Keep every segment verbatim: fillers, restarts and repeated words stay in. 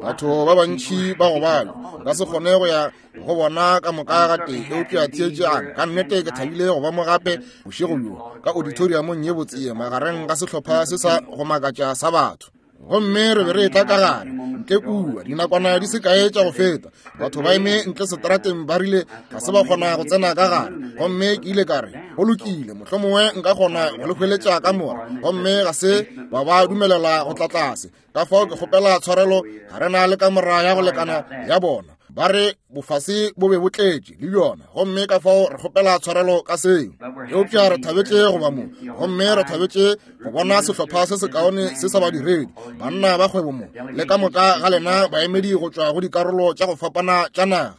Batho ba bantši ba go balwa nka se kgone go ya go bona ka moka ga tee, eupša theetšang, ka nnete ke thabile go ba mo gape bošego bjo ka auditoriumong ye botse ye magareng ga sehlopha se sa go makatša sa batho. Gomme re be re etla ka gare ntle kua dinakwana di se kae tša go feta, batho ba eme ntle seterateng ba rile ga se ba kgona go tsena ka gare. Gomme ke ile ka re go lokile, mohlomongwe nka kgona go le hweletša ka mora, gomme ga se ba ba dumelela go tla tlase. Ka fao ke kgopela tshwarelo, ga re na le kamora ya go lekana ya bona, ba re bofase bo be bo tletše le bjona, gomme ka fao re kgopela tshwarelo ka seo. Eupša re thabetše go ba mo, gomme re thabetše go bona sehlopha se sekaone se sa badiredi, banna ba kgwebo mo, le ka moka ga lena baemedi go tšwa go dikarolo tša go fapana tša naga.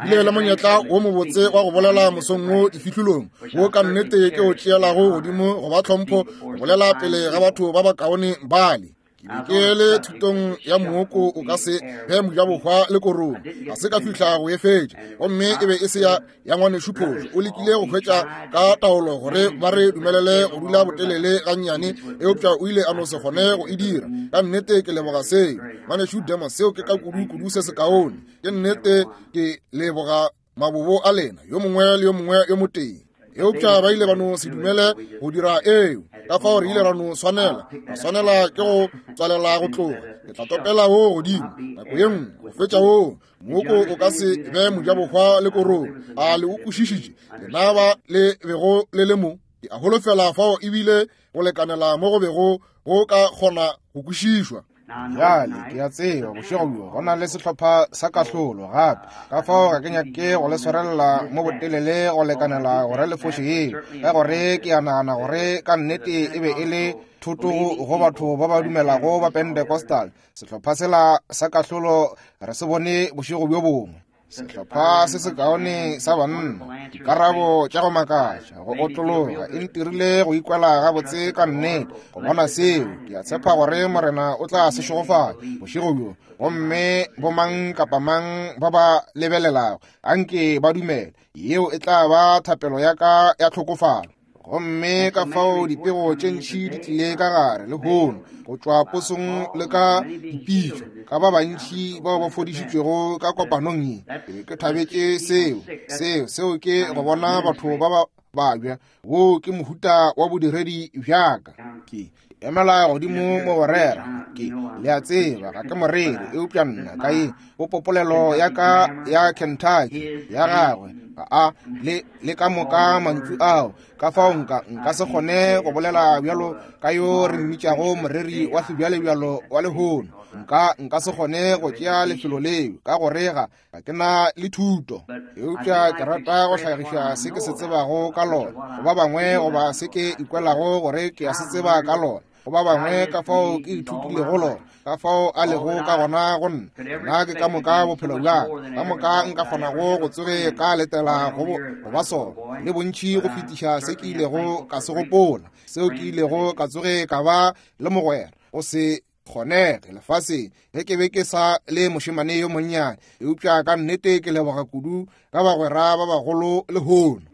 Bile le monyetla wo mobotse wa go bolela mosong wo difihlolong, wo ka nnete ke o tšeelago godimo go ba tlhompho go bolela pele ga batho ba bakaone bale. Ke be ke le thutong ya mooko o ka se be mojabohwa le korong, ga se ka fihla go e fetša, gomme e be e se ya ya ngwanešu Phošo. O lekile go hwetša ka taolo gore ba re dumelele go dula botelele gannyane, eupša o ile a no se kgone go e dira. Ka nnete ke leboga seo, ngwanešu Demos, seo ke ka kudu-kudu se sekaone. Ke nnete ke leboga mabobo a lena, yo mongwe le yo mongwe yo motee. Eupša ba ile ba no se dumele go dira eo, ka fao re ile ra no swanela ra swanela ke go tswalela go tloga. Ke tla topela wo godimo nako ye nngwe go fetša wo mooko o ka se be mojabohwa le korong. A le o kwešišitše lena ba le bego le le mo? Ke a holofela fao ebile go lekanela mo go bego go ka kgona go kwešišwa. Bjale ke a tseba bošego bjo go na le sehlopha sa kahlolo gape, ka fao ga ke nyake go le swarelela mo botelele go lekanela gore le foše yeo, ka gore ke a nagana gore ka nnete e be e le thoto go batho ba ba dumelago ba Pentecostal. Sehlopha sela sa kahlolo re se bone bošego bjo bongwe. Sehlopha se sekaone sa banna, dikarabo tša go makatša, go otlologa, e ntirile go ikwela gabotse ka nnete go bona seo. Ke a tshepa gore Morena o tla se šegofatša bošego bjo, gomme bomang kapa mang ba ba lebelelago anke ba dumele. Yeo e tla ba thapelo ya ka ya tlhokofalo. Gomme ka fao dipego tše ntši di tlile ka gare lehono go tšwa posong le ka dipitšo ka ba bantši bao ba fodišitšwego ka kopanong ye. Ke be ke thabetše seo, seo, seo ke go bona batho ba ba babja. Wo ke mohuta wa bodiredi bjaka. Ke emela godimo mo go rera, ke le a tseba ga ke moreri, eupša nna ka ye go popolelo ya ka ya Kentucky ya gagwe ga a le le ka moka mantšu ao, ka fao nka nka se kgone go bolela bjalo ka yo re mmitšago moreri wa sebjalebjalo wa lehono. Nka nka se kgone go tšea lefelo leo ka gore ga ga ke na le thuto, eupša ke rata go hlagiša se ke se tsebago ka lona go ba bangwe, goba se ke ikwelago gore ke a se tseba ka lona go ba bangwe, ka fao ke ithutilego lona, ka fao a lego ka gona go nna. Nna ke ka moka bophelo bja ka moka nka kgonago go tsoge ka letela go go ba sona, le bontši go fetiša se ke ilego ka se gopola, seo ke ilego ka tsoge ka ba le mogwera go se kgonege lefaseng ge ke be ke sa le mošemane yo monnyane. Eupša ka nnete ke leboga kudu ka bagwera ba bagolo lehono.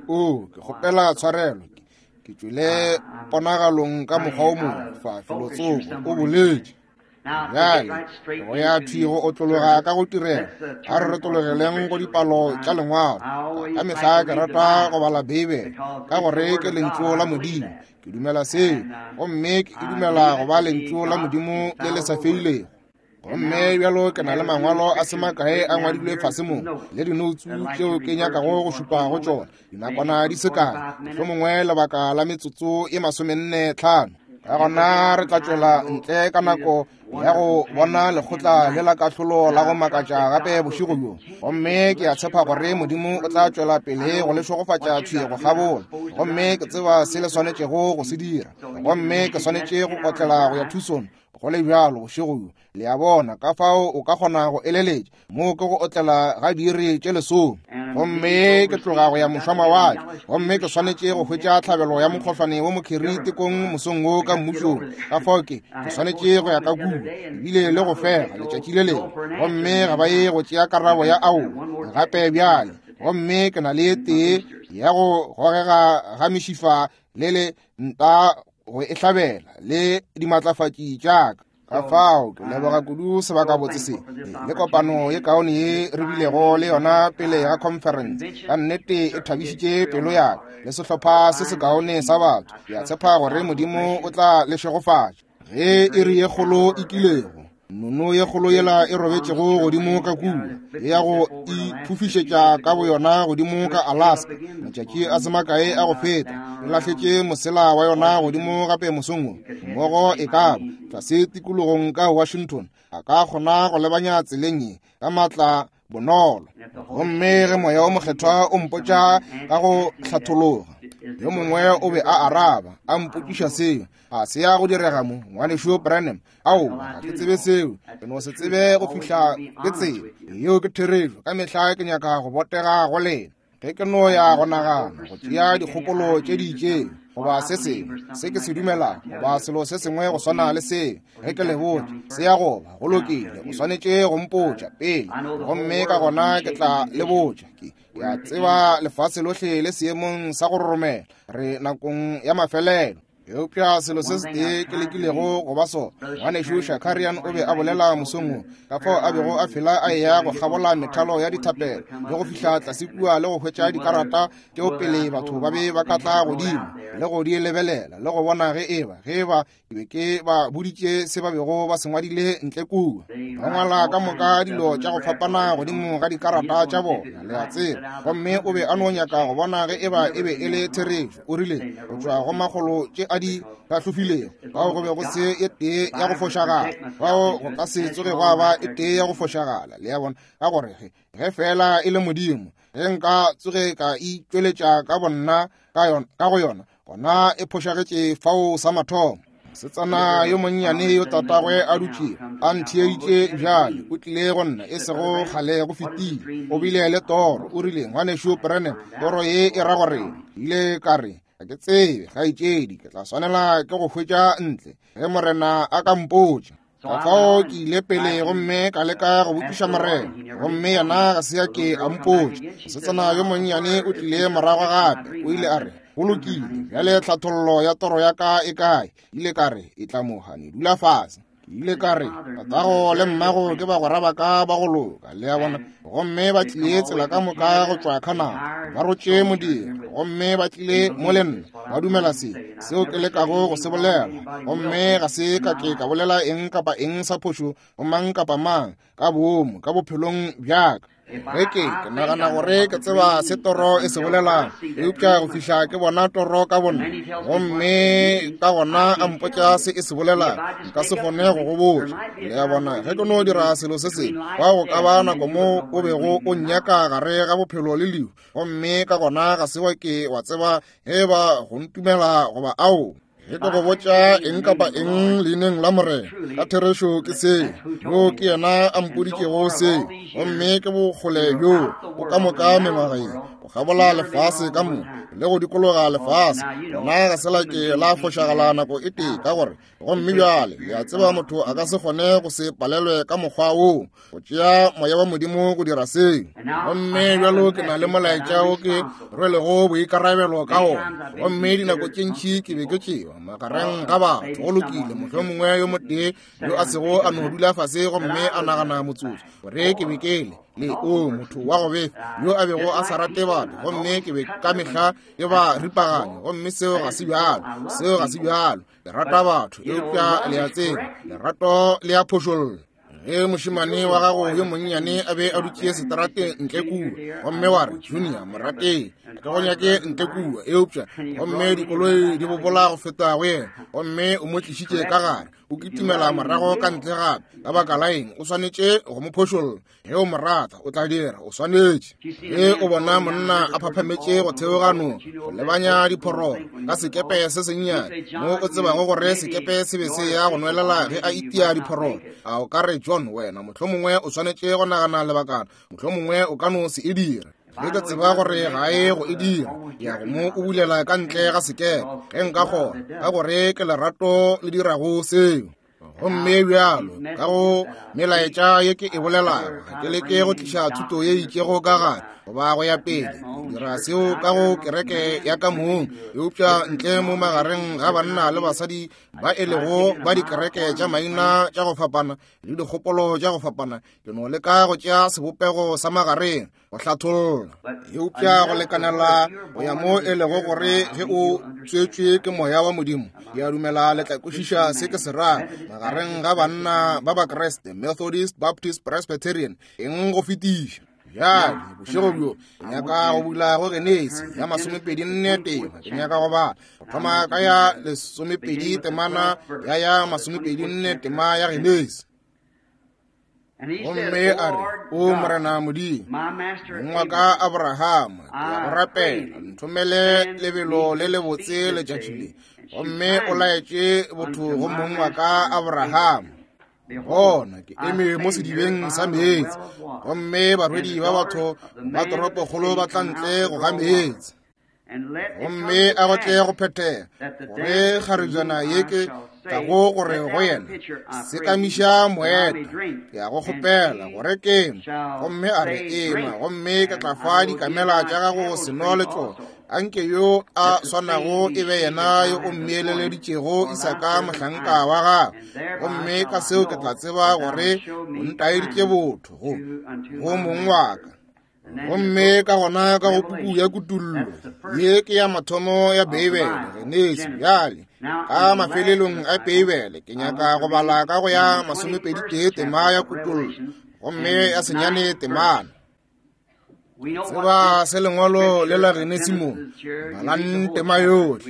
O ke kgopela tshwarelo, ke tšwele ponagalong ka mokgwa o mongwe fa felotsoko, o boletše. Bjale go ya thwi go otlologa ka go tirela, a re retologeleng go dipalo tša lengwalo. Ka mehla ke rata go bala Beibele ka gore ke lentšu la Modimo. Ke dumela seo, gomme ke dumela go ba lentšu la Modimo le le sa feilego. Gomme bjalo ke na le mangwalo a se makae a ngwadilwe fase mo, le dinoutsu tšeo ke nyakago go šupa go tšona dinakwana di se kae, mohlomongwe lebaka la metsotso e masomenne tlhano. Ka gona re tla tšwela ntle ka nako ya go bona lekgotla le la kahlolo la go makatša gape bošego bjo. Gomme ke a tshepa gore Modimo o tla tšwela pele go le šegofatša thwi go kgabola. Gomme ke tseba se le swanetšego go se dira, gomme ke swanetše go otlela go ya Tucson go le bjalo bošego bjo. Le a bona, ka fao o ka kgona go eleletša moo ke go otlela ga diiri tše lesome. Gomme ke tloga go ya mošwamawatle, gomme ke swanetše go hwetša tlhabelo ya mokgohlwane wo mokheri tekong mosong wo ka mmušong. Ka fao ke ke swanetše go ya ka kua ebile le go fega letšatši le lengwe, gomme ga ba ye go tšea karabo ya aowa gape bjale. Gomme ke na le tee ya go gogega ga mešifa le le nta go e hlabela le dimatlafatši tša ka. Ka fao ke leboga kudu sebakabotse se le kopano ye kaone ye re bilego le yona pele ga conference. Ka nnete e thabišitše pelo ya ka le sehlopha se se kaone sa batho. Ke a tshepa gore Modimo o tla le šegofatša. Ge iri ye kgolo e kilego, nono ye kgolo yela e robetšego godimo ka kua, e ya go iphufišetša ka boyona godimo ka Alaska matšatši a se makae a go feta, e lahletše mosela wa yona godimo gape mosong wo, mmogo e ka ba tlase tikologong ka Washington, a ka kgona go lebanya tseleng ye ka maatla bonolo. Gomme ge Moya o Mokgethwa o mpotša ka go hlathologa, yo mongwe o be a araba a mpotšiša seo, a se ya go direga mo, ngwanešu Branham? Aowa, ga ke tsebe seo, ke no se tsebe go fihla ke tsebe. Yeo ke therešo. Ka mehla ke nyaka go botega go lena. Ge ke no ya go nagana go tšea dikgopolo tše di itšeng goba se sengwe se ke se dumelago goba selo se sengwe go swana le seo, ge ke le botša se ya goba go lokile, o swanetše go mpotša pele, gomme ka gona ke tla le botša. Ke ke a tseba lefase lohle le seemong sa go roromela, re nakong ya mafelelo. Eupša selo se setee ke lekilego go ba sona, ngwanešu Shakarian o be a bolela mosong wo, ka fao a bego a fela a eya go kgabola methalo ya dithapelo le go fihla tlase kua le go hwetša dikarata tšeo pele batho ba be ba ka tla godimo le go di lebelela le go bona ge eba ge eba ke be ke ba boditše se ba bego ba se ngwadile ntle kua. Ba ngwala ka moka dilo tša go fapana godimo ga dikarata tša bona, le a tseba. Gomme o be a no nyaka go bona ge eba e be e le therešo. O rile go tšwa go makgolo tše a di hlahlofilego, fao go be go se e tee ya go fošagala, fao go ka se tsoge gwa ba e tee ya go fošagala. Le a bona, ka gore ge ge fela e le Modimo, ge nka tsoge ka itšweletša ka bonna ka yona, ka go yona, gona e phošagetše fao sa mathomo. Mosetsana yo monnyane yo tatagwe a dutše a ntheeditše bjale, o tlile go nna e sego kgale go fetile. O bile le toro. O rile, ngwanešu Branham, toro ye e ra gore? Ile ka re, ga ke tsebe, kgaetšedi, ke tla swanela ke go hwetša ntle ge Morena a ka mpotša. Ka fao ke ile pele gomme ka leka go botšiša Morena, gomme yena ga se ya ke a mpotša. Mosetsana yo monnyane o tlile morago gape, o ile a re, go lokile, bjale tlhathollo ya toro ya ka e kae? Ile ka re, e tla mogane, dula fase. Ke ile ka re, tatago le mmago ke bagwera ba ka ba go loka, le a bona, gomme ba tlile tsela ka moka go tšwa Canada, ba rotše modiro, gomme ba tlile mo le nna, ba dumela se seo ke lekago go se bolela, gomme ga se ka ke ka bolela eng kapa eng sa phošo go mang kapa mang ka boomo ka bophelong bja ka. Ge ke ke nagana gore ke tseba se toro e se bolelang, eupša go fihla ke bona toro ka bonna, gomme ka gona a mpotša se e se bolelang, nka se kgone go go botša. Le a bona, ge ke no dira selo se sengwe, fao go ka ba nako mo o bego o nnyaka gare ga bophelo le lehu, gomme ka gona ga se wa ke wa tseba ge ba go ntumela goba ao. Ge ke go botša eng kapa eng leineng la Morena, ka therešo ke seo, yo ke yena a mpoditšego seo, gomme ke bokgole bjo bo ka moka mengwaga ye, go kgabola lefase ka moka le go dikologa lefase, gona ga se la ke la fošagala nako e tee, ka gore gomme bjale le a tseba motho a ka se kgone go se palelwe ka mokgwa woo, go tšea moya wa Modimo go dira seo. Gomme bjalo ke na le molaetša wo ke rwelego boikarabelo ka wona, gomme dinako tše ntši ke be ke tšewa magareng ga batho. Go lokile, mohlomongwe yo motee yo a sego a no dula fase gomme a nagana motsotso gore ke be ke le le o motho wa go befa yo a bego a sa rate batho, gomme ke be ka mehla ke ba ripaganya, gomme seo ga se bjalo, seo ga se bjalo. Le rata batho, eupša le a tseba lerato le a phošolla. Ge mošemane wa gago yo monnyane a be a dutše seterateng ntle kua, gomme wa re, Junior, morateng, ga ke go nyake ntle kua, eupša gomme dikoloi di bobola go feta go yena, gomme o mo tlišitše ka gare, o kitimela morago ka ntle gape, ka baka la eng? O swanetše go mo phošolla. Ge o mo rata, o tla dira, o swanetše. Ge o bona monna a phaphametše go theoga noka, go lebanya diphororo ka sekepe se sennyane, mo o tsebago gore sekepe se be se ya go nwelela ge a itia diphororo, a o ka re, John, wena mohlomongwe o swanetše go nagana lebakana, mohlomongwe o ka no se e dira. Ge ke tseba gore ga e go e dira, ke ya go mo o bulela ka ntle ga sekepe ge nka kgona, ka gore ke lerato le dirago seo. Gomme bjalo ka go melaetša ye ke e bolelago, ga ke leke go tliša thuto ye itšego ka gare goba go ya pele. Ke dira seo ka go kereke ya ka mong, eupša ntle mo magareng ga banna le basadi ba e lego ba dikereke tša maina tša go fapana le dikgopolo tša go fapana, ke no leka go tšea sebopego sa magareng go hlatholla. Eupša go lekanela go ya mo e lego gore ge o tswetšwe ke moya wa Modimo, ke a dumela le tla kwešiša se ke se rago magareng ga banna ba Bakreste, Methodist, Baptist, Presbyterian, eng go fetiša. Bjale bošego bjo ke nyaka go bula go Genesi ya masomepedi nne tema. Ke nyaka go bala go thoma ka ya lesomepedi temana ya ya masomepedi nne tema ya Genesi. Gomme a re, O Morena Modimo, mong wa ka Abrahama, ke a go rapela, nthomele lebelo le lebotse letšatši le. Gomme o laetše botho go mong wa ka Abrahama. Bona, ke eme mo sedibeng sa meetse, gomme barwedi ba batho ba toropokgolo ba tla ntle go ga meetse. Gomme a go tle go phethega gore kgarejana ye ke tlago gore go yena, sekamiša moeta, ke a go kgopela gore ke nwe. Gomme a re, ema, gomme ke tla fa dikamela tša gago seno le tšona. Anke yo a swanago e be yena yo o mmeeleleditšego Isaka mohlanka wa gagwe. Gomme ka seo ke tla tseba gore o ntaeditše botho go go mong wa ka. Gomme ka gona ka go puku ya Kutullo, ye ke ya mathomo ya Beibele, Genesi. Bjale ka mafelelong a Beibele ke nyaka go bala ka go ya masomepedi tee tema ya Kutullo, gomme ya senyane temana. Tseba se lengwalo le la Genesi mo, balang tema yohle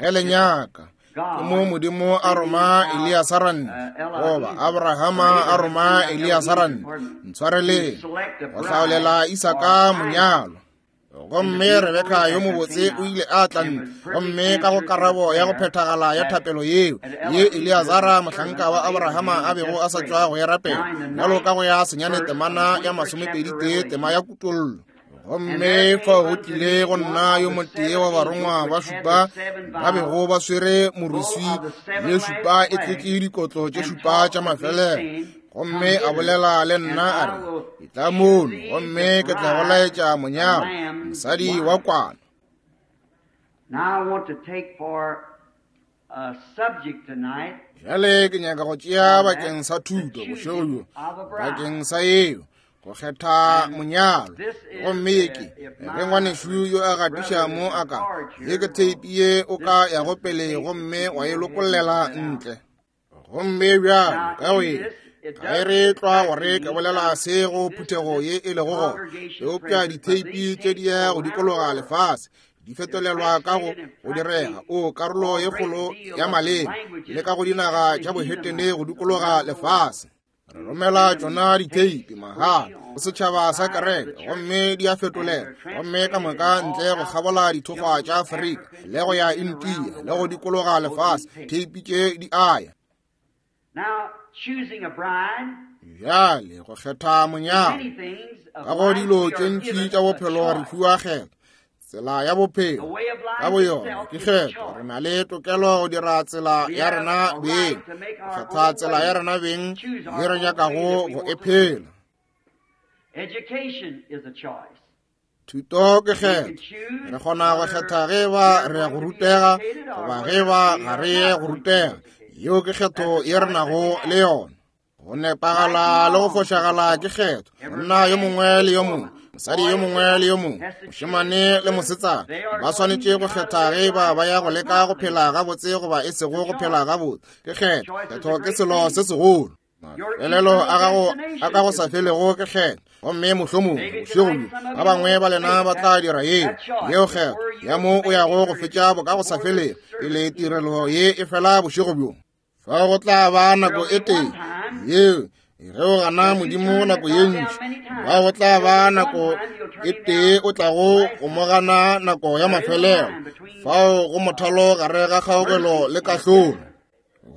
ge le nyaka. Ke mo Modimo a roma Eliasara nne, goba Abrahama a roma Eliasara nne, ntshwareleng, go hlaolela Isaka monyalo. Gomme Rebeka yo mobotse o ile a tla ntle, gomme ka go karabo ya go phethagala ya thapelo yeo ye Eliasara mohlanka wa Abrahama a bego a sa tšwa go e rapela, bjalo ka go ya senyane temana ya masomepedi tee tema ya Kutollo. Gomme fao go tlile go nna yo motee wa barongwa ba šupa ba bego ba swere moruswi ye šupa e tletše dikotlo tše šupa tša mafelelo. Gomme a bolela le nna a re, etla mono, gomme ke tla go laetša monyalo, mosadi wa kwana. Bjale ke nyaka go tšea bakeng sa thuto bošego bjo, bakeng sa yeo go kgetha monyalo. Gomme ye ke ge ngwanešu yo a gatiša mo a ka, ye ke theipi ye o ka yago pele gomme wa e lokollela ntle. Gomme bjalo ka go ye ga e re tlwa gore ke bolela se go phuthego ye e lego gona, eupša ditheipi tše di ya go dikologa lefase, di fetolelwa ka go go direga o karolo ye kgolo ya maleme le ka go dinaga tša bohetene go dikologa lefase. Re romela tšona ditheipi mahala go setšhaba sa kereke, gomme di a fetolela, gomme ka moka ntle go kgabola dithokgwa tša Afrika le go ya India le go dikologa lefase, theipi tše di aya. Bjale go kgetha monyalo, ka go dilo tše ntši tša bophelo re fiwa kgetho. Tsela ya bophelo ka boyona ke kgetho. Re na le tokelo go dira tsela ya rena beng, go kgetha tsela ya rena beng ye re nyakago go e phela. Thuto ke kgetho. Re kgona go kgetha ge ba re ya go rutega goba ge ba ga re ye go rutega. Yeo ke kgetho ye re nago le yona. Go nepagala le go fošagala ke kgetho. Monna yo mongwe le yo mongwe, mosadi yo mongwe le yo mongwe, mošemane le mosetsana ba swanetše go kgetha ge ba ba ya go leka go phela gabotse goba e sego go phela gabotse. Ke kgetho. Kgetho ke selo se segolo. Mafelelo a gago a ka go sa felego ke kgetho. Gomme mohlomongwe bošego bjo ba bangwe ba lena ba tla dira yeo yeo kgetho ya mo o yago go fetša boka go sa felego pele tirelo ye e fela bošego bjo. Fa go tla ba nako e tee yeo ge o gana Modimo nako ye ntši, ba go tla ba nako e tee o tlago go mo gana nako ya mafelelo. Fao go mothalo gare ga kgaogelo le kahlolo.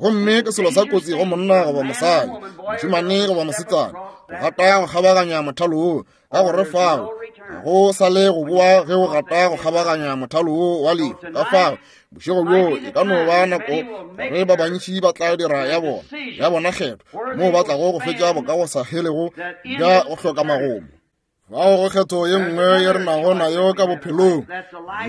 Gomme ke selo sa kotsi go monna goba mosadi, mošemane goba mosetsana, go gata go kgabaganya mothalo wo, ka gore fao ga go sa le go boa ge o gata go kgabaganya mothalo wo wa lefu. Ka fao bošego bjo e ka no ba nako gore ba bantši ba tla dira ya bona ya bona kgetho moo ba tlago go fetša boka go sa helego bja go hloka magomo. Fao go kgetho ye nngwe ye re nago nayo ka bophelong,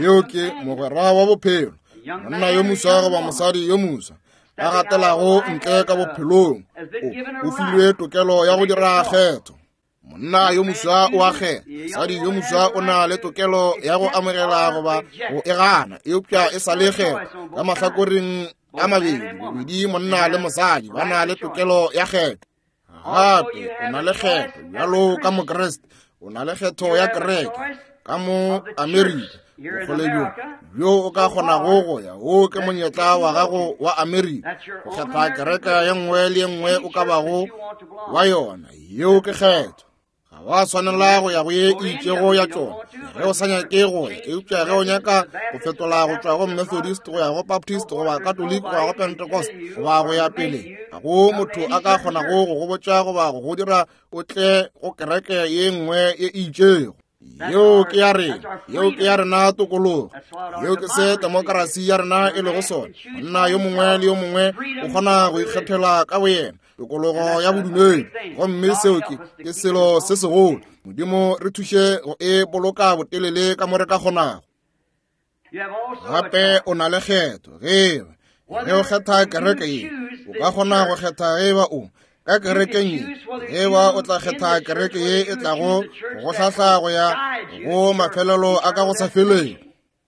yeo ke mogwera wa bophelo, monna yo moswa goba mosadi yo moswa a gatelago ntle ka bophelong, o, o filwe tokelo ya go dira kgetho. Monna yo moswa o a kgetha, mosadi yo moswa o na le tokelo ya go amogela goba go e gana, eupša e sa le kgetho ka mahlakoreng a mabedi, bobedi monna le mosadi ba na le tokelo ya kgetho. Gape o na le kgetho bjalo ka Mokriste, o na le kgetho ya kereke ka mo Amerika, bokgole bjo bjo o ka kgonago go ya, wo ke monyetla wa gago wa Amerika go kgetha kereke ye nngwe le ye nngwe o ka bago wa yona. Yeo ke kgetho. Ga wa swanela go ya go ye e itšego ya tšona ge o sa nyake go ya, eupša ge o nyaka go fetola go tšwa go Methodist go ya go Baptist goba Catholic go ya go Pentecost goba go ya pele, ga go motho a ka kgonago go go botša goba go go dira o tle go kereke ye nngwe ye e itšego. Yeo ke ya rena, yeo ke ya rena tokologo, yeo ke se demokrasi ya rena e lego sona. Monna yo mongwe le yo mongwe o kgona go ikgethela ka boyena tokologo ya bodumedi, gomme seo ke ke selo se segolo. Modimo re thuše go e boloka botelele ka mo re ka kgonago. Gape o na le kgetho ge ge o kgetha kereke ye, o ka kgona go kgetha ge ba o ka kerekeng ye, ge ba o tla kgetha kereke ye e tlago go hlahla go ya go mafelelo a ka go sa feleng.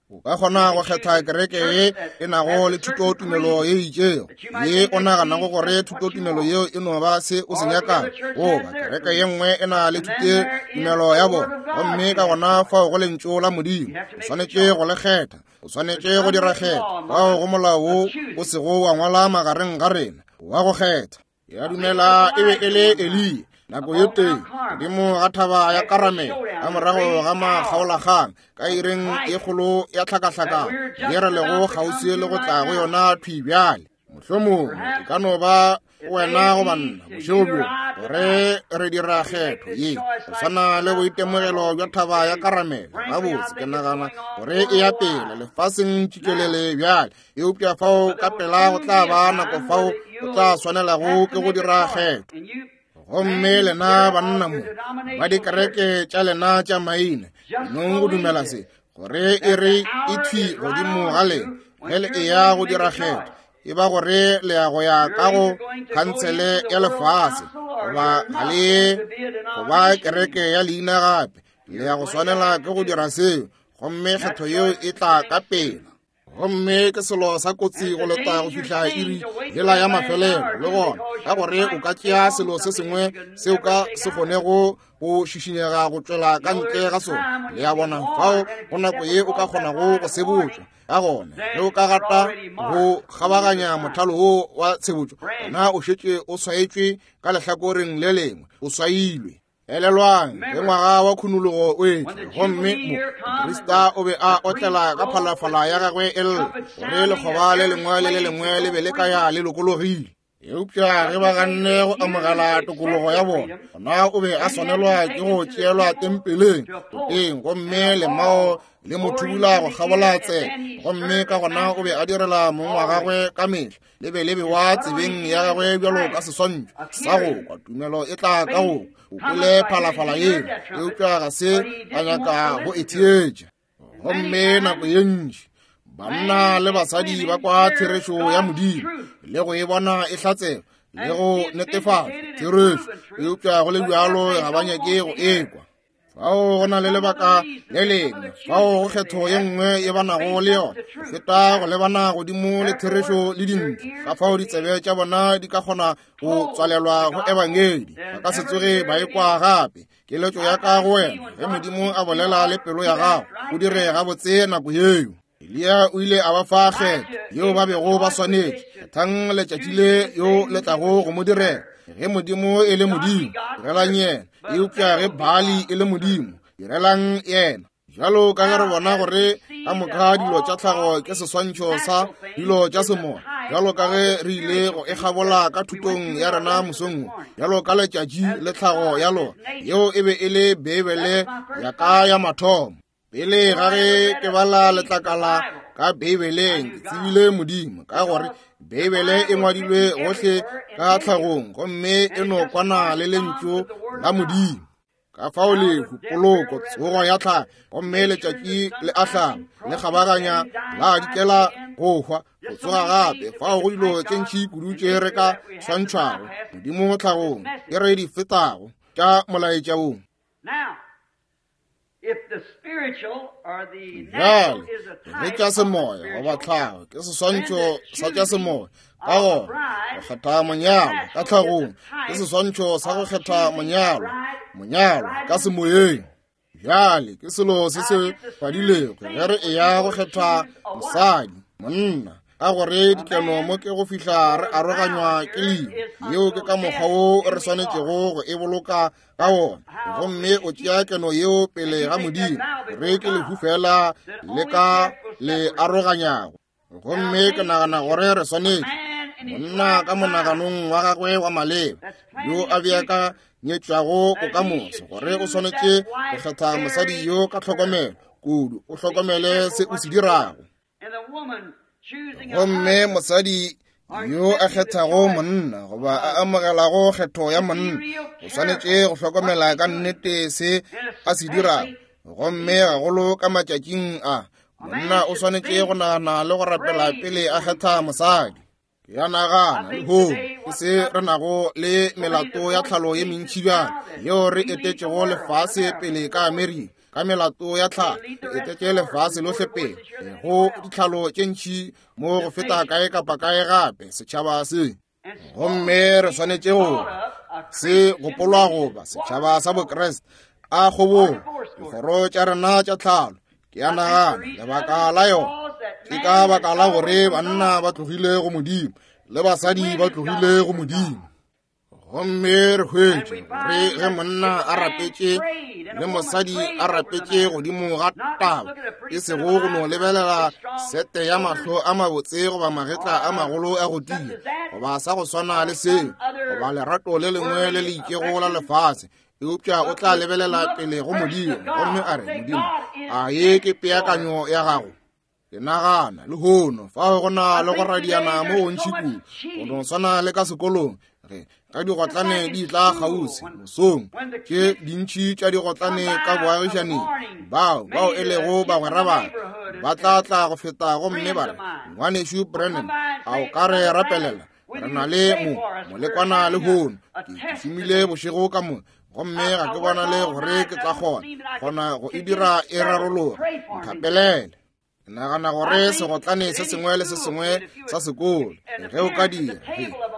O ka kgona go kgetha kereke ye e nago le thutotumelo ye itšego, ye o naganago gore thutotumelo yeo e no ba se o se nyakago, goba kereke ye nngwe e na le thutotumelo ya bona, gomme ka gona fao go lentšu la Modimo. O swanetše go le kgetha, o swanetše go dira kgetho. Fao go molao wo o sego wa ngwala magareng ga rena wa go kgetha. Ya dumela e be e le Eliya nako ye tee godimo ga thaba ya Karamele, ka morago ga makgaolakgang, ka ireng e kgolo ya tlhakahlakano ye re lego kgauswi le go tla go yona thwi bjale. Mohlomongwe e ka no ba wena goba nna bošego bjo gore re dira kgetho ye go swana le boitemogelo bja thaba ya Karamele. Gabotse ke nagana gore e ya pele lefaseng tšikelele bjale, eupša fao ka pela go tla ba nako fao o tla swanelago ke go dira kgetho. Gomme lena banna mo ba dikereke tša lena tša maina, nong go dumela se gore e re e thwi godimo ga lena ge le eya go dira kgetho, e ba gore le ya go ya ka go khansele ya lefase goba ga le ye goba kereke ya leina gape, le ya go swanela ke go dira seo, gomme kgetho yeo e tla ka pela. Gomme ke selo sa kotsi go leta go fihla iri yela ya mafelelo le gona, ka gore o ka tšea selo se sengwe seo ka se kgonego go šišinyega go tšwela ka ntle ga sona. Le ya bona, fao go nako ye o ka kgonago go sebotša. Ka gona ge o ka gata go kgabaganya mothalo wo wa tshebotšo, gona o šetše o swaetšwe ka lehlakoreng le lengwe, o swailwe. Elelwang ge ngwaga wa khunologo o etla, gomme moprista o be a otlela ka phalafala ya gagwe e lla gore lekgoba le lengwe le le lengwe le be le ka ya le lokologile. Eupša ge ba ganne go amogela tokologo ya bona, gona o be a swanelwa ke go tšeelwa tempeleng toteng, gomme lemao le mo thubula go kgabola tsela, gomme ka gona o be a direla mong wa gagwe ka mehla, le be le bewa tsebeng ya gagwe bjalo ka seswantšho sa go kwa. Tumelo e tla ka go o kwele phalafala yeo, eupša ga se a nyaka go e theetša. Gomme nako ye ntši banna le basadi ba kwa therešo ya Modimo le go e bona e hlatsela le go netefatša therešo, eupša go le bjalo ga ba nyake go e kwa. Fao go na le lebaka le lengwe, fao go kgetho ye nngwe ye ba nago le yona go feta go lebana godimo le therešo le dintle. Ka fao ditsebe tša bona di ka kgona go tswalelwa go ebangedi, ba ka se tsoge ba ekwa gape. Keletšo ya ka go wena, ge Modimo a bolela le pelo ya gago, o dire gabotse nako yeo. Eliya o ile a ba fa kgetho yeo ba bego ba swanetše. Kgethang letšatši le yo le tlago go mo direla. Ge Modimo e le Modimo, direlang yena, eupša ge Baali e le Modimo, direlang yena. Bjalo ka ge re bona gore ka moka dilo tša tlhago ke seswantšho sa dilo tša semoya, bjalo ka ge re ile go e kgabola ka thutong ya rena mosong wo, bjalo ka letšatši le tlhago ya lona, yeo e be e le Beibele ya ka ya mathomo. Pele ga ge ke bala letlakala ka Beibeleng, ke tsebile Modimo, ka gore Beibele e ngwadilwe gohle ka tlhagong, gomme e no kwana le lentšu la Modimo. Ka fao lehu, poloko, tsogo ya tlhago, gomme letšatši le a hlaba, le kgabaganya, la dikela go hwa, go tsoga gape. Fao go dilo tše ntši kudu tše re ka swantšhwago Modimo tlhagong, ke re di fetago tša molaetša wo. Bjale, ge tša semoya goba tlhago ke seswantšho sa tša semoya, ka gona go kgetha monyalo ka tlhagong ke seswantšho sa go kgetha monyalo, monyalo ka semoyeng. Bjale ke selo se se fadilego ge re eya go kgetha mosadi, monna, ka gore dikeno mo ke go fihla re aroganywa ke lehu. Yeo ke ka mokgwa wo re swanetšego go e boloka ka wona, gomme o tšea keno yeo pele ga Modimo, gore ke lehu fela le ka le aroganyago. Gomme ke nagana gore re swanetše monna ka monaganong wa gagwe wa maleba, yo a beakanyetšwago bokamoso, gore o swanetše go kgetha mosadi yo ka tlhokomelo kudu, o hlokomele se o se dirago. Gomme mosadi yo a kgethago monna goba a amogelago kgetho ya monna, o swanetše go hlokomela ka nnete se a se dirago. Gomme gagolo ka matšatšing a, monna o swanetše go nagana le go rapela pele a kgetha mosadi. Ke a nagana lehono ke se re nago le melato ya tlhalo ye mentši bjalo yeo re etetšego lefase pele ka Amerika. Ka melato ya tlhalo re etetše lefase lohle pele go ditlhalo tše ntši mo go feta kae kapa kae gape setšhaba se. Gomme re swanetše go se gopolwa goba setšhaba sa Bokreste a kgobong dikgoro tša rena tša tlhalo. Ke a nagana lebaka la yona ke ka baka la gore banna ba tlogile go Modimo le basadi ba tlogile go Modimo. Gomme re hwetše gore ge monna a rapetše le mosadi a rapetše godimo ga taba, e sego go no lebelela sete ya mahlo a mabotse goba magetla a magolo a go tia, goba sa go swana le seo, goba lerato le lengwe le le itšego la lefase, eupša o tla lebelela pele go Modimo gomme a re, Modimo, a ye ke peakanyo ya gago? Ke nagana lehono fao go na le go radiana mo gontši kudu, go no swana le ka sekolong, ge ka digotlane di tla kgauswi mosong, tše dintši tša digotlane ka boagišaneng, bao bao e lego bagwera ba ba tla tla go feta gomme ba re, Ngwanešu Brennan, a o ka re rapelela? Re na le mo molekwana lehono, ke šomile bošego ka mo, gomme ga ke bona le gore ke tla kgona kgona go e dira e rarologa, nthapelele. Ke nagana gore segotlane se sengwe le se sengwe sa sekolo ge o ka dira,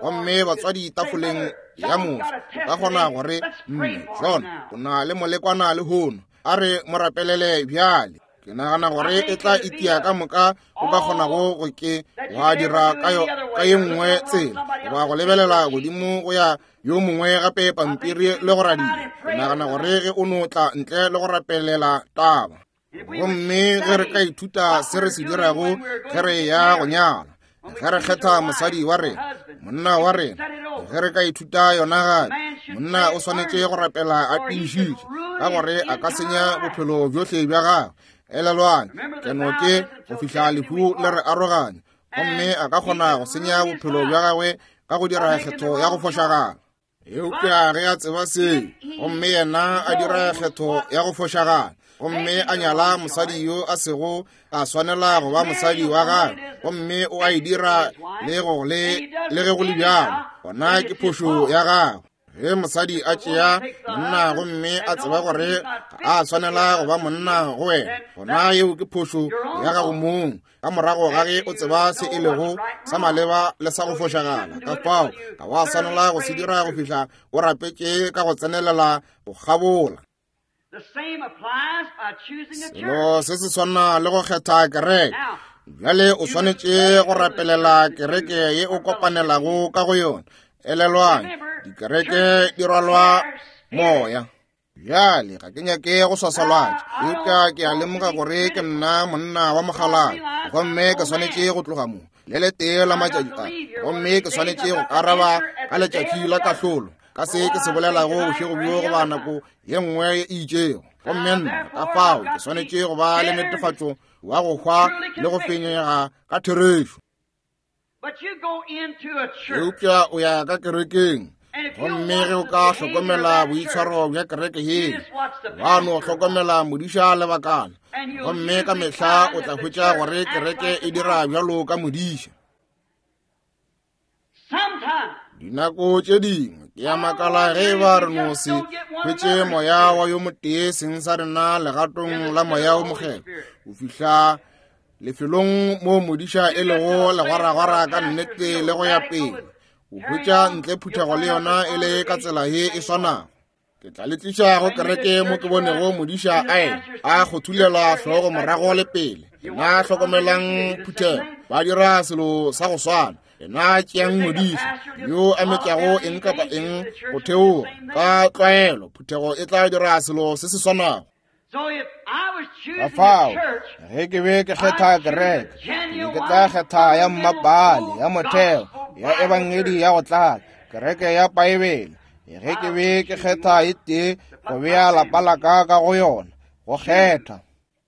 gomme batswadi tafoleng ya moso, o ka kgona gore, mme John o na le molekwana lehono, a re mo rapelele bjale. Ke nagana gore e tla itia ka moka o ka kgonago go ke wa dira ka yo ka ye nngwe tsela, goba go lebelela godimo go ya yo mongwe gape pampiri le go radia. Ke nagana gore ge o no tla ntle le go rapelela taba. Gomme ge re ka ithuta se re se dirago ge re ya go nyala, ge re kgetha mosadi wa rena, monna wa rena, ge re ka ithuta yona gape, monna o swanetše go rapela a tiišitše, ka gore a ka senya bophelo bjohle bja gagwe. Elelwang, keno ke go fihla lehu le re aroganya, gomme a ka kgona go senya bophelo bja gagwe ka go dira kgetho ya go fošagala. Eupša ge a tseba seo, gomme yena a dira kgetho ya go fošagala, gomme a nyala mosadi yo a sego a swanela go ba mosadi wa gagwe, gomme o a e dira le go le le ge go le bjalo, gona ke phošo ya gagwe. Ge mosadi a tšea monna gomme a tseba gore ga a swanela go ba monna go wena, gona yeo ke phošo ya gago mong, ka morago ga ge o tseba se e lego sa maleba le sa go fošagala. Ka fao ga wa swanela go se dira go fihla o rapetše ka go tsenelela go kgabola. Selo se se swana le go kgetha kereke. Bjale o swanetše go rapelela kereke ye o kopanelago ka go yona. Elelwang, dikereke di rwalwa moya. Bjale ga ke nyake go swaswalatša, eupša ke a lemoga gore ke nna monna wa mogaladi, gomme ke swanetše go tloga mo le letee la matšatši a, gomme ke swanetše go araba ka letšatši la kahlolo ka se ke se bolelago bošego bjo goba nako ye nngwe e itšego. Gomme nna ka fao ke swanetše go ba le netefatšo wa go hwa le go fenyega ka therešo. Eupša o ya ka kerekeng, Gomme ge o ka hlokomela boitshwaro bja kereke ye, wa no hlokomela modiša lebakana, gomme ka mehla o tla hwetša gore kereke e dira bjalo ka modiša. Dinako tše dingwe ke a makala ge ba re no se hwetše moya wa yo motee seng sa rena legatong la moya o mokgethwa go fihla lefelong mo modiša e lego legwaragwara ka nnete le go ya pele, o hwetša ntle phuthego le yona e le ka tsela ye e swanago. Ke tla le tliša go kereke mo ke bonego modiša a ema a kgothulela hlogo morago le pele. Lena hlokomelang phuthego, ba dira selo sa go swana. Lena tšeang modiša yo a metšago eng kapa eng go theoga ka tlwaelo, phuthego e tla dira selo se se swanago. Ka fao, ge ke be ke kgetha kereke, ke be ke tla kgetha ya mmapale, ya motheo, ya ebangedi ya go tlala, kereke ya Paebele. Ge ke be ke kgetha e tee go bea lapa la ka ka go yona, go kgetha.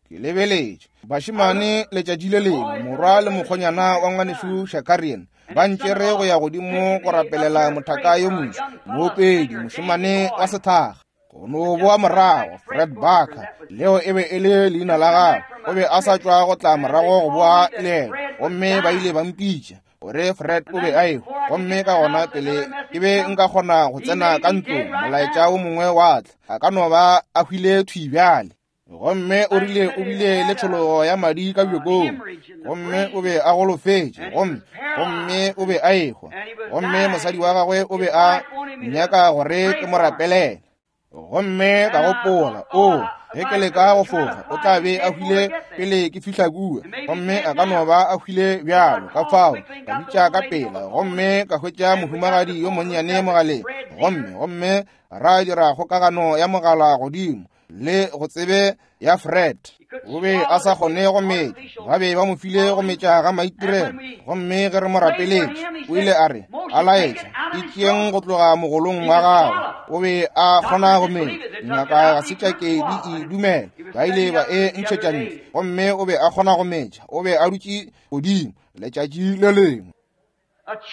Ke lebeletše bašemane letšatši le lengwe, morwa le mokgonyana wa ngwanešu Shakarian ba ntšere go ya godimo go rapelela mothaka yo moso, moopedi, mošemane wa sethakga. Go no boa morago, Fred Barker, leo e be e le leina la gagwe, o be a sa tšwa go tla morago go boa leeto, gomme ba ile ba mpitša gore Fred o be a ehwa. Gomme ka gona pele ke be nka kgona go tsena ka ntlong, molaetša o mongwe wa tla, a ka no ba a hwile thwi bjale. Gomme o rile o bile le tšhologo ya madi ka bjokong, gomme o be a golofetše, gomme gomme o be a ehwa, gomme mosadi wa gagwe o be a nyaka gore ke mo rapelele. Gomme ka gopola, o ge ke leka go fofa, o tla be a hwile pele ke fihla kua, gomme a ka no ba a hwile bjalo. Ka fao ka bitša ka pela, gomme ka hwetša mohumagadi yo monnyane mogaleng, gomme gomme ra dira kgokagano ya mogala godimo le go tsebe ya Fred. O be a sa kgone go metša, ba be ba mo file go metša ga maitirelo, gomme ge re mo rapeletše o ile a re a laetša e tšeeng go tloga mogolong wa gagwe. O be a kgona go metša, dingaka ga se tša ke di e dumela, ba ile ba e ntšhetša ntle, gomme o be a kgona go metša. O be a dutše godimo letšatši le lengwe.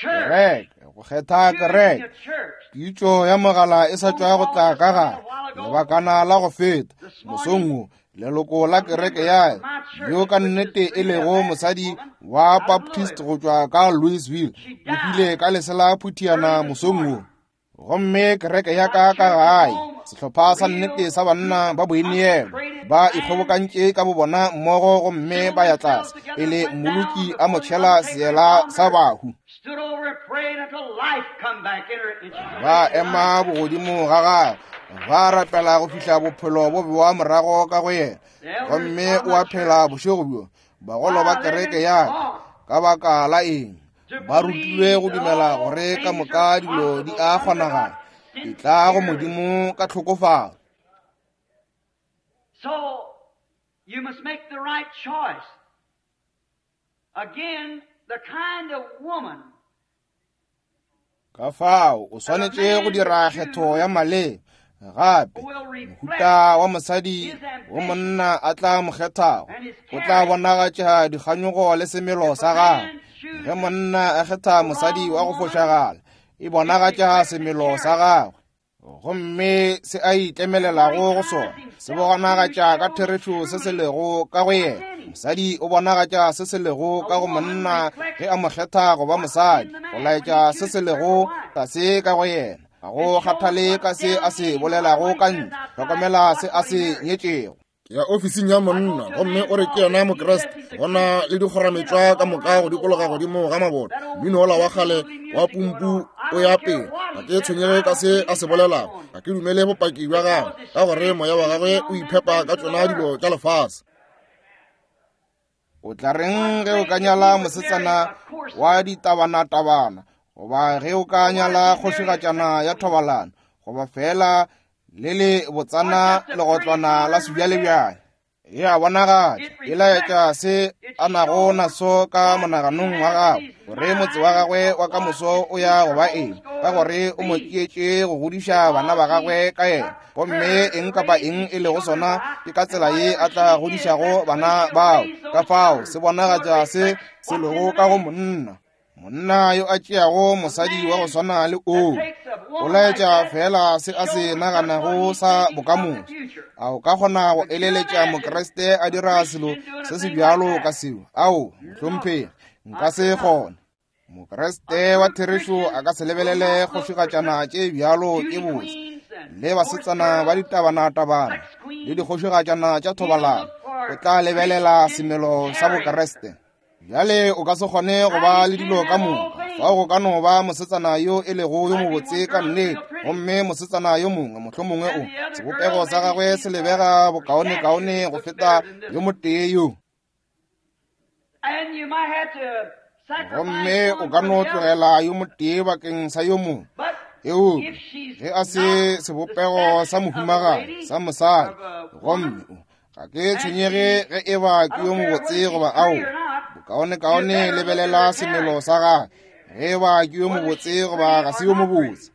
Kereke, go kgetha kereke. Pitšo ya mogala e sa tšwa go tla ka gare lebakana la go feta mosong wo, leloko la kereke ya yo ka nnete e lego mosadi wa Baptist go tšwa ka Louisville o hwile ka lesela phuthiana mosong wo. Gomme kereke ya ka ka gae, sehlopha sa nnete sa banna ba boineelo ba ikgobokantše ka bobona mmogo, gomme ba ya tlase pele mmoloki a mo tšhela seela sa bahu. Ba ema bogodimo ga gagwe, ba rapela go fihla bophelo bo bewa morago ka go yena, gomme o a phela bošego bjo. Bagolo ba kereke ya ka, ka baka la eng ba rutilwe go dumela gore ka moka dilo di a kgonagala, di tla go Modimo ka tlhokofalo. So you must make the right choice. Again, the kind of woman. Ka fao o swanetše go dira kgetho ya maleba. Gape mohuta wa mosadi wo monna a tla mo kgethago o tla bonagatša dikganyogo le semelo sa gagwe. Ge monna a kgetha mosadi wa go fošagala, e bonagatša semelo sa gagwe, gomme se a itlemelelago go sona se bonagatša ka therešo se se lego ka go yena. Mosadi o bonagatša se se lego ka go monna ge a mo kgetha go ba mosadi, go laetša se se lego tlase ka go yena. Ga go kgathale ka se a se bolelago ka ntle, hlokomela se a se nyetšego. Ke ya ofising ya monna, gomme o re ke yena Mokriste, gona le dikgorametšwa ka moka go dikologa godimo ga maboto, mmino ola wa kgale wa pumpu o ya pele. Ga ke tshwenyege ka se a se bolelago, ga ke dumele bopaki bja gagwe, ka gore moya wa gagwe o iphepa ka tšona dilo tša lefase. O tla reng ge o ka nyala mosetsana wa ditabanatabana, goba ge o ka nyala kgošigatšana ya thobalano, goba fela le le botsana legotlwana la sebjalebjale? E a bonagatša, e laetša se a nago naso ka monaganong wa gagwe, gore motse wa gagwe wa ka moso o ya go ba eng, ka gore o mo tšeetše go godiša bana ba gagwe ka yena. Gomme eng kapa eng e lego sona, ke ka tsela ye a tla godišago bana bao. Ka fao se bonagatša se se lego ka go monna. Monna yo a tšeago mosadi wa go swana le oo o laetša fela se a se naganago sa bokamoso. A o ka kgona go eleletša Mokriste a dira selo se se bjalo ka seo? Ao, mohlomphegi, nka se kgone. Mokriste wa therešo a ka se lebelele kgošigatšana tše bjalo tše botse le basetsana ba ditabana-tabana le dikgošigatšana tša thobalano. O tla lebelela semelo sa Bokriste. Bjale o ka se kgone go ba le dilo ka moka. Fao go ka no ba mosetsana yo e lego yo mobotse ka nnete, gomme mosetsana yo mongwe mohlomongwe o sebopego sa gagwe se lebega bokaonekaone go feta yo motee yo. Gomme o ka no tlogela yo motee bakeng sa yo mongwe. Eupša ge a se sebopego sa mohumagadi sa mosadi, gomme o ga ke tshwenyege ge e ba ke yo mobotse goba ao, bokaonekaone lebelela semelo sa gagwe, ge e ba ke yo mobotse goba ga se yo mobotse.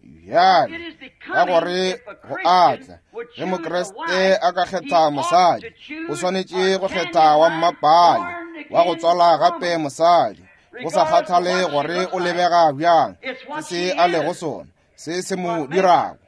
Bjale ka gore go atla ge Mokriste a ka kgetha mosadi, o swanetše go kgetha wa mmapale, wa go tswala gape mosadi, go sa kgathale gore o lebega bjang, ke se a lego sona, se se mo dirago.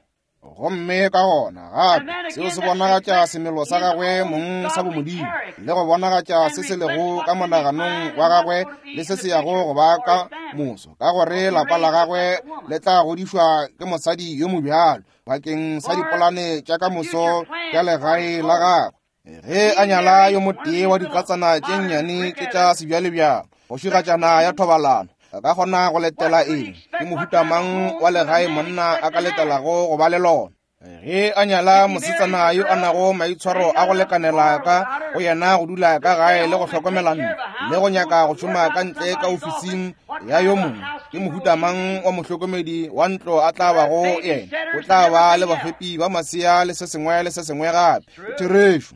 Gomme ka gona gape seo se bonagatša semelo sa gagwe mong sa bomodimo, le go bonagatša se se lego ka monaganong wa gagwe le se se yago go ba ka moso, ka gore lapa la gagwe le tla godišwa ke mosadi yo mobjalo bakeng sa dipolane tša ka moso tša legae la gagwe. Ge a nyala yo motee wa dikatsana tše nnyane tše tša sebjalebjalo, kgošigatšana ya thobalano, a ka kgona go letela eng? Ke mohuta mang wa legae monna a ka letelago go ba le lona? Ge a nyala mosetsana yo a nago maitshwaro a go lekanela ka go yena go dula ka gae le go hlokomela ntlo le go nyaka go šoma ka ntle ka ofising ya yo mongwe, ke mohuta mang wa mohlokomedi wa ntlo a tla bago yena? O tla ba le bafepi ba masea le se sengwe le se sengwe gape. Therešo.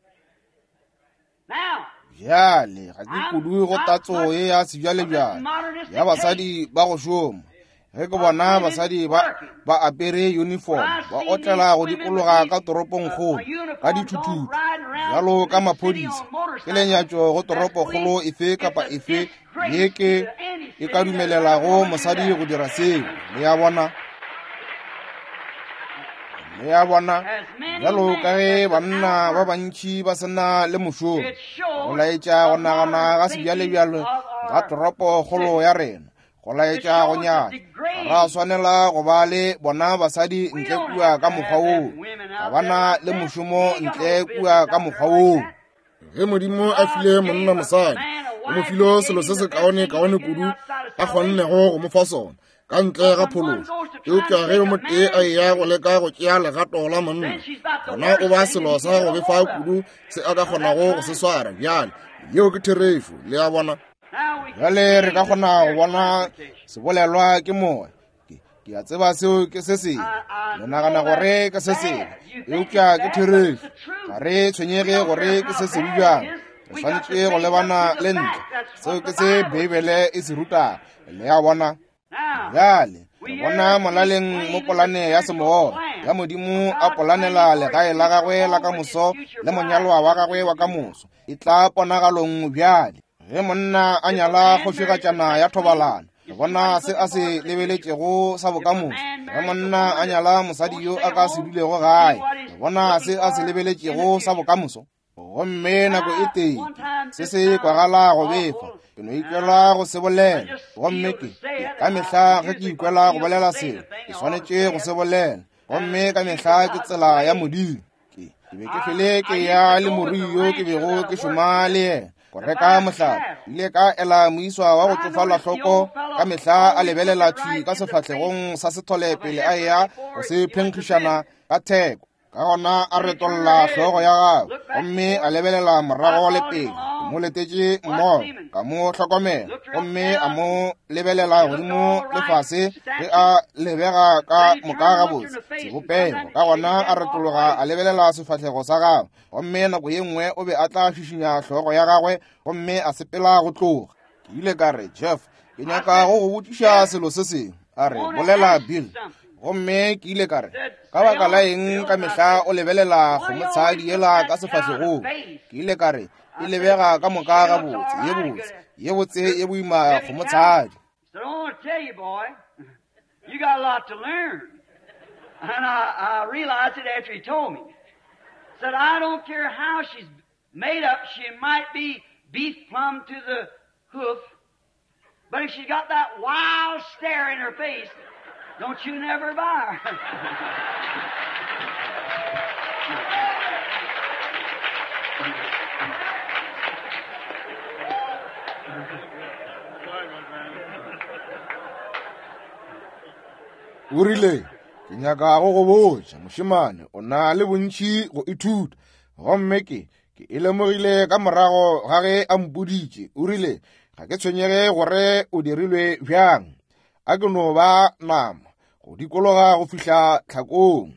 Bjale ga ke kudu go tatso ye ya sebjalebjale ya basadi ba go šoma. Ge ke bona basadi ba ba apere uniform ba otlela go dikologa ka toropongkgolo ka dithuthuthu bjalo ka maphodisa, ke lenyatšo go toropokgolo efe kapa efe ye ke e ka dumelelago mosadi go dira seo. Le a bona? Le a bona? Bjalo ka ge banna ba bantši ba sena le mošomo, go laetša go nagana ga sebjalebjale ga toropokgolo ya rena, go laetša go nyatša. Ga ra swanela go ba le bona basadi ntle kua ka mokgwa woo, ga ba na le mošomo ntle kua ka mokgwa woo. Ge Modimo a file monna mosadi, o mo file selo se se kaone-kaone kudu a kgonnego go mo fa sona ka ntle ga phološo. Eupša ge yo motee a eya go leka go tšea legato la monna, gona o ba selo sa go befa kudu se a ka kgonago go se swara. Bjale yeo ke therešo. Le a bona? Bjale re ka kgona go bona sebolelwa ke moya. Ke a tseba seo ke se sengwe, le nagana gore ke se sengwe, eupša ke therešo. Ga re tshwenyege gore ke se sebe bjang, re swanetše go lebana le ntlo. Seo ke se Beibele e se rutago. Le a bona? Bjale re bona molaleng mo polane ya semoya ya Modimo a polanela legae la gagwe la ka moso le monyalwa wa gagwe wa ka moso e tla ponagalong bjale. Ge monna a nyala kgošigatšana ya thobalano, re bona se a se lebeletšego sa bokamoso. Ge monna a nyala mosadi yo a ka se dulego gae, re bona se a se lebeletšego sa bokamoso. Gomme nako e tee se se kwagala go befa, ke no ikwela go se bolela. Gomme ke ka mehla ge ke ikwela go bolela selo, ke swanetše go se bolela. Gomme ka mehla ke tsela ya Modimo. Ke ke be ke fele ke ya le morui yo ke bego ke šoma le yena go reka mohlape. Ile ka ela moiswa wa go tsofala hloko ka mehla a lebelela thwi ka sefahlegong sa sethole pele a eya go se phenkgišana ka theko. Ka gona a retolla hlogo ya gagwe gomme a lebelela morago le pele. Ke mo letetše mmogo, ka mo hlokomela, gomme a mo lebelela godimo le fase ge a lebega ka moka gabotse sebopego. Ka gona a retologa a lebelela sefahlego sa gagwe, gomme nako ye nngwe o be a tla šišinya hlogo ya gagwe gomme a sepela go tloga. Ke ile ka re, Jeff, ke nyaka go go botšiša selo se sengwe. A re, bolela Bill. Gomme ke ile ka re, ka baka la eng ka mehla o lebelela kgomotshadi yela ka sefahlegong? Ke ile ka re, E lebega ka moka gabotse, ye botse, ye botse ye boima kgomotshadi. So I want to tell you, boy, you got a lot to learn. And I, I realized it after he told me. Said, I don't care how she's made up, she might be beef plumb to the hoof, but if she's got that wild stare in her face, don't you never buy her. O rile, ke nyaka go go botša, mošemane, o na le bontši go ithuta. Gomme ke, ke e lemogile ka morago ga ge a mpoditše. O rile, ga ke tshwenyege gore o dirilwe bjang, a ke no ba nama go dikologa go fihla tlhakong.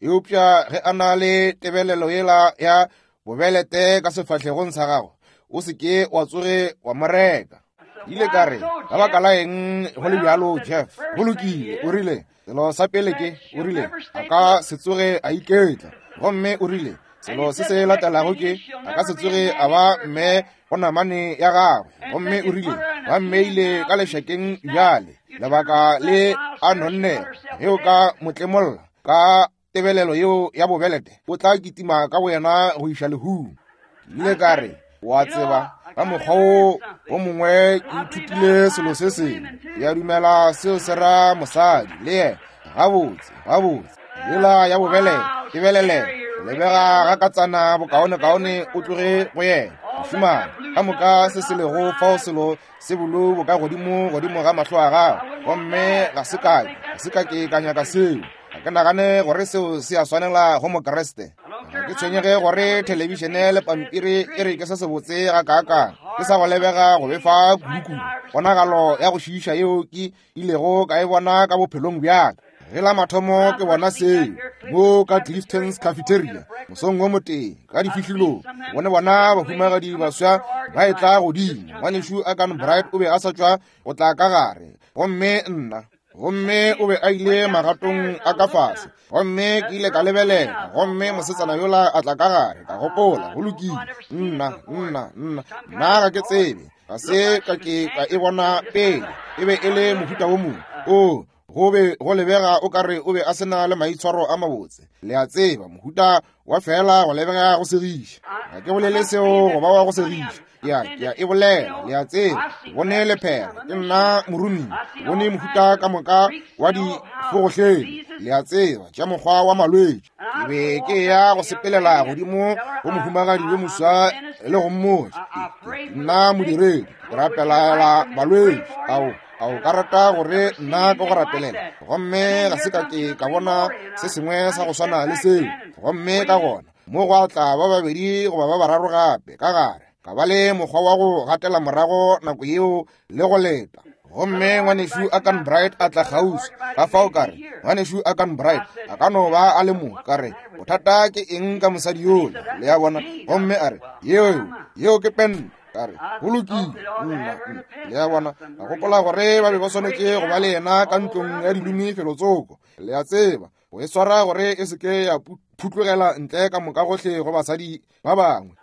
Eupša ge a na le tebelelo yela ya bobelete ka sefahlegong sa gagwe, o se ke wa tsoge wa mo reka. Ile ka re, ka baka la eng go le bjalo, Jeff? Go lokile. O rile, selo sa pele ke, o rile, a ka se tsoge a iketla. Gomme o rile, selo se se latelago ke, a ka se tsoge a ba mme go namane ya gagwe. Gomme o rile, ba mmeile ka lešakeng bjale, lebaka le a nonnego. Ge o ka mo tlemolla ka tebelelo yeo ya bobelete, o tla kitima ka boyena go iša lehung. Ke ile ka re, wa tseba, ka mokgwa wo o mongwe ke ithutile selo se sengwe. Ke a dumela seo se ra mosadi le yena. Gabotse, gabotse. Yela ya bobelete, tebelele, lebega ga katsana bokaonekaone o tloge go yena. Mošemane, ka moka se se lego fao selo se bolo bo ka godimo godimo ga mahlo a gago. Gomme ga se ka ga se ka ke ka nyaka seo. Ga ke nagane gore seo se a swanela go Mokriste. Ga ke tshwenyege gore thelebišene le pampiri e re ke se sebotse ga kaakang, ke sa go lebega go befa kudukudu. Ponagalo ya go šiiša yeo ke ilego ka e bona ka bophelong bjaka. Ge la mathomo ke bona seo mo ka Clifton's Cafeteria mosong wo motee ka difihlilong, bone bona bahumagadi baswa ba etla godimo. Ngwanešu Akan Bright o be a sa tšwa go tla ka gare, gomme nna, gomme o be a ile magatong a ka fase. Gomme ke ile ka lebelela, gomme mosetsana yola a tla ka gare. Ka gopola, go lokile, nna, nna, nna, nna ga ke tsebe, ga se ka ke ka e bona pele. E be e le mohuta wo mongwe o go be go lebega o kare o be a sena le maitshwaro a mabotse. Le a tseba, mohuta wa fela go lebega go segiša. Ga ke bolele seo go ba wa go segiša, ke a ke a e bolela. Le a tseba, ke bone lephera, ke nna morumi, ke bone mohuta ka moka wa difogohleng. Le a tseba, tša mokgwa wa malwetši. Ke be ke ya go sepelela godimo go mohumagadi yo moswa le go mmotša, ke nna modiredi, ke rapelela balwetši. Ao, a o ka rata gore nna ke go rapelela? Gomme ga se ka ke ka bona se sengwe sa go swana le seo. Gomme ka gona mo go tla ba babedi goba ba bararo gape ka gare, ka ba le mokgwa wa go gatela morago nako yeo le go leta. Gomme ngwanešu Akan Bright a tla kgauswi. Ka fao ka re, ngwanešu Akan Bright a ka no ba a le mo. Ka re, bothata ke eng ka mosadi yola? Le a bona? Gomme a re, yeo, yeo ke pente. Ka re, go lokile, nna, le a bona. Ka gopola gore ba be ba swanetše go ba le yena ka ntlong ya dilumi felotsoko. Le a tseba, go e swara gore e se ke ya phutlogela ntle ka moka gohle go basadi ba bangwe.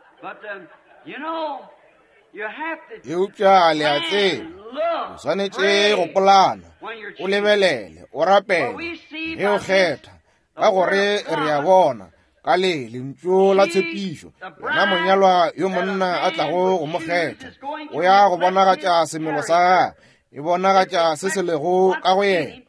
Eupša le a tseba, o swanetše go polana, o lebelele, o rapele ge o kgetha, ka gore re a bona ka le lentšu la tshepišo, yena monyalwa yo monna a tlago go mo kgetha, o ya go bonagatša semelo sa gagwe, e bonagatša se se lego ka go yena.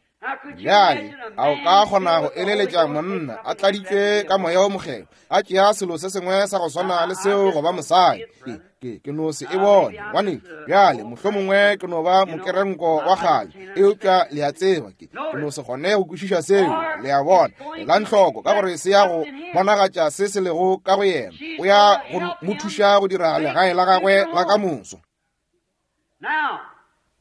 Bjale a o ka kgona go eleletša monna a tladitšwe ka moya o mokgethwa a tšea selo se sengwe sa go swana le seo go ba mosadi? Ke, ke, ke no se e bone, ngwanešu. Bjale mohlomongwe ke no ba mokerenko wa kgale, eupša le a tseba, ke, ke no se kgone go kwešiša seo. Le a bona, elang hloko, ka gore se ya go bonagatša se se lego ka go yena. O ya go mo thuša go dira legae la gagwe la ka moso.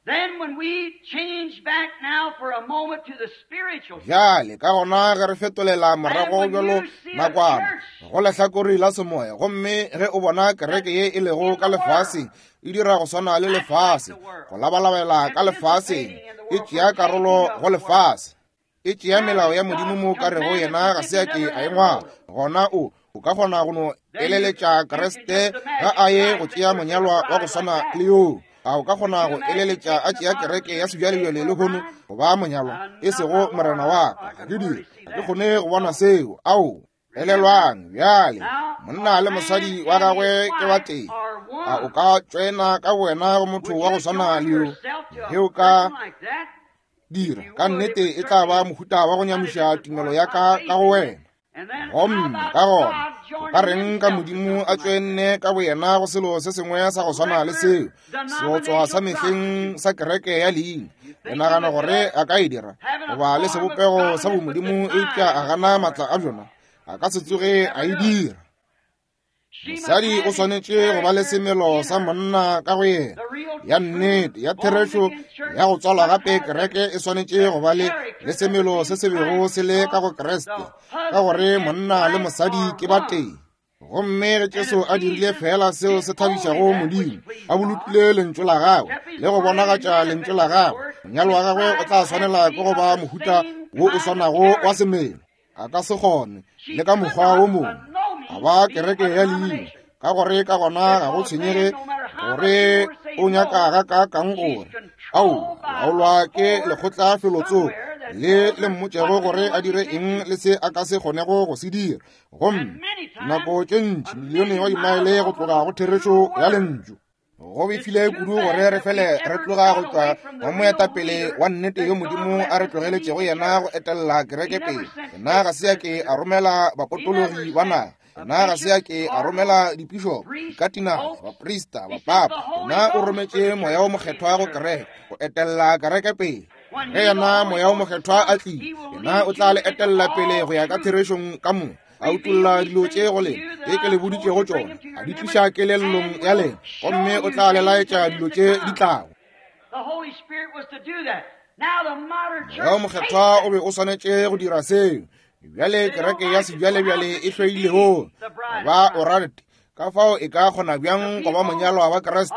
Then when we change back now for a moment to the spiritual, bjale ka gona ge re fetolela morago bjalo nakwana go lehlakore la semoya, gomme ge o bona kereke ye e lego ka lefaseng e dira go swana le lefase, go labalabela ka lefaseng, e tšea karolo go lefase, e tšea melao ya Modimo mo ka rego yena ga se a ke a e ngwala, gona o O ka kgona go no eleletša Kriste ga a ye go tšea monyalwa wa go swana le yoo? A o ka kgona go eleletša a tšea kereke ya sebjalebjale lehono go ba monyalwa, e sego morena wa ka? Ga ke dire, ga ke kgone go bona seo. Ao, elelwang bjale, monna le mosadi wa gagwe ke ba tee. A o ka tšwena ka wena go motho wa go swana le yo? Ge o ka dira, ka nnete e tla ba mohuta wa go nyamiša tumelo ya ka ka go wena. Gomme ka gona o ka reng ka Modimo a tšwenne ka boyena go selo se sengwe sa go swana le seo, seotswa sa mehleng sa kereke ya leina? Le nagana gore a ka e dira goba le sebopego sa bomodimo, eupša a gana maatla a bjona? A ka se tsoge a e dira. Mosadi o swanetše go ba le semelo sa monna ka go yena, ya nnete, ya therešo, ya go tswalwa gape. Kereke e swanetše go ba le le semelo se se bego se le ka go Kriste, ka gore monna le mosadi ke ba tee. Gomme ge Jesu a dirile fela seo se thabišago Modimo, a bolokile lentšu la gagwe le go bonagatša lentšu la gagwe, monyalo wa gagwe o tla swanela ke go ba mohuta wo o swanago wa semelo. A ka se kgone le ka mokgwa wo mongwe a ba kereke ya leina, ka gore ka gona ga go tshwenyege gore o nyaka ga ka kang gore ao laolwa ke lekgotla felotsoko le le mmotšego gore a dire eng le se a ka se kgonego go se dira. Gomme nako tše ntši milione wa dimaele go tloga go therešo ya lentšu. Go befile kudu gore re fele re tloga go tšwa go moetapele wa nnete yo Modimo a re tlogeletšego yena go etelela kereke pele. Yena ga se a ke a romela bapotologi ba naga, yena ga se a ke a romela dipišopo, dikatinale, baprista, bapapa. Yena o rometše Moya wo Mokgethwa go kereke go etelela kereke pele. Ge yena Moya wo Mokgethwa a tlile, yena o tla le etelela pele go ya ka therešong ka moka, a utolla dilo tše go lena tše ke le boditšego tšona, a di tliša kelellong ya lena, gomme o tla le laetša dilo tše di tlago. Moya wo Mokgethwa o be o swanetše go dira seo. Bjale kereke ya sebjalebjale e hloilego ba o rate, ka fao e ka kgona bjang go ba monyalwa wa Kriste?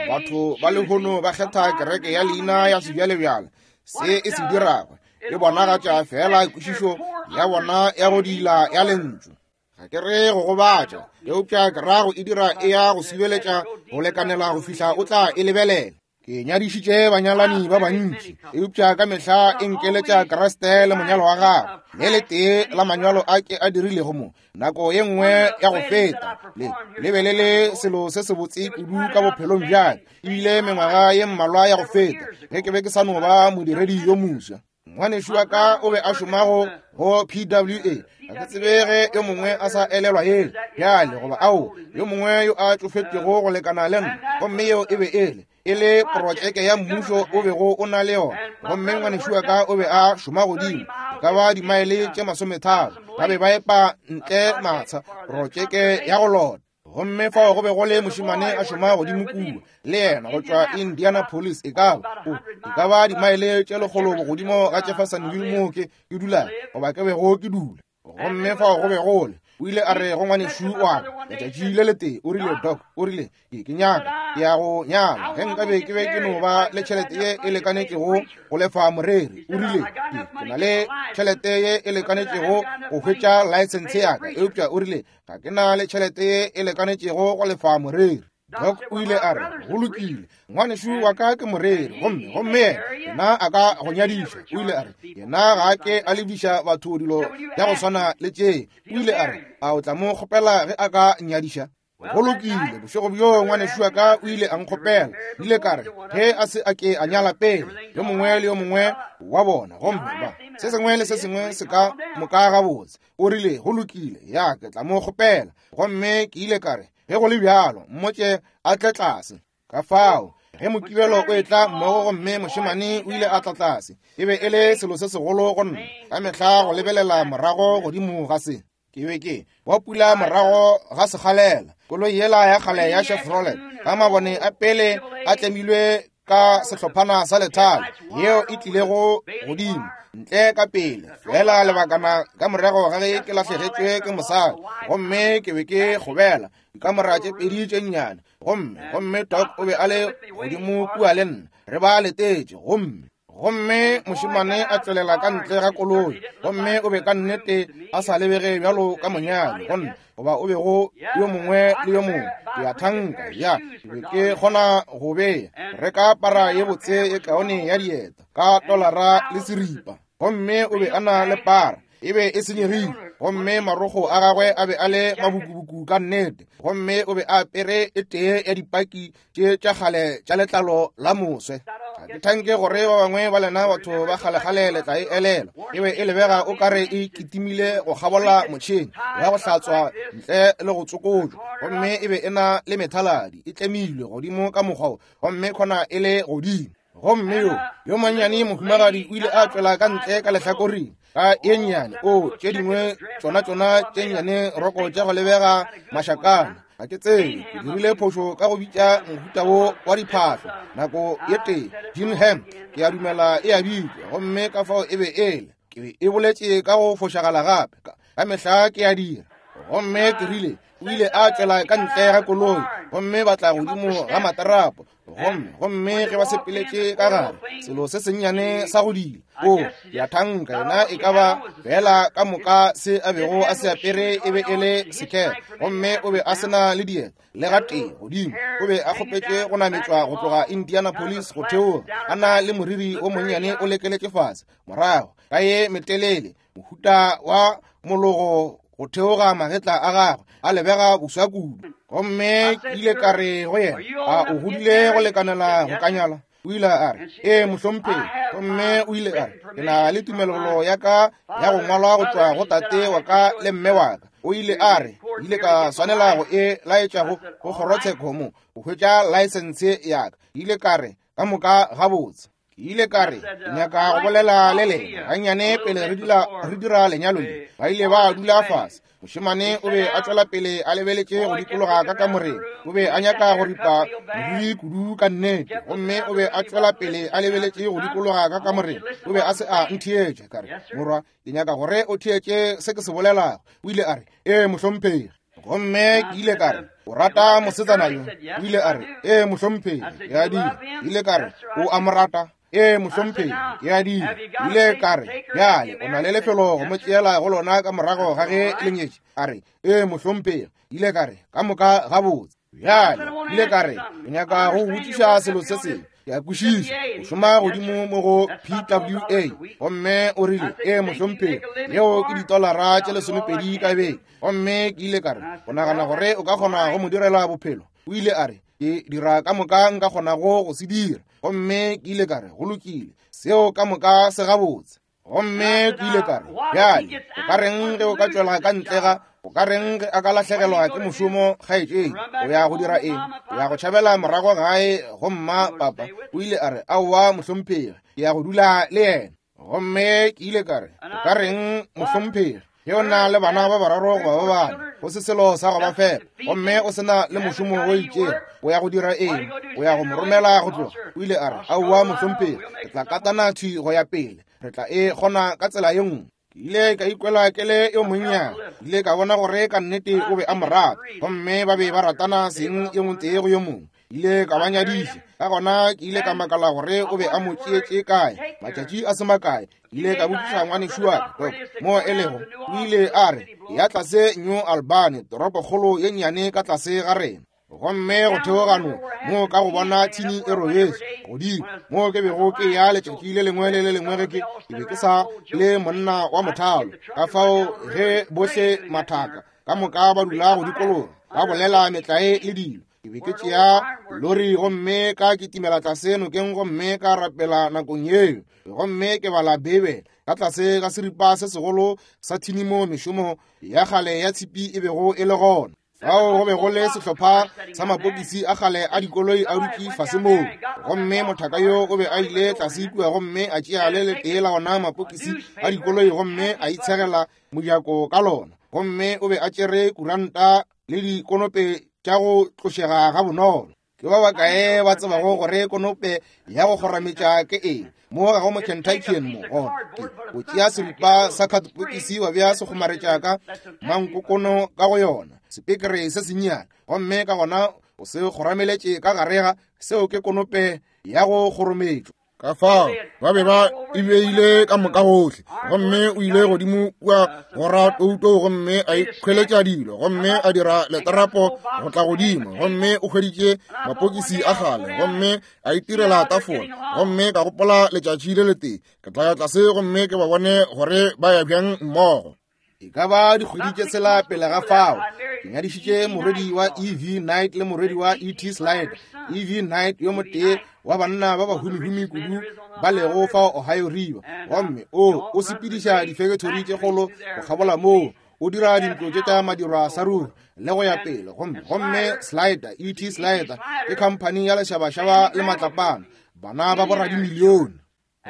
Batho ba lehono ba kgetha kereke ya leina ya sebjalebjale. Se e se dirago e bonagatša fela kwešišo ya bona ya go dila ya lentšu. Ga ke re go gobatša, eupša ke ra go e dira e ya go sibeletša go lekanela go fihla o tla e lebelela. Ke nyadišitše banyalani ba bantši, eupša ka mehla e nkeletša Kriste le monyalo wa gagwe. Le letee la manyalo a ke a dirilego mo nako ye nngwe ya go feta, le le be le le selo se sebotse kudu ka bophelong bjaka, ebile mengwaga ye mmalwa ya go feta ge ke be ke sa no ba modiredi yo moswa. Ngwanešu wa ka o be a šomago go P W A. Ga ke tsebe ge yo mongwe a sa elelwa yele bjale, goba ao yo mongwe yo a tšofetšego go lekana le nna. Gomme yeo e be ele e le projeke ya mmušo o bego o na le yona. Gomme ngwanešu wa ka o be a šoma godimo e ka ba dimaele tše masometharo, ba be ba epa ntle matsha, projeke ya go lota. Gomme fao go be go le mošemane a šoma godimo kua le yena go tšwa Indianapolis, e ka ba o e ka ba dimaele tše lekgolo bogodimo ga Jeffersonville moo ke ke dula goba ke bego ke dula. Gomme fao go be go le, o ile a re go ngwanešu wa ka letšatši le letee, o rile, Doc, o rile, ke ke nyaka ke ya go nyala, ge nkabe ke be ke no ba le tšhelete ye e lekanetšego go lefa moreri. O rile, ke ke na le tšhelete ye e lekanetšego go hwetša license ya ka, eupša o rile, ga ke na le tšhelete ye e lekanetšego go lefa moreri. Doc o ile a re, go lokile, ngwanešu wa ka ke moreri, gomme gomme yena a ka go nyadiša. O ile a re, yena ga a ke a lebiša batho dilo ya go swana le tše. O ile a re, a o tla mo kgopela ge a ka nyadiša? Go lokile, bošego bjo ngwanešu wa ka o ile a nkgopela. Ile ka re, ge a se a ke a nyala pele, yo mongwe le yo mongwe wa bona, gomme ba se sengwe le se sengwe se ka moka gabotse. O rile, go lokile, ya ke tla mo kgopela. Gomme ke ile ka re, ge go le bjalo, mmotše a tle tlase. Ka fao ge mokibelo o etla mmogo, gomme mošemane o ile a tla tlase, e be e le selo se segolo go nna ka mehla go lebelela morago godimo ga se. Ke be ke wa pula morago ga sekgalela, koloi yela ya kgale ya Chevrolet ka mabone a pele a tlemilwe ka sehlophana sa lethale, yeo e tlilego godimo ntle ka pele fela lebakana ka morago ga ge ke lahlegetšwe ke mosadi. Gomme ke be ke kgobela dikamora tše pedi tše nnyane, gomme gomme Doc o be a le godimo kua le nna, re ba letetše. Gomme Gomme mošemane a tswelela ka ntle ga koloi, gomme o be ka nnete a sa lebege bjalo ka monyadi, gomme goba o bego yo mongwe le yo mongwe. Ke a thanka ya ke be ke kgona go beya reka para ye botse e kaone ya dieta ka tolara le seripa, gomme o be a na le para e be e senyegile, gomme marogo a gagwe a be a le mabukubuku ka nnete, gomme o be a apere e tee ya dipaki tše tša kgale tša letlalo la moswe. Ga ke thanke gore ba bangwe ba lena batho ba kgalekgale le tla e elela. E be e lebega o kare e kitimile go kgabola motšhene ya go hlatswa ntle le go tsokotšwa, gomme e be e na le methaladi e tlemilwe godimo ka mokgwa wo, gomme khona e le godimo. Gomme yo yo mannyane mohumagadi o ile a tswela ka ntle ka lehlakoreng ka ye nnyane, o tše dingwe tšona tšona tše nnyane roko tša go lebega mašakana. Ga ke tsebe, ke dirile phošo ka go bitša mohuta wo wa diphahlo nako ye tee, Jean Ham, ke a dumela e a bitšwa, gomme ka fao e be ele ke be e boletše ka go fošagala gape, ka mehla ke a dira. Gomme ke rile o ile a tswela ka ntle ga koloi, gomme ba tla godimo ga matarapo, gomme gomme ge ba sepeletše ka gare selo se sennyane sa go dila, o ya thanka yena e ka ba fela ka moka se a bego a se apere e be e le sekere, gomme o be a sena le dieta le gatee godimo. O be a kgopetše go nametšwa go tloga Indianapolis go theoga, a na le moriri o monnyane o lekeletše fase morago ka ye metelele, mohuta wa mologo go theoga magetla a gagwe a lebega boswa kudu. Gomme ke ile ka re go yena, a o godile go lekanela go ka nyala? O ile a re, ee mohlomphegi. Gomme o ile a re, ke na le tumelelo ya ka ya go ngwalwa go tšwa go tate wa ka le mme wa ka. O ile a re, ile ka swanela go e laetša go go kgorotsheko mo go hwetša laesense ya ka. Ile ka re, ka moka gabotse. Ke ile ka re, ke nyaka go bolela le lena gannyane pele re dula re dira lenyalo le. Ba ile ba dula fase. Mošemane o be a tšwela pele a lebeletše go dikologa ka kamoreng. O be a nyaka go ripa moriri kudu ka nnete, gomme o be a tšwela pele a lebeletše go dikologa ka kamoreng. O be a se a ntheetša. Ka re, morwa, ke nyaka gore o theetše se ke se bolelago. O ile a re, ee mohlomphegi. Gomme ke ile ka re, o rata mosetsana yo? O ile a re, ee mohlomphegi, ke a dira. Ke ile ka re, o a mo rata? Ee mohlomphegi, ke a dira. Ile ka re, bjale o na le lefelo go mo tšeela go lona ka morago ga ge le nyetše? A re, ee mohlomphegi. Ile ka re, ka moka gabotse. Bjale ile ka re, ke nyaka go botšiša selo se sengwe. Ke a kwešiša o šoma godimo mo go P W A. Gomme o rile, ee mohlomphegi, yeo ke ditolara tše lesomepedi ka beke. Gomme ke ile ka re, o nagana gore o ka kgona go mo direla bophelo? O ile a re, ke dira ka moka nka kgonago go se dira. Gomme ke ile ka re, go lokile, seo ka moka se gabotse. Gomme ke ile ka re, bjale o ka reng ge o ka tšwela ka ntle ga, o ka reng ge a ka lahlegelwa ke mošomo kgaetšedi? O ya go dira eng? O ya go tšhabela morago gae go mma papa? O ile a re, aowa mohlomphegi, ke ya go dula le yena. Gomme ke ile ka re, o ka reng mohlomphegi ge o na le bana ba bararo goba ba bane, go se selo sa go ba fepa, gomme o sena le mošomo o itšego, o ya go dira eng? O ya go mo romela go tloga? O ile a re, aowa mohlomphegi, re tla katana thwi go ya pele, re tla e kgona ka tsela ye nngwe. Ke ile ka ikwela ke le yo monnyane. Ke ile ka bona gore ka nnete o be a mo rata, gomme ba be ba ratana seng yo motee go yo mongwe. Ile ka ba nyadiša. Ka gona ke ile ka makala gore o be a mo tšeetše kae matšatši a se makae. Ke ile ka botšiša ngwanešu wa ka, Doc, mo e lego. O ile a re, ya tlase New Albany, toropokgolo ye nnyane ka tlase ga rena. Gomme go theogano mo ka go bona thini e robetše godimo mo ke bego ke ya letšatši le lengwe le le lengwe ge ke ke be ke sa le monna wa mothalo. Ka fao ge bohle mathaka ka moka ba dula go dikologa ba bolela metlae le dilo, ke be ke tšea lori gomme ka kitimela tlase nokeng gomme ka rapela nakong yeo, gomme ke bala Bibele ka tlase ga seripa se segolo sa thini mo mešomo ya kgale ya tshipi e bego e le gona. Fao go be go le sehlopha sa mapokisi a kgale a dikoloi a dutše fase moo, gomme mothaka yo o be a ile tlase kua gomme a tšea le letee la ona mapokisi a dikoloi gomme a itshegela mojako ka lona, gomme o be a tšere kuranta le dikonope tša go tlošega ga bonolo. Ke ba bakae ba tsebago gore konope ya go kgorametša ke eng? Mo ga go mo Kentuckian mo gona. Ke o tšea seripa sa khatopokisi wa bea se kgomaretša ka mankokono ka go yona, sepekere se sennyane, gomme ka gona o se kgorameletše ka gare ga seo ke konope ya go kgorometšwa. Ka fao ba be ba e beile ka moka gohle, gomme o ile godimo kua go ratouto gomme a ikhweletša dilo, gomme a dira letarapo go tla godimo, gomme o hweditše mapokisi a kgale, gomme a itirela tafola. Gomme ka gopola letšatši le letee ke tla ya tlase gomme ke ba bone gore ba ya bjang mmogo. E ka ba dikgwedi tše tshela pele ga fao, ke nyadišitše morwedi wa E V Knight le morwedi wa E T Slide. E V Knight yo motee wa banna ba bahumihumi kudu ba lego fao Ohio River, gomme o o sepediša difekethori tše kgolo go kgabola moo, o dira dintlo tše tša madirwa sa ruri le go ya pele. Gomme gomme Slider, E T Slider ke khamphani ya lešabašaba le matlapana, bana ba boradimilione.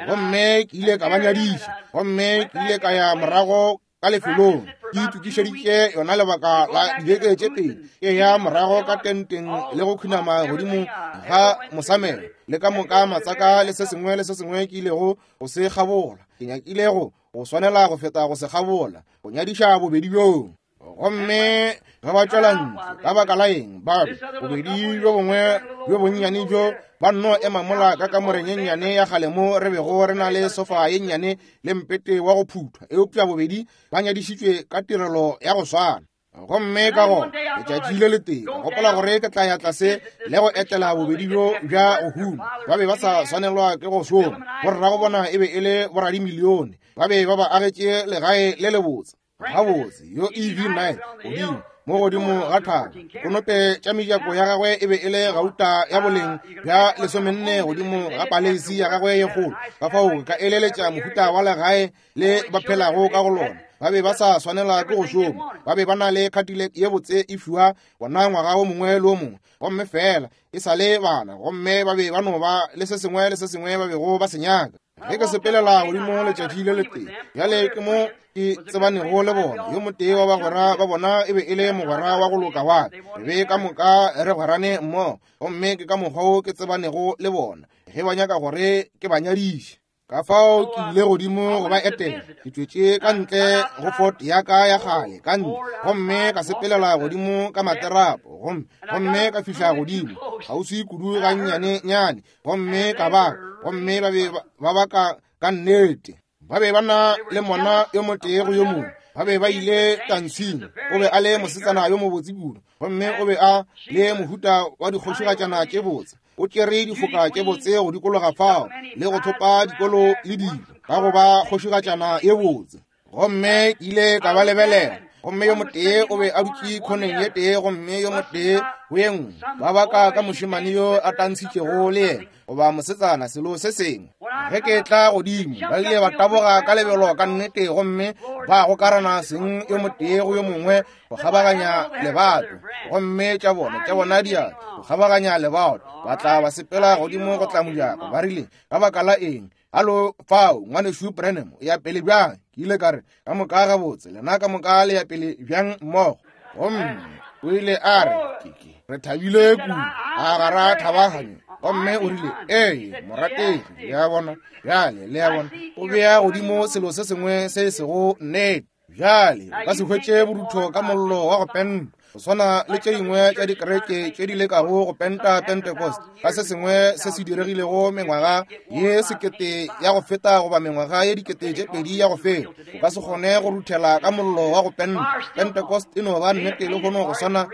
Gomme ke ile ka ba nyadiša, gomme ke ile ka ya morago ka lefelong, ke itokišeditše yona lebaka la dibeke tše pedi, ke ya morago ka tenteng le go khunama godimo ga mosamelo le ka moka matsaka le se sengwe le se sengwe ke ilego go se kgabola. Ke nyakile go go swanela go feta go se kgabola, go nyadiša bobedi bjoo. Gomme ge ba tšwela ntle, ka baka la eng, ba be bobedi bjo bongwe bjo bonnyane bjo ba nno ema mola ka kamoreng ye nnyane ya kgale mo re bego re na le sofa ye nnyane le mpete wa go phuthwa, eupša bobedi ba nyadišitšwe ka tirelo ya go swana. Gomme ka gona letšatši le letee ka gopola gore ke tla ya tlase le go etela bobedi bjo bja go huma. Ba be ba sa swanelwa ke go šoma, borrago bona e be e le boradimilione, ba be ba ba agetše legae le lebotse. Gabotse yo E V Knight godimo mo godimo ga thaba, konope tša mejako ya gagwe e be e le gauta ya boleng bja lesomenne godimo ga paleisi ya gagwe ye kgolo. Ka fao ka eleletša mohuta wa legae le ba phelago ka go lona. Ba be ba sa swanela ke go šoma, ba be ba na le Cadillac ye botse e fiwa bona ngwaga o mongwe le o mongwe, gomme fela e sa le bana, gomme ba be ba no ba le se sengwe le se sengwe ba bego ba se nyaka. Ge ke sepelela godimo letšatši le letee, bjale ke mo ke tsebanego le bona. Yo motee wa bagwera ba bona e be e le mogwera wa go loka wa ka, re be ka moka re gwerane mmogo, gomme ke ka mokgwa wo ke tsebanego le bona ge ba nyaka gore ke ba nyadiše. Ka fao ke ile godimo go ba etela, ke tšwetše ka ntle go Ford ya ka ya kgale ka ntle, gomme ka sepelela godimo ka materapo, gomme gomme ka fihla godimo kgauswi kudu gannyane-nyane, gomme ka ba gomme ba be ba baka ka nnete. Ba be ba na le mona yo motee go yo mongwe, ba be ba ile tantshing. O be a le mosetsana yo mobotse kudu, gomme o be a le mohuta wa dikgošigatšana tše botse. O tšere difoka tše botse go dikologa fao le go thopa dikolo le dilo ka go ba kgošigatšana ye botse. Gomme ke ile ka ba lebelela, gomme yo motee o be a dutše khoneng ye tee, gomme yo motee go ye nngwe. Ba baka ka mošemane yo a tantshitšego le yena goba mosetsana selo se sengwe. Ge ke tla godimo, ba ile ba taboga ka lebelo ka nnete, gomme ba gokarana seng yo motee go yo mongwe go kgabaganya lebato, gomme tša bona tša bona diatla go kgabaganya lebato, ba tla ba sepela godimo go tla mojako. Ba rile, ka baka la eng? Alo fao, ngwanešu Branham, o ya pele bjang? Ke ile ka re, ka moka gabotse, lena ka moka le ya pele bjang mmogo? Gomme o ile a re, ke ke re thabile kudu, a ga ra thabaganywa. Gomme o rile, ee, morategi, le a bona bjale, le a bona, o bea godimo selo se sengwe se sego nnete. Bjale o ka se hwetše borutho ka mollo wa go penta, go swana le tše dingwe tša dikereke tše di lekago go penta Pentecost ka se sengwe se se diregilego mengwaga ye sekete ya go feta goba mengwaga ye dikete tše pedi ya go feta. O ka se kgone go ruthela ka mollo wa go penta. Pentecost e no ba nnete le kgono go swana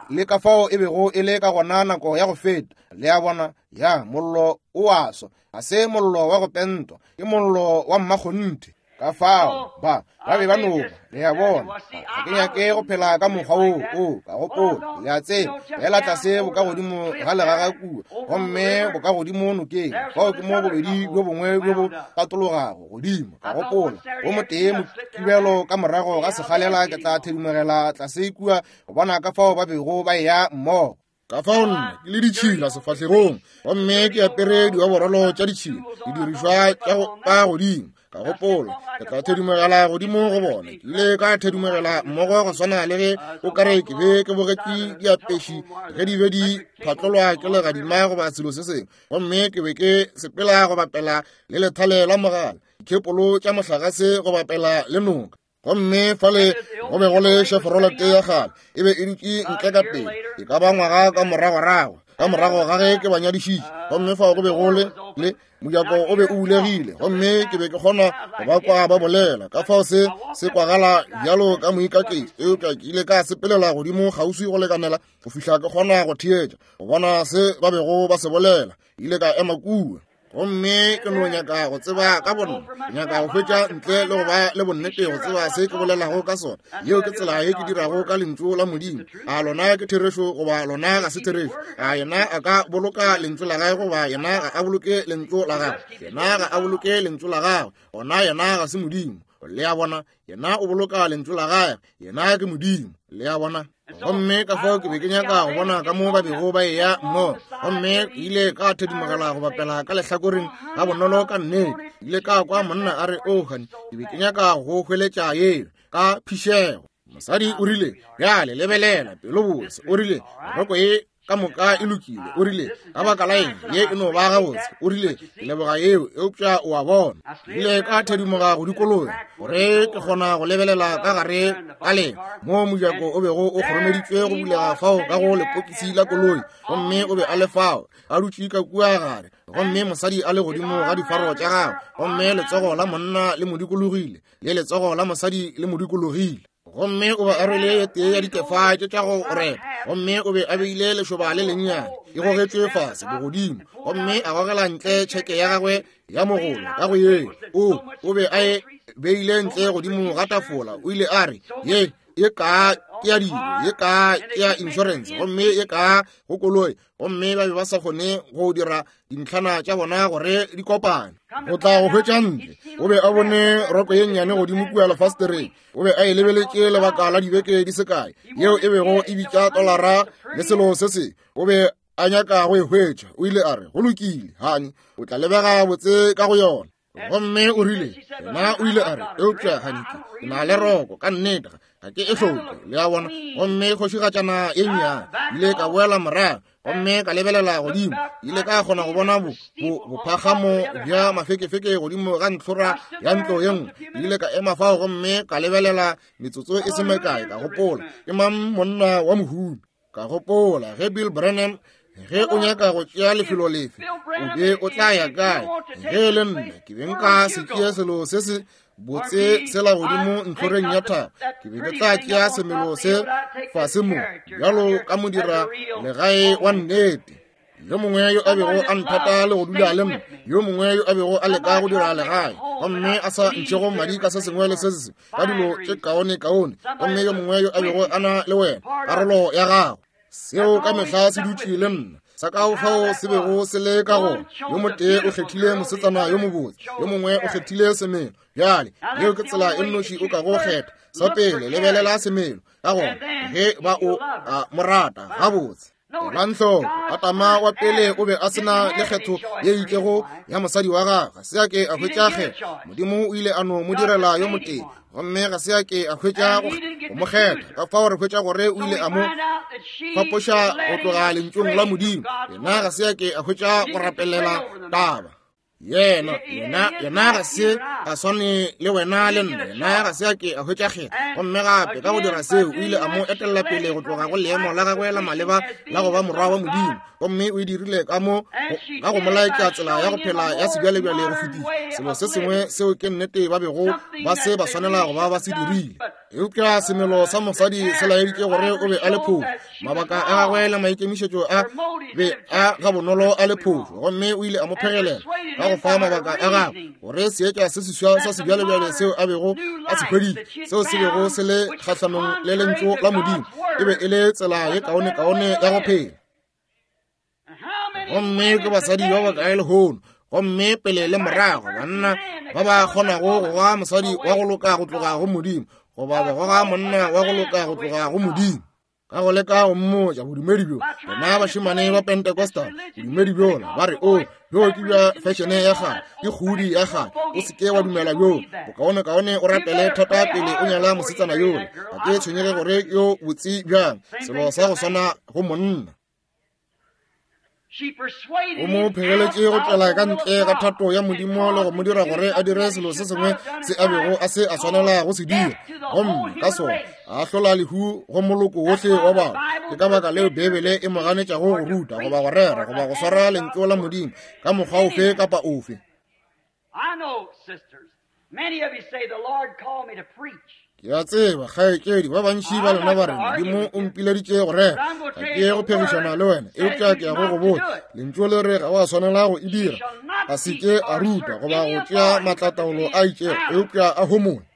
le ka fao e bego e le ka gona nako ya go feta. Le a bona, ya mollo o a swa, ga se mollo wa go pentwa, ke mollo wa mmakgonthe. Ka fao ba ba be ba noba, le a bona. Ga ke nyake go phela ka mokgwa wo o ka gopola, le a tseba, fela tlase bo ka godimo ga legaga kua, gomme bo ka godimo nokeng. Fao ke mo bobedi bjo bongwe bjo bo tatologago godimo. Ka gopola, wo motee mokibelo ka morago ga sekgalela ke tla thedimogela tlase kua go bona ka fao ba bego ba eya mmogo. Ka fao nna ke le ditšhila sefahlegong, gomme ke apere dioborolo tša ditšhila, didirišwa tša go ka godimo. Ka gopola, ke tla thedimogela godimo go bona. Ke ile ka thedimogela mmogo go swana le ge o kare ke be ke bogetše diapeši ge di be di phatlolwa ke legadima goba selo se sengwe, gomme ke be ke sepela go bapela le lethale la mogala, dikhepolo tša mohlagase go bapela le noka. Gomme fale go be go le Chevrolet ya kgale, e be e dutše ntle ka pele, e ka ba ngwaga ka moragorago. Ka morago ga ge ke ba nyadišitše, gomme fao go be go le le mojako o be o bulegile, gomme ke be ke kgona go ba kwa ba bolela. Ka fao se se kwagala bjalo ka moikaketši, eupša ke ile ka sepelela godimo kgauswi go lekanela go fihla ke kgona go theetša go bona se ba bego ba se bolela. Ile ka ema kua, gomme ke no nyaka go tseba ka bonna, ke nyaka go hwetša ntle le go ba le bonnete go tseba se ke bolelago ka sona. Yeo ke tsela ye ke dirago ka lentšu la Modimo. A lona ke therešo goba lona ga se therešo? A yena a ka boloka lentšu la gagwe goba yena ga a boloke lentšu la gagwe? Yena ga a boloke lentšu la gagwe, gona yena ga se Modimo. Le a bona, yena o boloka lentšu la gagwe, yena ke Modimo. Le a bona? Gomme ka fao ke be ke nyaka go bona ka mo ba bego ba eya mmogo, gomme ke ile ka thedimogela go bapela ka lehlakoreng ga bonolo ka nnete. Ke ile ka kwa monna a re, "O honey, ke be ke nyaka go hweletša yeo ka phišego." Mosadi o rile, "Bjale lebelela, pelo botse." O rile, "Roko ye ka moka e lokile." O rile, "Ka baka la eng, ye e no ba gabotse." O rile, "Ke leboga yeo, eupša o a bona." Ke ile ka thedimoga go dikologa gore ke kgona go lebelela ka gare ka le mo mojako o bego o kgoromeditšwe go bulega fao ka go lepokisi la koloi, gomme o be a le fao a dutše ka kua gare, gomme mosadi a le godimo ga difaro tša gagwe, gomme letsogo la monna le mo dikologile le letsogo la mosadi le mo dikologile. Gomme o be a rwele ye tee ya dikefa tše tša go repa, gomme o be a beile lešoba le lennyane e gogetšwe fase bogodimo, gomme a gogela ntle tšheke ya gagwe ya mogolo ka go ye. O o be a e beile ntle godimo ga tafola. O ile a re, "Ye ye ka ke ya dilo, ye ka ke ya insurance, gomme ye ka go koloi." Gomme ba be ba sa kgone go dira dintlhana tša bona gore di kopane. Go tla go hwetša ntle, o be a bone roko ye nnyane godimo kua lefastereng. O be a e lebeletše lebaka la dibeke di se kae, yeo e bego e bitša tolara le selo se se. O be a nyaka go e hwetša. O ile a re, "Go lokile, honey, o tla lebega botse ka go yona." Gomme o rile, yena o ile a re, "Eupša honey, ke na le roko ka nnete, ga ke e hloke." Le a bona? Gomme kgošigatšana ye nnyane ile ka boela morago, gomme ka lebelela godimo. Ile ka kgona go bona bo bophagamo bja mafekefeke godimo ga ntlhora ya ntlo ye nngwe. Ile ka ema fao gomme ka lebelela metsotso e se mekae, ka gopola, ke mang monna wa mohumi? Ka gopola, ge Bill Branham, ge o nyaka go tšea lefelo lefe, o be o tla ya kae? Ge e le nna, ke be nka se tšee selo se se botse sela godimo ntlhoreng ya thaba. Ke be ke tla tšea semelo se fase mo bjalo ka modira legae wa nnete. Yo mongwe yo a bego a nthata le go dula le nna, yo mongwe yo a bego a leka go dira legae, gomme a sa ntšhego madi ka se sengwe le se se ka dilo tše kaone kaone, gomme yo mongwe yo a bego a na le wena karolo ya gago. Seo ka mehla se dutše le nna. Sa ka fao se bego se le ka gona. Yo motee o kgethile mosetsana yo mobotse, yo mongwe o kgethile semelo. Bjale yeo ke tsela e nnoši o ka go kgetha. Sa pele lebelela semelo, ka gona ge ba o a mo rata gabotse. Elang hloko, Adama wa pele o be a se na le kgetho ye itšego ya mosadi wa gagwe. Ga se a ke a hwetša kgetho. Modimo o ile a no mo direla yo motee, gomme ga se a ke a hwetša go mo kgetha. Ka fao re hwetša gore o ile a mo fapoša go tloga lentšung la Modimo. Yena ga se a ke a hwetša go rapelela taba. Yena, yena, yena ga se a swane le wena le nna. Yena ga se a ke a hwetša kgetho. Gomme gape ka go dira seo, o ile a mo etella pele go tloga go leemo la gagwe la maleba la go ba morwa wa Modimo. Gomme o e dirile ka mo ka go mo laetša tsela ya go phela ya sebjalebjale go fetiša selo se sengwe seo ke nnete ba bego ba se ba swanela go ba ba se dirile. Eupša semelo sa mosadi se laeditše gore o be a le phošo. Mabaka a gagwe le maikemišetšo a be a gabonolo a le phošo, gomme o ile a mo phegelela ka go fa mabaka a gagwe gore seetša se seswa sa sebjalebjale seo a bego a se hweditše, seo se bego se le kgahlanong le lentšu la Modimo, e be e le tsela ye kaonekaone ya go phela. Gomme ke basadi ba bakae lehono, gomme pele le morago, banna ba ba kgonago go goga mosadi wa go loka go tloga go Modimo, goba ba goga monna wa go loka go tloga go Modimo, ka go leka go mmotša bodumedi bjo. Bona bašemane ba Pentecostal, bodumedi bjola, ba re, "O, bjo ke bja fešene ya kgale, ke kgudi ya kgale, o se ke wa dumela bjo. Bokaonekaone o rapele thata pele o nyala mosetsana yola. Ga ke tshwenyege gore yo botse bjang." Selo sa go swana go monna. O mo phegeletše go tšwela ka ntle ga thato ya Modimo le go mo dira gore a dire selo se sengwe se a bego a se a swanela go se dira, gomme ka sona a hlola lehu go moloko wohle wa batho. Ke ka baka leo Beibele e mo ganetšago go ruta goba go rera goba go swara lentšu la Modimo ka mokgwa ofe kapa ofe. Ke a tseba, kgaetšedi, ba bantši ba lena ba re Modimo o mpileditše go rera. Ga ke ye go phegišana le wena, eupša ke ya go go botša, lentšu le re ga wa swanela go e dira. A se ke a ruta goba go tšea maatlataolo a itšego, eupša a homole.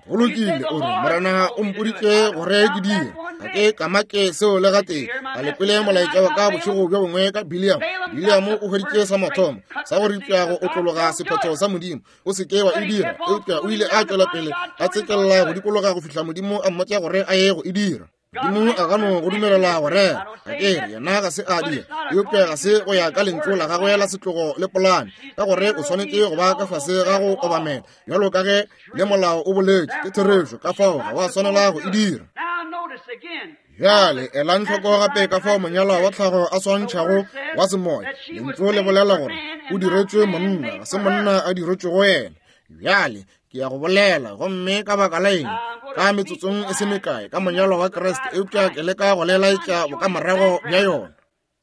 Go lokile, o re, Morena o mpoditše gore ke dire. Ga ke kamake seo le gatee. Ga le kwele molaetša wa ka bošego bjo bongwe ka Biliam. Biliam o hweditše sa mathomo sa go ripša go otlologa sephetho sa Modimo. O se ke wa e dira, eupša o ile a tšwela pele a tsekelela go dikologa go fihla Modimo a mmotša gore a ye go e dira. Modimo a ka no go dumelela go rera. Ga ke re yena ga se a dira, eupša ga se go ya ka lentšu la gagwe la setlogo le polane, ka gore o swanetše go ba ka fase ga go obamela bjalo ka ge le molao o boletše. Ke therešo, ka fao ga wa swanela go e dira. Bjale elang hloko gape ka fao monyalwa wa tlhago a swantšhago wa semoya. Lentšu le bolela gore o diretšwe monna, ga se monna a diretšwego yena. Bjale ke ya go bolela, gomme ka baka la eng ka metsotsong e se mekae ka monyalwa wa Kriste, eupša ke leka go le laetša bokamorago bja yona.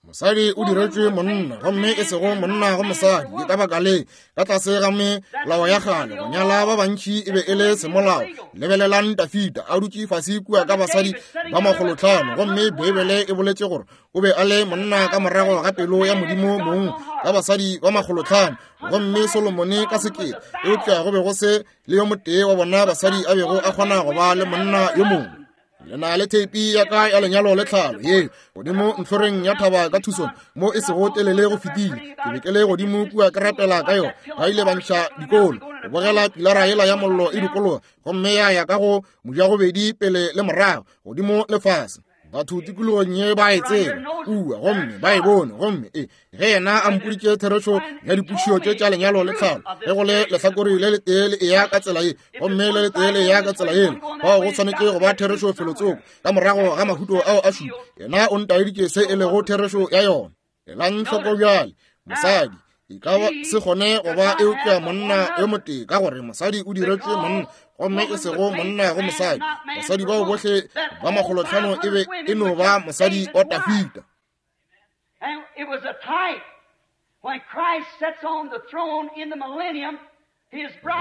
Mosadi o diretšwe monna, gomme e sego monna go mosadi. Ke ka baka le ka tlase ga melao ya kgale go nyala ba bantši e be e le semolao. Lebelelang Dafida a dutše fase kua ka basadi ba makgolotlhano, gomme Beibele e boletše gore o be a le monna ka morago ga pelo ya Modimo mong ka basadi ba makgolotlhano, gomme Solomone ka sekete, eupša go be go se le yo motee wa bona basadi a bego a kgona go ba le monna yo mongwe. Le na le theipi ya ka ya lenyalo le tlhalo ye godimo ntlhoreng ya thaba ka Tucson mo e sego telele go fetile. Ke be ke le godimo kua ke rapela ka yona. Ba ile ba ntšha dikolo go bogela pilara yela ya mollo e dikologa, gomme ya ya ka go mojagobedi pele le morago, godimo le fase. Batho tikologong ye ba e tseba kua, gomme ba e bone. Gomme e ge yena a mpoditše therešo ya dipotšišo tše tša lenyalo le tlhalo, ge go le lehlakore le letee le eya ka tsela ye, gomme le letee le eya ka tsela yela, fao go swanetše go ba therešo felotsoko ka morago ga mahuto ao a šupa. Yena o ntaeditše se e lego therešo ya yona. Elang hloko bjale, mosadi e ka se kgone go ba eupša monna yo motee, ka gore mosadi o diretšwe monna, gomme e sego monna go mosadi. Basadi bao bohle ba makgolotlhano e be e no ba mosadi wa Dafida.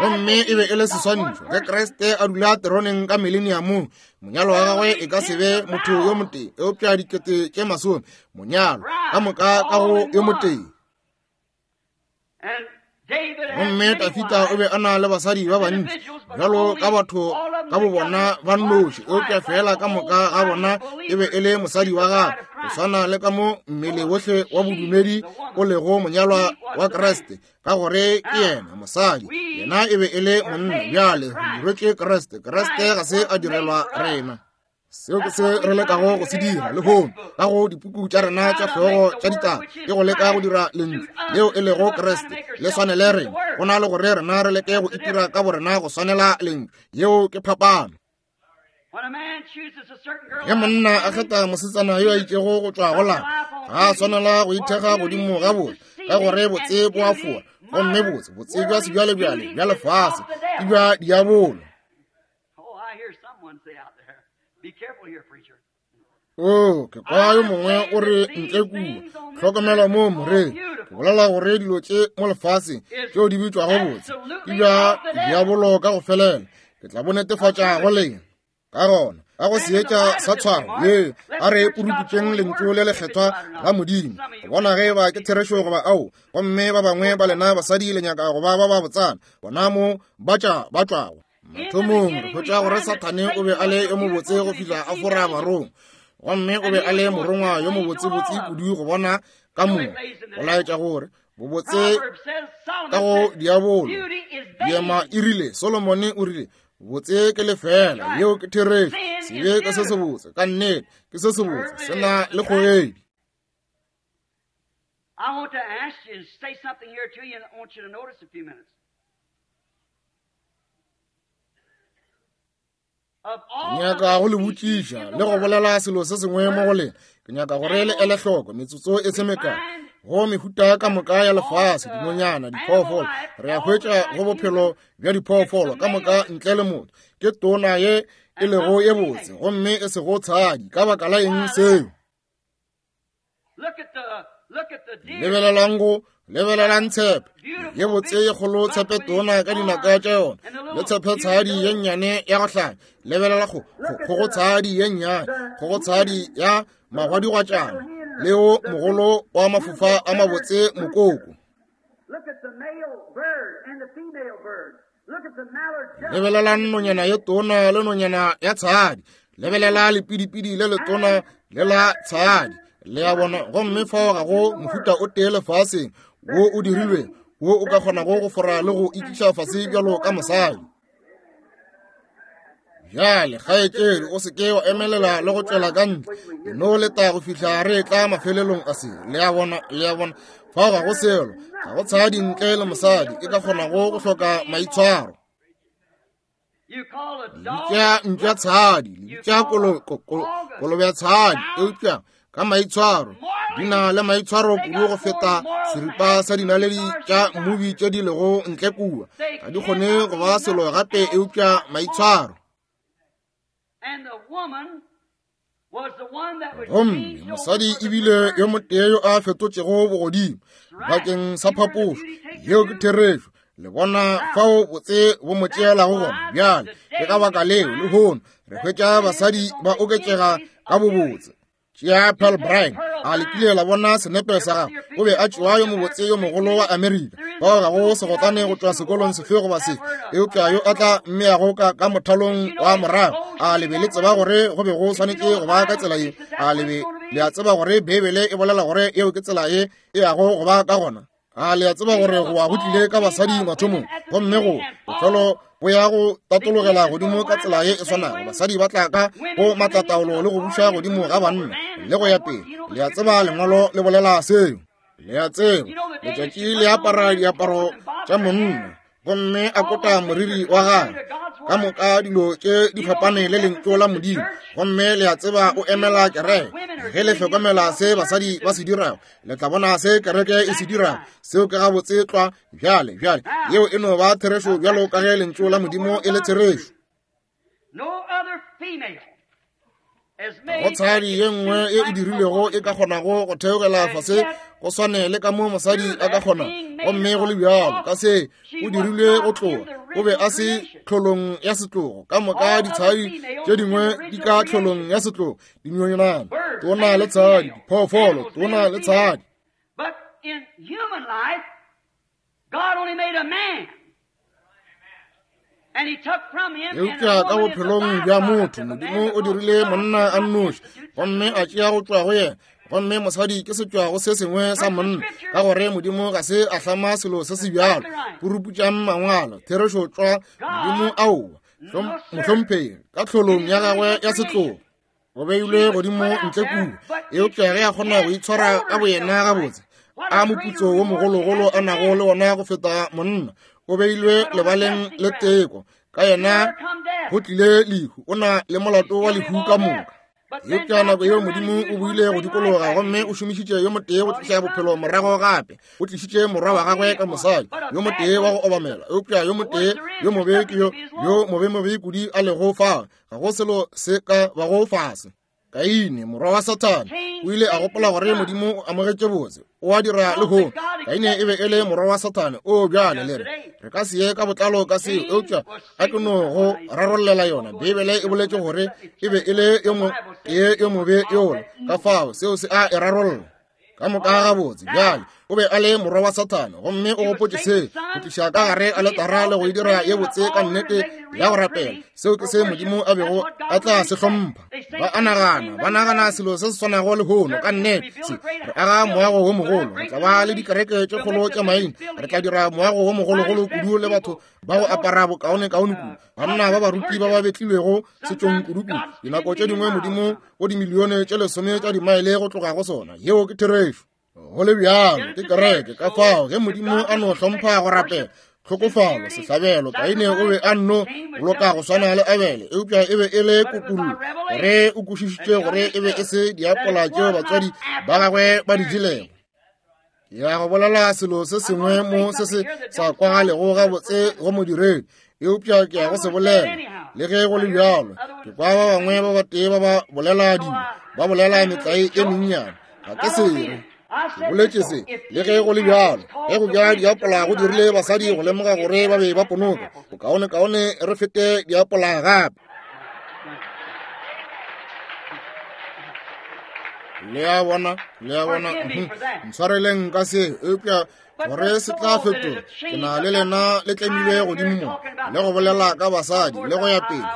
Gomme e be e le seswantšho ge Kriste a dula teroneng ka mileniamong, monyalo wa gagwe e ka se be motho yo motee, eupša dikete tše masome, monyalo ka moka ka go yo motee. Gomme Dafida o be a na le basadi ba bantši bjalo ka batho ka bo bona ba nnoši, eupša fela ka moka ga bona e be e le mosadi wa gagwe, go swana le ka mo mmele wohle wa bodumedi o lego monyalwa wa Kriste, ka gore ke yena mosadi, yena e be e le monna. Bjale re diretšwe Kriste. Kriste ga se a direlwa rena. Seo ke se re lekago go se dira lehono ka go dipuku tša rena tša hlogo tša ditaba, ke go leka go dira lentšu leo e lego Kriste le swanele rena, go na le gore rena re leke go itira ka borena go swanela lentšu. Yeo ke phapano. Ge monna a kgetha mosetsana yo a itšego go tšwa go lapa, ga a swanela go ithekga godimo ga botse, ka gore botse bo a foa, gomme botse botse bja sebjalebjale bja lefase ke bja diabolo. O ke kwa yo mongwe o re ntle kua, hlokomela mo moreng. Ke bolela gore dilo tše mo lefaseng tšeo di bitšwago botse ke bja diabolo ka go felela. Ke tla bo netefatša go lena. Ka gona ka go seetša sa tshwaro ye, a re puruputšeng lentšu le lekgethwa la Modimo go bona ge eba ke therešo goba ao. Gomme ba bangwe ba lena basadi le nyaka go ba ba ba botsana, bona mo ba tša ba tšwago. Mathomong re hwetša gore Sathane o be a le yo mobotse go fihla a fora barongwa, gomme o be a le morongwa yo mobotsebotse kudu go bona ka moka, go laetša gore bobotse ka go diabolo. Diema e rile, Solomone o rile, botse ke lefela. Yeo ke therešo. Sebe ke se sebotse, ka nnete ke se sebotse, se na le kgogedi. I want to ask you and say something here to you, and I want you to notice a few minutes. Ke nyaka go le botšiša le go bolela selo se sengwe mo go lena. Ke nyaka gore le ele hloko metsotso e se mekae. Go mehuta ka moka ya lefase, dinonyana, diphoofolo, re a hwetša go bophelo bja diphoofolo ka moka ntle le motho. Ke tona ye e lego ye botse gomme e sego tshadi. Ka baka la eng seo? Lebelelang go lebelelang tshepe ye botse ye kgolo, tshepe tona ka dinaka tša yona, le tshepe tshadi ye nnyane ya go hlanya. Lebelela go go tshadi ye nnyane, go tshadi ya magwadigwatšana, le wo mogolo wa mafofa a mabotse mokoko. Lebelelang nonyana ye tona le nonyana ya tshadi. Lebelela lepidipidi le letona le la tshadi. Le a bona, gomme fao ga go mohuta o tee lefaseng wo o dirilwe wo o ka kgonago go fora le go ikiša fase bjalo ka mosadi. Bjale kgaetšedi, o se ke wa emelela le go tšwela ka ntle, no leta go fihla re tla mafelelong a se. Le a bona, le a bona, fao ga go selo, ga go tshadi ntle le mosadi e ka kgonago go hloka maitshwaro. Le bitša mpša tshadi, le bitša kolobe tshadi, eupša ka maitshwaro di na le maitshwaro kudu go feta seripa sa dinaledi tša mmubi tše di lego ntle kua. Ga di kgone go ba selo gape eupša maitshwaro. Gomme mosadi ebile yo motee yo a fetotšego bogodimo bakeng sa phapošo. Yeo ke therešo. Le bona fao botse bo mo tšeelago gona. Bjale ke ka baka leo lehono re hwetša basadi ba oketšega ka bobotse. Tšea Pearl Bryan, a le kile la bona senepe sa gagwe? O be a tšewa yo mobotse yo mogolo wa Amerika. Bao ga go segotlane go tšwa sekolong sefe goba sefe, eupša yo a tla mmeago ka, ka mothalong wa morago. A le be le tseba gore go be go swanetše go ba ka tsela ye? A le be le a tseba gore Beibele e bolela gore yeo ke tsela ye e yago go ba ka gona? A le a tseba gore go wa go tlile ka basadi mathomong, gomme go bofelo bo ya go tatologela godimo ka tsela ye e swanago. Basadi ba tla ka go matlataolo le go buša godimo ga banna le go ya pele. Le a tseba lengwalo le bolela seo. Le a tseba letšatši le apara diaparo tša monna gomme a kota moriri wa gagwe. Ka moka dilo tše di fapane le lentšu la Modimo, gomme le a tseba o emela kereke. Ge le hlokomela se basadi ba se dirago, le tla bona se kereke e se dirago. Seo ke gabotse tlwa. Bjale, bjale yeo e no ba therešo bjalo ka ge lentšu la Modimo e le therešo. Go tshadi ye nngwe ye e dirilwego e ka kgonago go theogela fase go swane le ka mo mosadi a ka kgona, gomme go le bjalo ka se o dirilwe go tloga. O be a se tlholong ya setlogo. Ka moka ditshadi tše dingwe di ka tlholong ya setlogo, dinonyana tona le tshadi, diphoofolo tona le tshadi. But in human life, God only made a man. Eupša ka bophelong bja motho, Modimo o dirile monna a nnoši, gomme a tšea go tšwa go yena. Gomme mosadi ke setšwago se sengwe sa monna, ka gore Modimo ga se a hlama selo se se bjalo. Puruputšang mangwalo, therešo tšwa Modimo aowa, mohlomphegi ka tlholong ya gagwe ya setlogo. O beilwe godimo ntle kua, eupša ge a kgona go itshwara ka boyena gabotse, a moputso wo mogologolo a nago le wona go feta monna. O beilwe lebaleng le teko, ka yena go tlile lehu. O na le molato wa lehu ka moka. Eupša nako yeo Modimo o buile go dikologa, gomme o šomišitše yo motee go tliša bophelo morago gape. O tlišitše morwa wa gagwe ka mosadi yo motee wa go obamela, eupša yo motee yo mobe ke yo yo mobe-mobe kudu a lego fao. Ga go selo se ka bago fase. Kaine, morwa wa Sathane, o ile a gopola gore Modimo o amogetše botse, o a dira lehono. Kaine e be e le morwa wa Sathane. O bjale le re re ka se ye ka botlalo ka seo, eupša a ke no go rarollela yona. Beibele e boletše gore e be e le yo motee yo mobe yola, ka fao seo se a e rarolla ka moka gabotse. Bjale o be a le morwa wa Sathane, gomme o gopotše se go tliša ka gare a letara le go e dira ye botse ka nnete ya go rapela. Seo ke se Modimo a bego a tla se hlompha. Ba a nagana, ba nagana selo se se swanago lehono ka nnete. Se re aga moago wo mogolo, re tla ba le dikereke tše kgolo tša maina, re tla dira moago wo mogologolo kudu le batho ba go apara bokaonekaone kudu, banna ba baruti ba ba betlilwego setšong kudu-kudu. Dinako tše dingwe Modimo go dimilione tše lesome tša dimaele go tloga go sona. Yeo ke therešo. Go le bjalo ke kereke. Ka fao ge Modimo a no hlompha go rapela, tlhokofalo, sehlabelo, Kaine o be a nno boloka go swana le Abele, eupša e be e le kutullo gore o kwešišitše gore e be e se diapola tšeo batswadi ba gagwe ba di jelego. Ya go bolela selo se sengwe mo se se sa kwagalego gabotse go modiredi, eupša ke ya go se bolela le ge go le bjalo. Ke kwa ba bangwe ba batee ba ba bolela dilo, ba bolela metlae e mennyane. Ga ke sere ke boletše se le ge go le bjalo. Ge go bja diapola go dirile basadi go lemoga gore ba be ba ponoka, bokaonekaone re fete diapola gape. Le a bona, le a bona, ntshwareleng ka se, eupša gore se tla fetola. Ke na le lena le tlemile godimo mo le go bolela ka basadi le go ya pele.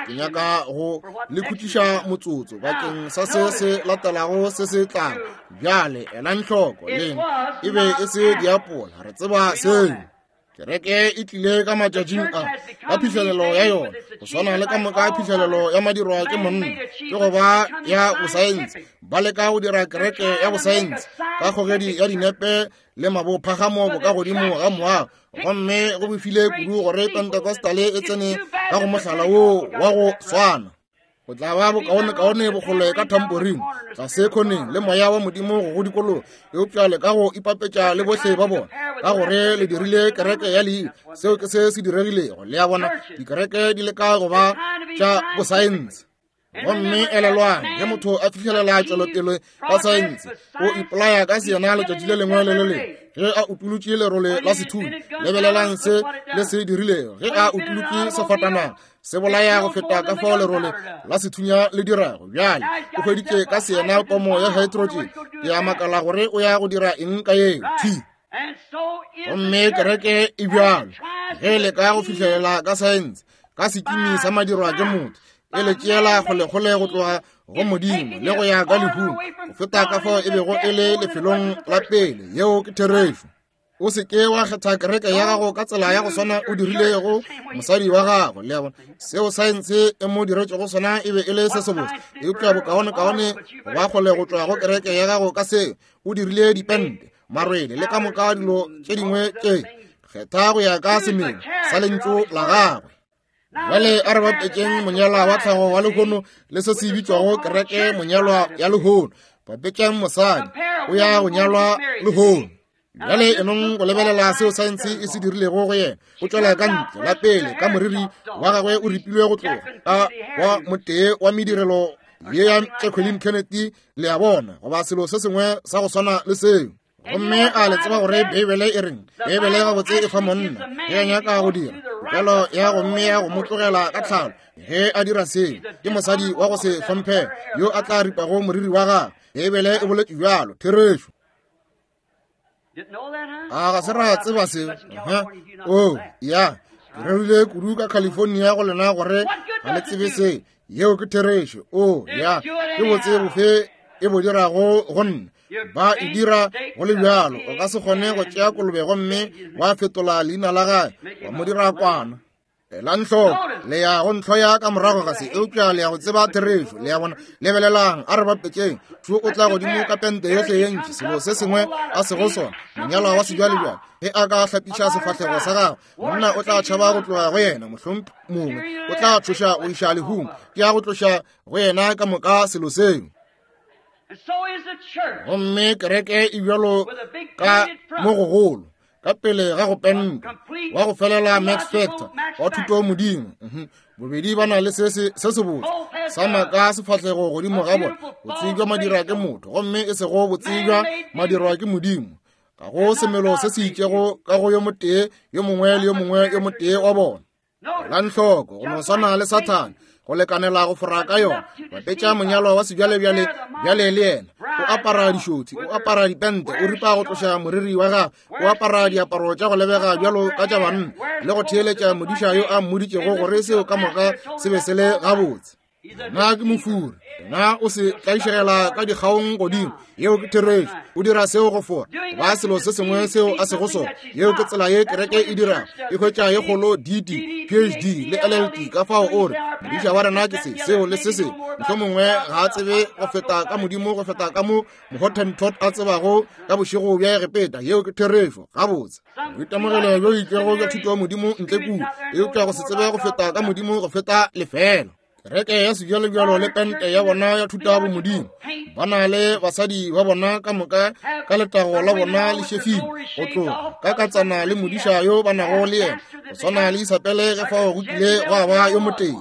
Ke nyaka go le khutiša motsotso bakeng sa se se latelago se se tlang. Bjale elang hloko, lena e be e se diapola, re tseba seo. Kereke e tlile ka matšatšing a ka phihlelelo ya yona, go swana le ka moka phihlelelo ya madirwa ke monna, ke go ba ya bosaense. Ba leka go dira kereke ya bosaense ka kgogedi ya dinepe le mabophagamo bo ka godimo ga moago, gomme go befile kudu gore Pentecostal e tsene ka go mohlala woo wa go swana. Go tla ba bokaonekaone bokgole ka tamporine tlase khoneng le moya wa Modimo go go dikologa, eupša le ka go ipapetša le bohle ba bona, ka gore le dirile kereke ya leina. Seo ke se se diregilego. Le a bona, dikereke di leka go ba tša bosaense. Gomme elelwang, ge motho a fihlelela tšwelopele ka saense, o ipolaya ka seyena letšatši le lengwe le le lengwe. Ge a utolotše lerole la sethunya, lebelelang se le se dirilego. Ge a utolotše sefatanaga, se bolaya go feta ka fao lerole la sethunya le dirago. Bjale o hweditše ka seyena pomo ya hydrogen. Ke a makala gore o ya go dira eng ka yeo. Thi. Gomme kereke e bjalo, ge le ka go fihlelela ka saense, ka sekimi sa madirwa ke motho, e le tšeela kgolekgole go tloga go Modimo le go ya ka lehung go feta ka fao e bego e le lefelong la pele. Yeo ke therešo. O se ke wa kgetha kereke ya gago ka tsela ya go swana o dirilego mosadi wa gago. Le a bona, seo saense e mo diretšego sona e be e le se sebotse, eupša bokaonekaone ba kgole go tšwa go kereke ya gago ka seo. O dirile dipente, marwele le ka moka dilo tše dingwe tše. Kgetha go ya ka semelo sa lentšu la gagwe. Bjale a re bapetšeng monyalwa wa tlhago wa lehono le se se bitšwago kereke monyalwa ya lehono. Bapetšang mosadi o ya go nyalwa lehono. Bjale enong go lebelela seo saense e se dirilego go yena. O tšwela ka ntle la pele ka moriri wa gagwe o ripilwe go tloga ka wa motee wa medirelo ye ya Jacqueline Kennedy, le a bona, goba selo se sengwe sa go swana le seo. Gomme a le tseba gore Beibele e reng? Beibele gabotse e fa monna ge a nyaka go dira tokelo ya go mmea go mo tlogela ka tlhalo. Ge a dira seo, ke mosadi wa go se hlomphege yo a tla ripago moriri wa gagwe. Beibele e boletše bjalo. Therešo. A ga se ra tseba seo? O ya, ke rerile kudu ka California go lena gore ga le tsebe se. Yeo ke therešo. O ya, ke botse bofe e bo dirago go nna? Ba e dira go le bjalo. O ka se kgone go tšea kolobe gomme wa fetola leina la gae wa mo dira kwana. Elang hloko, le ya go ntlhoya ka morago ga se, eupša le ya go tseba therešo. Le ya bona, lebelelang, a re bapetšeng. Šo o tla godimo ka pente yohle ye ntši, selo se sengwe a sego sona, monyalwa wa sejwalejwale. Ge a ka hlapiša sefahlego sa gagwe, monna o tla tšhaba go tloga go yena, mohlomongwe mongwe o tla tšhoša go iša lehung. Ke ya go tloša go yena ka moka selo seo. Gomme kereke e bjalo ka mo gogolo ka pele ga go penta wa go felela Max Factor wa thuto Modimo. Bobedi ba na le se se sebotse sa maka sefahlego godimo ga bona, botsebja madirwa ke motho, gomme e sego botsebja madirwa ke Modimo. Ga go semelo se se itšego ka go yo motee yo mongwe le yo mongwe yo motee wa bona. Elang hloko, go no swana le Sathane, go lekanela go fora ka yona. Bapetša monyalwa wa sejwalebjale bjale le yena. O apara dišothi, o apara dipente, o ripa go tloša moriri wa gagwe, o apara diaparo tša go lebega bjalo ka tša banna, le go theeletša modiša yo a mmoditšego gore seo ka moka se be se le gabotse. Nna ke mofuri, nna o se tlaišegela ka dikgaong godimo. Yeo ke therešo. O dira seo go fora ba selo se sengwe seo a sego sona. Yeo ke tsela ye kereke e dirago. E hwetša ye kgolo D D, P H D le L L D. Ka fao o re modiša wa rena ke se, seo le se sengwe. Mohlomongwe ga a tsebe go feta ka Modimo go feta ka mo Mohottentot a tsebago ka bošego bja Egepeta. Yeo ke therešo. Gabotse boitemogelo bjo itšego bja thuto ya Modimo ntle kua, eupša go se tsebe go feta ka Modimo go feta lefela. Kereke ya sebjalebjalo le pente ya bona ya thuta bomodimo, ba na le basadi ba bona ka moka ka letago la bona le šefile go tloga ka katsana le modiša yo ba nago le yena, go swana le Isabele ge fao go kile gwa ba yo motee.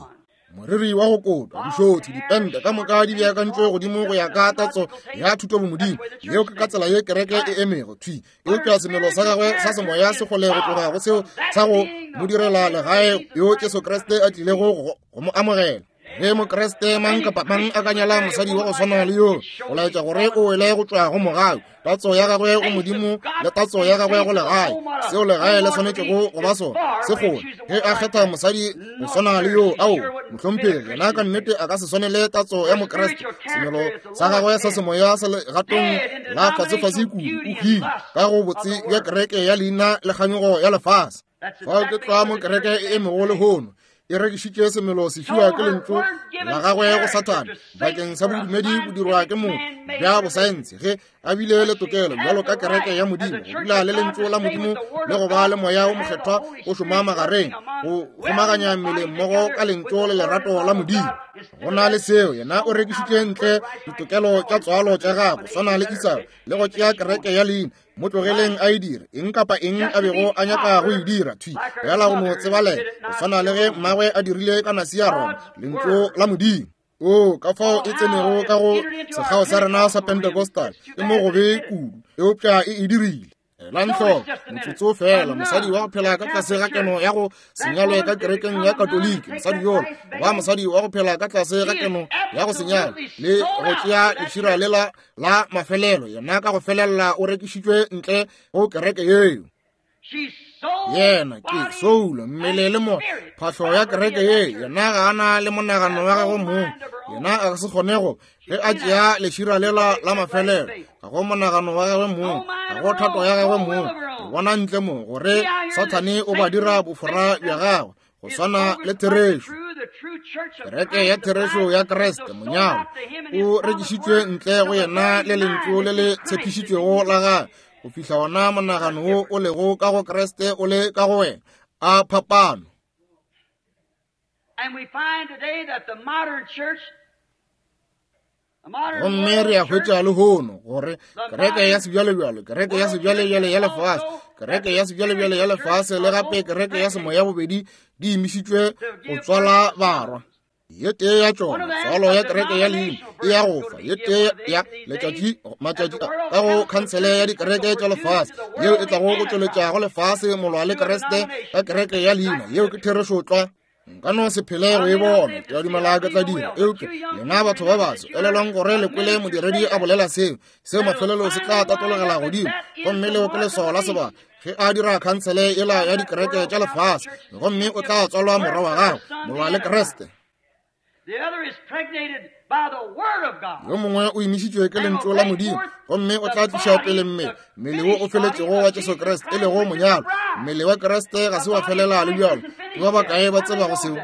Moriri wa go kotwa, dišothi, dipente ka moka di beakantšwe godimo go ya ka tatso ya thuto bomodimo. Yeo ke ka tsela ye kereke e emego thwi, eupša semelo sa gagwe sa semoya se kgole go tloga go seo sa go mo direla legae yo Jesu Kriste a tlilego go mo amogela. Ge Mokriste mang kapa mang a ka nyala mosadi wa go swana le yo, go laetša gore o wele go tšwa go mogau, tatso ya gagwe go Modimo le tatso ya gagwe go legae, seo legae le swanetšego go ba sona se kgole. Ge a kgetha mosadi go swana le yo, ao mohlomphegi, yena ka nnete a ka se swanele tatso ya Mokriste. Semelo sa gagwe sa semoya se legatong la fasefase kudu, o hwile ka go botse bja kereke ya leina le kganyogo ya lefase. Fao ke tlwa mo kereke e emego lehono, e rekišitše semelo se fiwa ke lentšu la gagwe go Sathane bakeng sa bodumedi bo dirwa ke motho bja bosaense, ge a bile le tokelo bjalo ka kereke ya Modimo go dula le lentšu la Modimo le go ba le moya o mokgethwa o šoma magareng go kgomaganya mmele mmogo ka lentšu le lerato la Modimo. Go na le seo, yena o rekišitše ntle ditokelo tša tswalo tša gagwe swana le Esau le go tšea kereke ya leina. Mo tlogeleng a e dire eng kapa eng a bego a nyaka go e dira thwi fela go no tsebalela, go swana le ge mmagwe a dirile ka nasi ya Roma, lentšu la Modimo. O ka fao e tsenego ka go sekgao sa rena sa Pentecostal ke mo gobe kudu, eupša e e dirile. Elang hloko motsotso fela, mosadi wa go phela ka tlase ga keno ya go senyalwe ka kerekeng ya Katoliki, mosadi yola wa mosadi wa go phela ka tlase ga keno ya go senyalwa le go tšea lešira lela la mafelelo, yena ka go felela o rekišitšwe ntle go kereke yeo. Yena ke soulo, mmele le mo phahlo ya kereke ye, yena ga a na le monagano wa gagwe mong, yena a se kgonego ge a tšea lešira lela la mafelelo, ga go monagano wa gagwe mong, ga go thato ya gagwe mong. Re bona ntle mo gore Sathane o ba dira bofora bja gagwe go swana le therešo. Kereke ya therešo ya Kriste monyalo o rekišitšwe ntle go yena le lentšu le le tshepišitšwego la gagwe, go fihla ona monagano wo o lego ka go Kriste o le ka go wena. A phapano. Gomme re a hwetša lehono gore kereke ya sebjalebjalo, kereke ya sebjalebjale ya lefase, kereke ya sebjalebjale ya lefase le gape kereke ya semoya bobedi di imišitšwe go tswala barwa. Ye tee ya tšona, tswalo ya kereke ya leina e ya go fa, ye tee ya letšatši matšatši ka go khansele ya dikereke tša lefase yeo e tlago go tšweletša go lefase molwa le Kriste ka kereke ya leina. Yeo ke therešo tlwa. Nka no se phele go e bona, ke a dumela ke tla dira, eupša lena batho ba baso elelwang gore le kwele modiredi a bolela seo, seo mafelelo se tla tatologela godimo, gomme leo ke leswao la sebaka ge a dira khansele yela ya dikereke tša lefase, gomme o tla tswalwa morwa wa gagwe molwa le Kriste. Yo mongwe o imišitšwe ke lentšu la Modimo, gomme o tla tliša pele mmele, mmele wo o feletšego wa Jesu Kriste, e lego monyalo. Mmele wa Kriste ga se wa felela le bjalo. Ke ba bakae ba tsebago seo?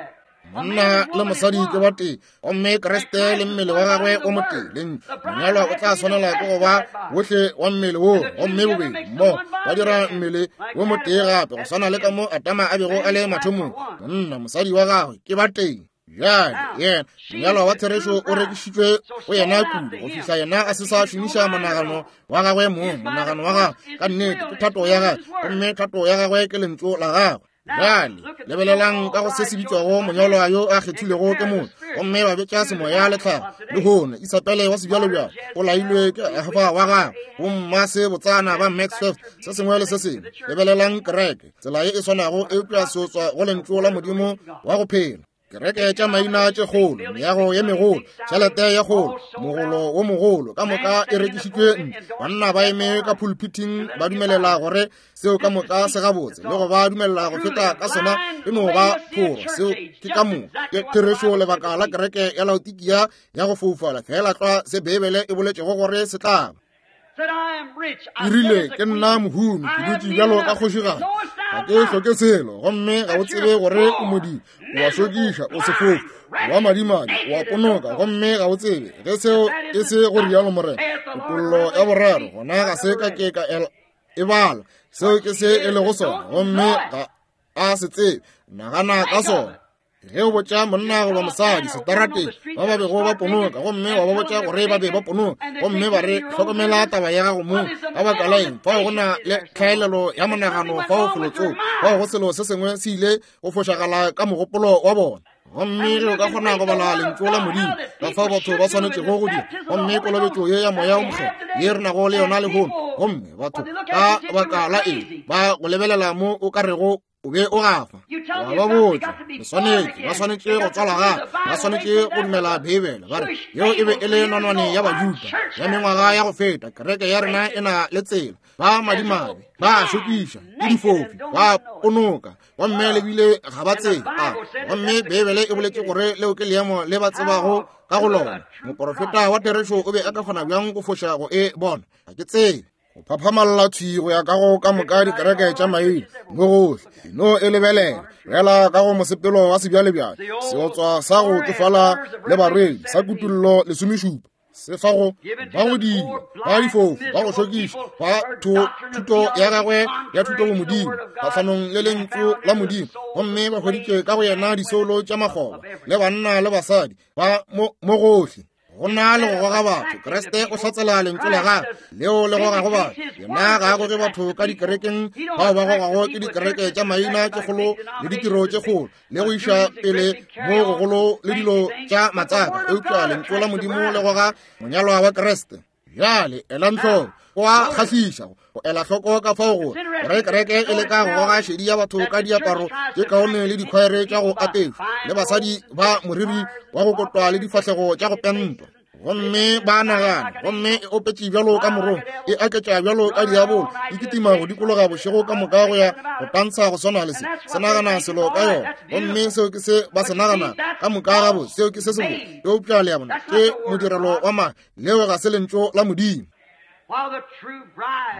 Monna le mosadi ke ba tee, gomme Kriste le mmele wa gagwe o motee. Lentšu monyalwa o tla swanela ke go ba bohle wa mmele wo, gomme bobedi mmogo ba dira mmele wo motee gape, go swana le ka mo Adama a bego a le mathomong. Monna mosadi wa gagwe ke ba tee. Bjale yena monyalwa wa therešo o rekišitšwe go yena kudu go fihla yena a se sa šomiša monagano wa gagwe mong. Monagano wa gagwe ka nnete ke thato ya gagwe, gomme thato ya gagwe ke lentšu la gagwe. Bjale lebelelang ka go se se bitšwago monyalwa yo a kgethilego ke motho, gomme ba betša semoya le tlhago. Lehono Isabele wa sebjalebjalo o lailwe ke Efa wa gagwe, bomma se botsana ba Max Fifth, se sengwe le se sengwe. Lebelelang kereke tsela ye e swanago, eupša seotswa go lentšu la Modimo wa go phela. Kereke tša maina tše kgolo, meago ye megolo, tšhelete ye kgolo, mogolo wo mogolo, ka moka e rekišitšwe ntle. Banna ba eme ka pulpiting ba dumelela gore seo ka moka se gabotse, le go ba dumelela go feta ka sona e no ba phoro. Seo ke ka moka ke therešo. Lebaka la kereke ya Laodikia ya go foufala fela tlwa se Beibele e boletšego gore se tla ba. E rile, ke nna mohumi, ke dutše bjalo ka kgošigadi, ga ke hloke selo, gomme ga o tsebe gore o modimo, o a šokiša, o sefofu, wa madimadi, o a ponoka, gomme ga o tsebe ge seo e se go rialo Morena. Kutollo ya boraro, gona ga se ka ke ka e bala, seo ke se e lego sona, gomme ga a se tsebe. Nagana ka sona. Ge o botša monna goba mosadi setarateng ba ba bego ba ponoka, gomme wa ba botša gore ba be ba ponoka, gomme ba re hlokomela taba ya gago mong, ka baka la eng, fao go na le tlhaelelo ya monagano fao felotsoko, fao go selo se sengwe se ile go fošagala ka mogopolo wa bona. Gomme ge o ka kgona go bala lentšu la Modimo, ka fao batho ba swanetšego go dira, gomme kolobetšo ye ya Moya o Mokgethwa ye re nago le yona lehono, gomme batho ka baka la eng ba go lebelela mo o ka rego o be o gafa. Wa ba botša, le swanetše, ba swanetše go tswalwa gape, ba swanetše go dumela Beibele. Ba re yeo e be e le nonwane ya Bajuda ya mengwaga ya go feta. Kereke ya rena e na le tsela, ba madimabe, ba šokiša, ke difofi, ba ponoka, gomme le bile ga ba tsebe. A gomme Beibele e boletše gore leo ke leemo le ba tsebago ka go lona. Moporofeta wa therešo o be a ka kgona bjang go foša go e bona? Ga ke tsebe. Go phaphamalla thwi go ya ka go ka moka dikereke tša maina mo gohle, no e lebelela fela ka go mosepelo wa sebjalebjale, seotswa sa go tsofala le barwedi sa kutullo lesomešupa, se fa go ba go dila, ba difofu, ba go šokiša, ba thuto ya gagwe ya thuto go Modimo kgahlanong le lentšu la Modimo, gomme ba hweditše ka go yena disoulo tša makgoba le banna le basadi ba mo gohle. Go na le go goga batho. Kriste o hlatsela lentšu la gagwe leo le gogago batho. Yena ga a goge batho ka dikerekeng bao ba gogago ke dikereke tša maina tše kgolo le ditiro tše kgolo le go iša pele mo gogolo le dilo tša matsaka, eupša lentšu la Modimo le goga monyalwa wa Kriste. Bjale elang hloko, go a kgahliša go ela hloko ka fao gore gore kereke e leka go goga šedi ya batho ka diaparo tše kaone le dikhwaere tša go apešwa le basadi ba moriri wa go kotwa le difahlego tša go pentwa, gomme ba nagana, gomme e opetše bjalo ka morong, e aketša bjalo ka diabolo, e kitima go dikologa bošego ka moka go ya go tantsha go swana le se, se nagana selo ka yona, gomme seo ke se ba se nagana ka moka gabo, seo ke se sebotse. Eupša le a bona, ke modirelo wa maaka, leo ga se lentšu la Modimo.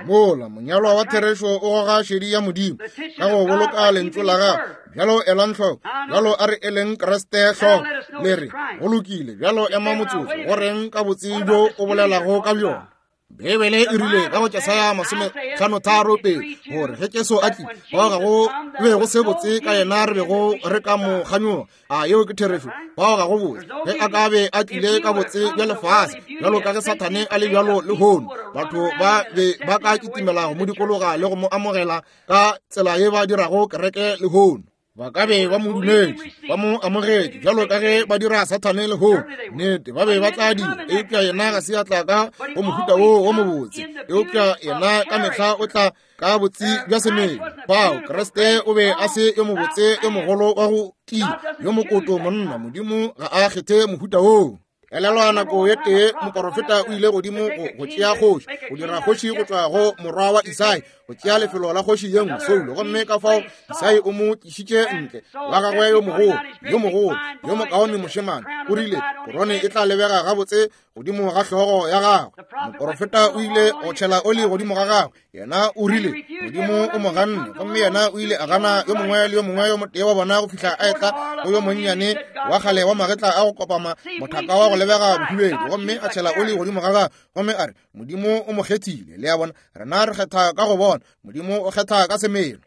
Mola monyalwa wa therešo o goga šedi ya Modimo ka go boloka lentšu la gagwe. Bjalo elang hloko, bjalo a re eleng Kriste hloko, le re go lokile. Bjalo ema motsotso, go reng ka botse bjo o bolelago ka bjona? Beibele e rile ka go Jesaya masometlhano tharo pedi gore ge Jesu a tlile, bao ga go be go se botse ka yena re bego re ka mo kganyoga. A yeo ke therešo? Bao ga go botse. Ge a ka be a tlile ka botse bja lefase bjalo ka ge Sathane a le bjalo lehono, batho ba be ba ka kitimela go mo dikologa le go mo amogela ka tsela ye ba dirago kereke lehono. Ba ka be ba mo dumetše, ba mo amogetše bjalo ka ge ba dira Sathane lehono. Nnete, ba be ba tla dira, eupša yena ga se a tla ka go mohuta woo wo mobotse, eupša yena ka mehla o tla ka botse bja semelo. Bao Kriste o be a se yo mobotse yo mogolo wa go tia, yo mokoto monna. Modimo ga a kgethe mohuta woo. Elelwa nako ye tee moporofeta o ile godimo go, go tšea kgoši, go dira kgoši go tšwa go morwa wa Isai, go tšea lefelo la kgoši ye nngwe Saulo, gomme ka fao Isai o mo tlišitše ntle wa gagwe yo mogolo, yo mogolo, yo mokaone mošemane. O rile korone e tla lebega gabotse godimo ga hlogo ya gagwe. Moporofeta o ile go tšhela oli godimo ga gagwe. Yena o rile Modimo o mo ganne, gomme yena o ile a gana yo mongwe le yo mongwe yo motee wa bona go fihla a etla go yo monnyane wa kgale wa magetla a go kopama mothaka wa go lebega bohubedu, gomme a tšhela oli godimo ga gagwe, gomme a re Modimo o mo kgethile. Le a bona, rena re kgetha ka go bona, Modimo o kgetha ka semelo.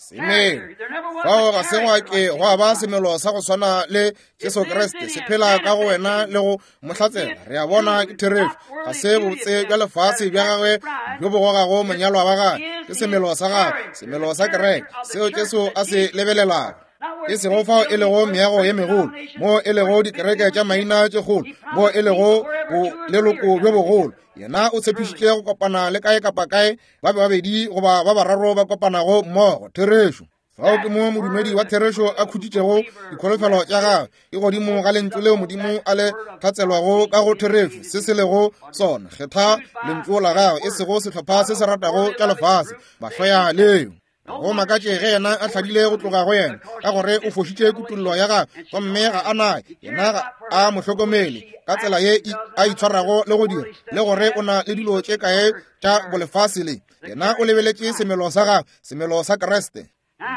Semelo fao ga se gwa ke gwa ba semelo sa go swana le Jesu Kriste se phela ka go wena le go mo hlatsela. Re a bona ke therešo, ga se botse bja lefase bja gagwe bjo bo gogago monyalwa wa gagwe, ke semelo sa gagwe, semelo sa kereke seo Jesu a se lebelelago. E sego fao e lego meago ye megolo, mo e lego dikereke tša maina tše kgolo, mo e lego boleloko bjo bogolo. Yena o tshepišitše go kopana le kae kapa kae ba babedi goba ba bararo ba kopanago mmogo. Therešo. Fao ke mo modumedi wa therešo a khutšitšego dikholofelo tša gagwe, e godimo ga lentšu leo Modimo a le hlatselwago ka go therešo, se se lego sona. Kgetha lentšu la gagwe, e sego sehlopha se se ratago tša lefase, ba hloya leo. Go makatše ge yena a hladile go tloga go yena, ka gore o fošitše kutollo ya gagwe, gomme ga a naye, yena ga a mo hlokomele ka tsela ye a itshwarago le go dira, le gore o na le dilo tše kae tša bolefase le. Yena o lebeletše semelo sa gagwe, semelo sa Kriste.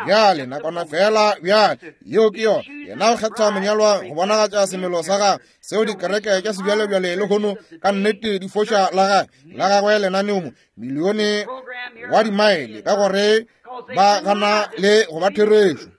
Bjale nakwana fela, bjale yeo ke yona. Yena o kgetha monyalwa go bonagatša semelo sa gagwe, seo dikereke tša sebjalebjale lehono ka nnete di foša la gagwe, la gagwe lenaneo mo milione wa dimaele, ka gore ba gana le go ba therešo.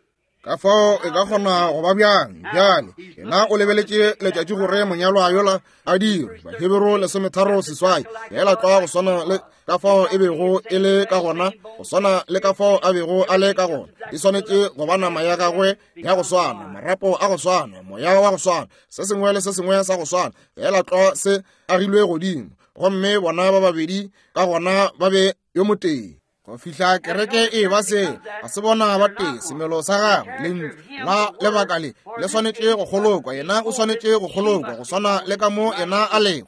Ka fao e ka kgona go ba bjang bjale? Yena o lebeletše letšatši gore monyalwa yola a dirwe. Bahebero lesometharo seswai, fela tlwa go swana le ka fao e bego e le ka gona, go swana le ka fao a bego a le ka gona. E swanetše go ba nama ya gagwe ya go swana, marapo a go swana, moya wa go swana, se sengwe le se sengwe sa go swana, fela tlwa se agilwe godimo. Gomme bona ba babedi ka gona ba be yo motee. Go fihla kereke e ba se, ga se bona ba tee, semelo sa gagwe, lentšu la lebaka le le swanetše go kgolokwa. Yena o swanetše go kgolokwa go swana le ka mo yena a lego.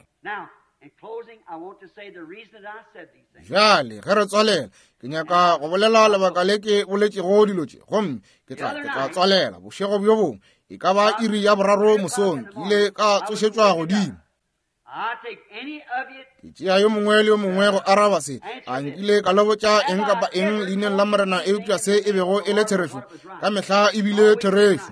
Bjale ge re tswalela, ke nyaka go bolela lebaka le ke boletšego dilo tše, gomme ke tla ke tla tswalela bošego bjo bongwe, e ka ba iri ya boraro mosong, ke ile ka tsošetšwa godimo. Ke tšea yo mongwe le yo mongwe go araba se. A nkile ka le botša eng kapa eng leineng la Morena eupša se e bego e le therešo? Ka mehla e bile therešo.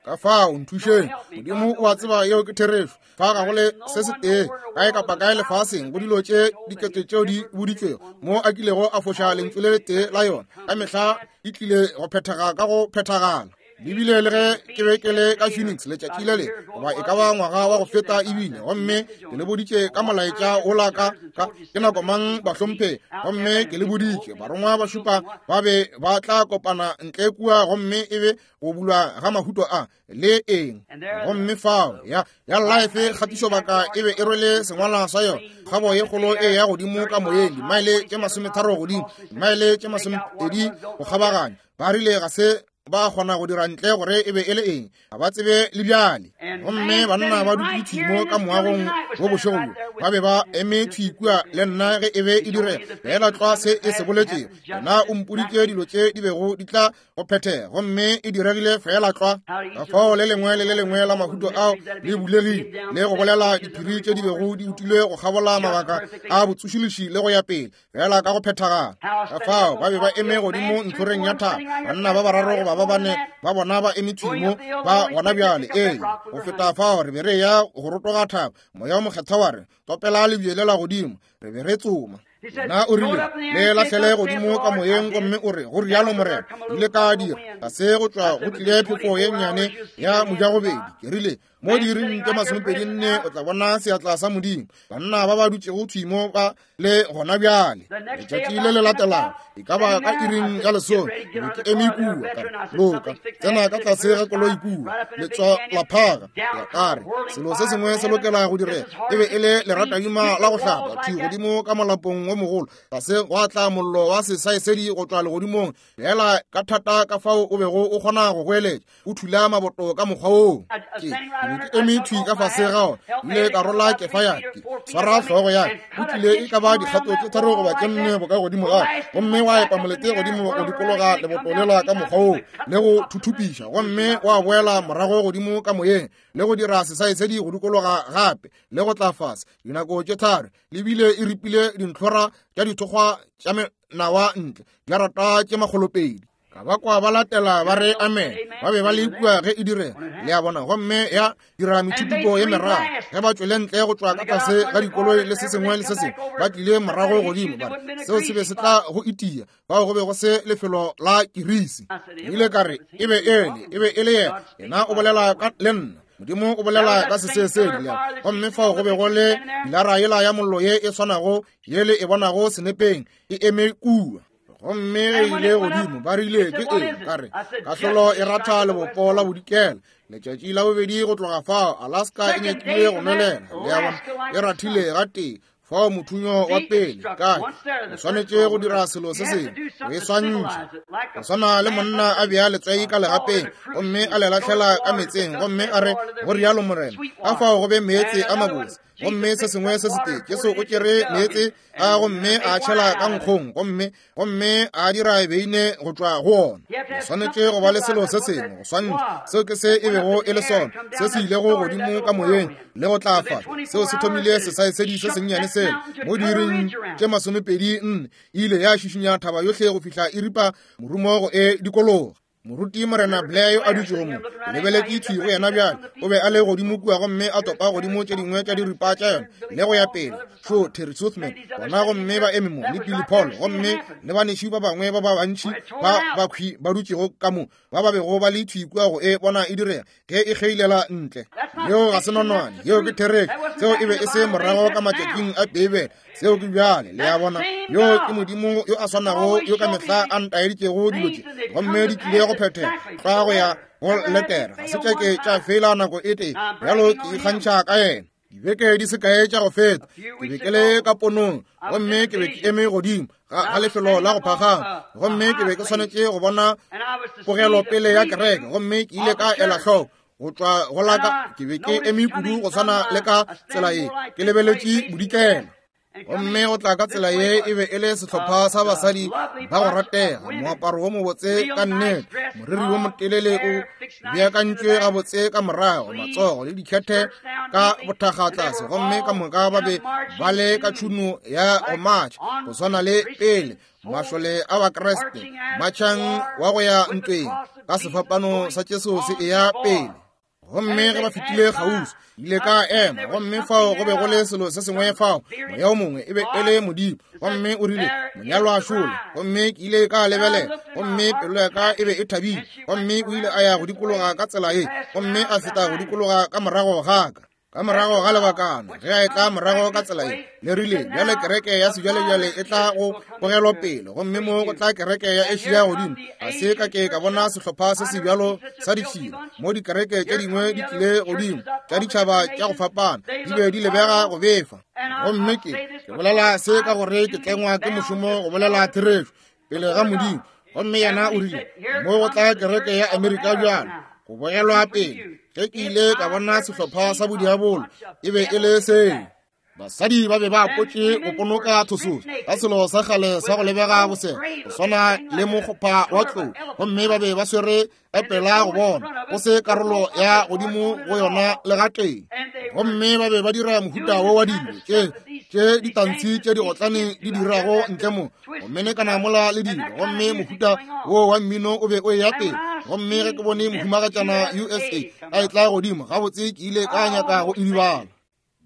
Ka fao nthušeng, Modimo o a tseba yeo ke therešo. Fa ga go le se se tee kae kapa kae lefaseng go dilo tše dikete tšeo di boditšwego mo a kilego a foša lentšu le letee la yona. Ka mehla e tlile go phethega ka go phethagala. Ebile le ge ke be ke le ka Phoenix letšatši le le, goba e ka ba ngwaga wa go feta ebile, gomme ke le boditše ka molaetša ola ka ka ke nako mang bahlomphe, gomme ke le boditše barongwa ba šupa ba be ba tla kopana ntle kua, gomme e be go bulwa ga mahuto a le eng. Gomme fao ya ya Life kgatišobaka e be e rwele sengwalwa sa yona, kgabo ye kgolo e ya godimo ka moyeng, dimaele tše masometharo godimo, dimaele tše masomepedi go kgabaganya. Ba rile ga se ba kgona go dira ntle gore e be e le eng, ga ba tsebe le bjale. Gomme banna ba dutše thwi mo ka moagong wo bošego bjo, ba be ba eme thwi kua le nna ge e be e direga, fela tlwa se e se boletšego. Yena o mpoditše dilo tše di bego di tla go phethega, gomme e diregile fela tlwa. Ka fao le lengwe le le lengwe la mahuto ao le bulegile le go bolela diphiri tše di bego di utilwe go kgabola mabaka a botsošološi le go ya pele, fela ka go phethagala. Ka fao ba be ba eme godimo ntlhoreng ya thaba, banna ba bararo goba ba bane ba bona ba eme thwi mo ba gona bjale. Ee, go feta fao re be re ya go rotoga thaba, moya o mokgethwa wa re topela lebje lela godimo, re be re tsoma. Yena o rile, le lahlele godimo ka moyeng, gomme o re go rialo Morena. Ile ka dira ga se go tšwa go tlile phefo ye nnyane ya mojagobedi. Ke rile mo diiring tše masomepedi nne o tla bona seatla sa Modimo. Banna ba ba dutšego thwi mo ba le gona bjale. Letšatši le le latelago e ka ba ka iring ya lesome, ke be ke eme kua, ka re, loka, tsena ka tlase ga koloi kua, letswa la phaga. Ya ka re, selo se sengwe se lokela go direga. E be e le leratadima la go hlapa thwi godimo ka molapong wo mogolo, tlase gwa tla mollo wa sesaesedi go tšwa legodimong, fela ka thata ka fao o bego o kgona go goeletša, o thula maboto ka mokgwa woo. Ke ke eme thwi ka fase ga ona, ile ka rola kefa ya ke swara hlogo ya ka, o tlile e ka ba dikgato tše tharo goba tše nne boka godimo ga, gomme wa epa molete godimo go dikologa leboto lela ka mokgwa woo le go thuthupiša, gomme wa boela morago godimo ka moyeng le go dira sesaesedi go dikologa gape le go tla fase dinako tše tharo. Le bile e ripile dintlhora tša dithokgwa tša menawa ntle diarata tše makgolopedi. Ka ba kwa ba latela ba re amen. Ba be ba le kua ge e direga, le a bona, gomme ya dira methuthupo ye meraro. Ge ba tšwele ntle go tšwa ka tlase ga dikoloi le se sengwe le se sengwe, ba tlile morago godimo, ba re seo se be se tla go itia. Fao go be go se lefelo la kirisi. Ke ile ka re e be ele, e be e le yena. Yena o bolela ka le nna, Modimo o bolela ka sesesedi. Gomme fao go be go le pilara yela ya mollo ye e swanago yele e bonago senepeng e eme kua. Gomme ge ile godimo ba rile ke eng? Ka re kahlolo e ratha lebopo la bodikela. Letšatši la bobedi go tloga fao Alaska e nyakile go nwelela, le a bona, e rathile gatee fao mothunyo wa pele. Kae o swanetše go dira selo se sengwe go e swantšha, go swana le monna a bea letswai ka legapeng gomme a le lahlela ka meetseng, gomme a re go rialo Morena, ka fao go be meetse a mabose. Gomme se sengwe se setee, Jesu o tšere meetse a gomme a tšhela ka nkgong, gomme gomme a dira beine go tšwa go ona. O swanetše go ba le selo se sengwe go swantšha. Seo ke se e bego e le sona, se se ilego godimo ka moyeng le go tla fa. Seo se thomile sesaesedi se sennyane sela mo diiring tše masomepedi nne, e ile ya šišinya thaba yohle go fihla e ripa morumo go e dikologa. Moruti Morena Blair yo a dutšego mo, ke lebeletše thwi go yena bjale. O be a le godimo kua gomme a topa godimo tše dingwe tša diripa tša yona le go ya pele. Šo Terry Southman, bona gomme ba eme mo, le Billy Paul, gomme le banešu ba bangwe ba ba bantši ba bakhwi ba dutšego ka mo, ba ba bego ba le thwi kua go e bona e direga ge e kgeilela ntle. Yeo ga se nonwane, yeo ke therešo. Seo e be e se morago ka matšatšing a Beibele, seo ke bjale. Le a bona, yo ke Modimo yo a swanago yo ka mehla a ntaeditšego dilo tše, gomme di tlile go phethega tlwa go ya go letera. Ga se tša ke tša fela nako e tee bjalo, ke ikgantšha ka yena. Dibeke di se kae tša go feta, ke be ke le ka ponong, gomme ke be ke eme godimo ga, ga lefelo la go phagama, gomme ke be ke swanetše go bona pogelopele ya kereke, gomme ke ile ka ela hloko go tšwa go la ka. Ke be ke eme kudu go swana le ka tsela ye, ke lebeletše bodikela. Gomme go tla ka tsela ye e be e le sehlopha sa basadi ba go ratega, moaparo wo mobotse ka nnete, moriri wo motelele o beakantšwe gabotse ka morago, matsogo le dikhethe ka bothakga tlase, gomme ka moka ba be ba le ka tšhuno ya go matšha go swana le pele mašole a Bakriste matšhang wa go ya ntweng ka sefapano sa Jesu se eya pele. Gomme ge ba fetile kgauswi, ile ka ema, gomme fao go be go le selo se sengwe fao, moya o mongwe e be e le Modimo, gomme o rile, monyalwa a šole. Gomme ke ile ka lebelela, gomme pelo ya ka e be e thabile, gomme o ile a ya go dikologa ka tsela ye, gomme a feta go dikologa ka morago ga ka. Ka morago ga lebakana, ge a etla morago ka tsela ye, le rile, bjale kereke ya sejwalejwale e tla go pogelwa pele, gomme mo go tla kereke ya Asia godimo. Ga se ka ke ka bona sehlopha se sebjalo sa ditšhila mo dikereke tše dingwe di tlile godimo tša ditšhaba tša go fapana, di be di lebega go befa. Gomme ke ke bolela se ka gore ke tlengwa ke mošomo go bolela therešo pele ga Modimo. Gomme yena o rile, mo go tla kereke ya Amerika bjalo go bogelwa pele. Ge ke ile ka bona sehlopha sa bodiabolo, e be e le seo. Basadi ba be ba apotše go ponoka thososo ka selo sa kgale sa go lebega bosela go swana le mokgopha wa tlou, gomme ba be ba swere epela go bona go se karolo ya godimo go yona le gatee. Gomme ba be ba dira mohuta wo wa dilo tše tše ditantshi tše di otlane di dirago ntle mo, go menekana mola le dilo, gomme mohuta wo wa mmino o be o eya pele. Gomme ge ke bone mohumagatšana U S A a etla godimo, gabotse ke ile ka nyaka go idibala.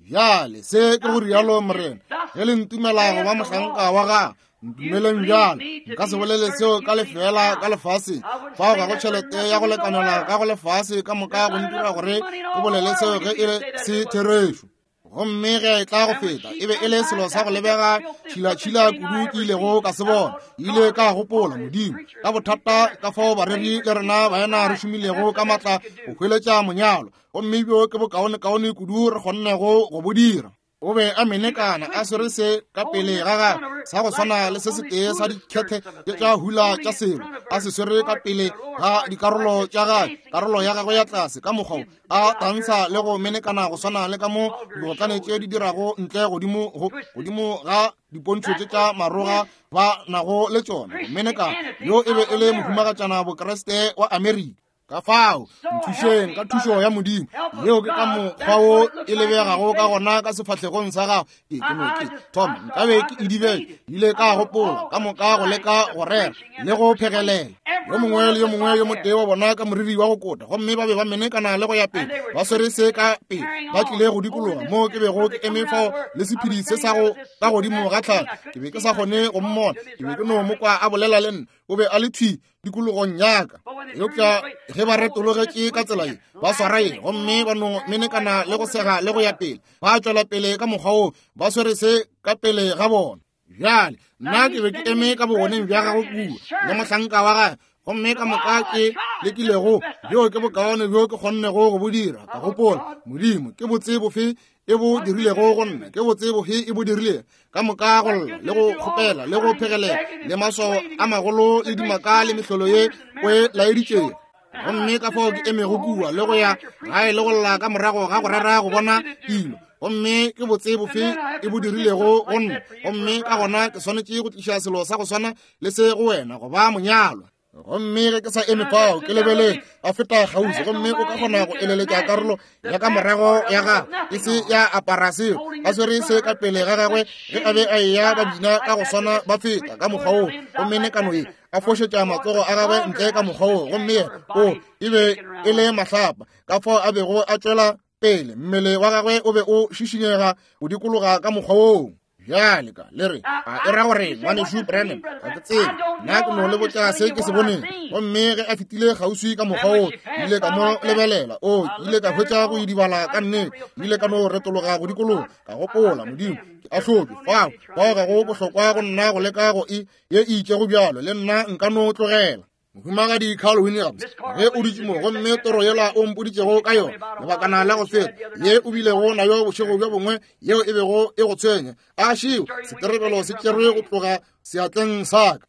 Bjale se ke go rialo Morena, ge le ntumela go ba mohlanka wa gagwe, ntumeleng bjale. Nka se bolele seo ka lefeela ka lefaseng, fao ga go tšhelete ya go lekanela ka go lefase ka moka go ntira gore ke bolele seo ge e le se therešo. Gomme ge e tla go feta, e be e le selo sa go lebega tšhilatšhila kudu ke ilego ka se bona. Ile ka gopola, Modimo, ka bothata ka fao bareri le rena baena re šomilego ka matla go hweletša monyalo, gomme bjo ke bokaonekaone kudu re kgonnego go bo dira. O be a menekana a swere se ka pele ga gagwe sa go swana le se setee sa dikhethe tša hula tša selo, a se swere ka pele ga dikarolo tša gagwe, karolo ya gagwe ya tlase ka mokgwa a tantsha le go menekana go swana le ka mo digotlane tše di dirago ntle godimo go godimo ga dipontšho tše tša maroga ba nago le tšona. Go menekana yo e be e le mohumagatšana Bokreste wa Amerika. Ka fao nthušeng ka thušo ya Modimo, yeo ke ka mokgwa wo e lebegago ka gona ka sefahlegong sa gago. Ke ke no ke thoma nkabe ke idibele, ile ka gopola ka moka go leka go rera le go phegelela. Yo mongwe le yo mongwe yo motee wa bona ka moriri wa go kota, gomme ba be ba menekana le go ya pele, ba swere se ka pele, ba tlile go dikologa mo ke bego ke eme fao le sephedi se sa go ka godimo ga tlhaka. Ke be ke sa kgone go mmona, ke be ke no mo kwa a bolela le nna, o be a le thwi dikologong yaka. Eupša ge ba retologetše ka tsela ye, ba swara ye, gomme ba no menekana le go sega le go ya pele, ba tšwela pele ka mokgwa wo, ba swere se ka pele ga bona. Bjale nna ke be ke eme ka bogoneng bja gagwe kua le mohlanka wa gagwe, gomme ka moka ke lekilego, bjo ke bokaone bjo ke kgonnego go bo dira. Ka gopola, Modimo, ke botse bofe e bo dirilego go nna, ke botse bofe e bo dirilego ka moka go lla le go kgopela le go phegelela le maswao a magolo le dimaka le mehlolo ye o e laeditšego. Gomme ka fao ke emego kua le go ya gae le go lla ka morago ga go rera go bona dilo, gomme ke botse bofe e bo dirilego go nna. Gomme ka gona ke swanetše go tliša selo sa go swana le se go wena go ba monyalwa. Gomme ge ke sa eme fao ke lebele a feta kgauswi, gomme o ka kgona go eleletša karolo ya ka morago ya gagwe e se ya apara seo, a swere se ka pele ga gagwe ge a be a eya ba bina ka go swana ba feta ka mokgwa wo. Gomme nekano ye a fošetša matsogo a gagwe ntle ka mokgwa wo, gomme yena o e be e le mahlapa ka fao a bego a tšwela pele. Mmele wa gagwe o be o šišinyega o dikologa ka mokgwa woo. Bjale ka le re a e ra gore ngwanešu Branham ga ke tsebe, nna ke no le botša se ke se boneng. Gomme ge a fetile kgauswi ka mokgwa wo, ke ile ka mo lebelela. O ke ile ka hwetša go idibala ka nnete, ke ile ka no retologa go dikologa, ka gopola, Modimo, ke ahlotšwe fao, fao ga go bohlokwa go nna go leka go e ye e itšego bjalo, le nna nka no tlogela. Mohumagadi Carl Williams, ge o dutše mo, gomme toro yela o mpoditšego ka yona lebakana la go feta, ye o bilego nayo bošego bjo bongwe, yeo e bego e go tshwenya, a šeo seterebelo se tšerwe go tloga seatleng sa ka.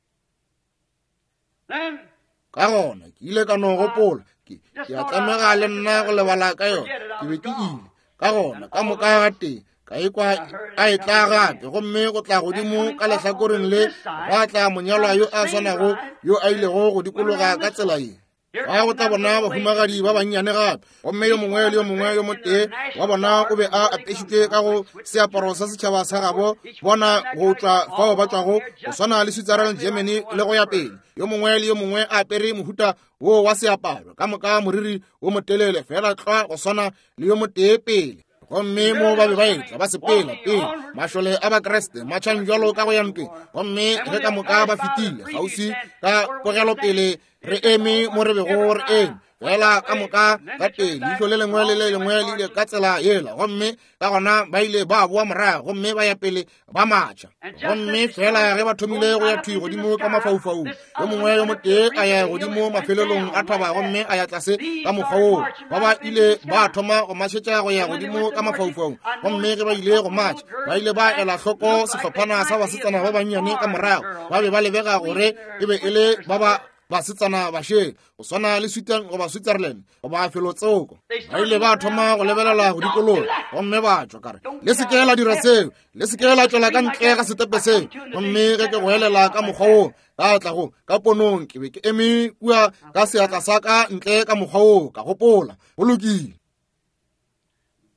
Ka gona ke ile ka no gopola, ke ke a tlamega le nna go lebala ka yona, ke be ke ile. Ka gona ka moka ga tee ka ikwa a e tla gape, gomme go tla godimo ka lehlakoreng le gwa tla monyalwa yo a swanago yo a ilego go dikologa ka tsela ye. Ba go tla bona bahumagadi ba bannyane gape, gomme yo mongwe le yo mongwe yo motee wa bona o be a apešitšwe ka go seaparo sa setšhaba sa gabo bona go tšwa fao ba tšwago, go swana le Switzerland, Germany le go ya pele. Yo mongwe le yo mongwe a apere mohuta wo wa seaparo, ka moka moriri wo motelele fela tlwa go swana le yo motee pele. Gomme mo ba be ba etla ba sepela pele mašole a Bakriste matšhang jalo ka go ya ntweng. Gomme ge ka moka ba fetile kgauswi ka pogelopele, re eme mo re bego re eme fela ka moka ka tee, leihlo le lengwe le le lengwe le ile ka tsela yela. Gomme ka gona ba ile ba boa morago gomme ba ya pele ba matšha. Gomme fela ge ba thomile go ya thwi godimo ka mafaufaung, yo mongwe yo motee a ya godimo mafelelong a thaba gomme a ya tlase ka mokgwa woo. Ba ba ile ba thoma go mašetša go ya godimo ka mafaufaung. Gomme ge ba ile go matša, ba ile ba ela hloko sehlophana sa basetsana ba bannyane ka morago. Ba be ba lebega gore e be e le ba ba basetsana bašele, go swana le Sweden goba Switzerland goba felotsoko. Ba ile ba thoma go lebelela go dikologa gomme ba tšwa. Ka re, le se ke la dira seo, le se ke la tšwela ka ntle ga setepe seo. Gomme ge ke go elela ka mokgwa woo, ka tla go ka ponong, ke be ke eme kua ka seatla sa ka ntle ka mokgwa woo, ka gopola, go lokile.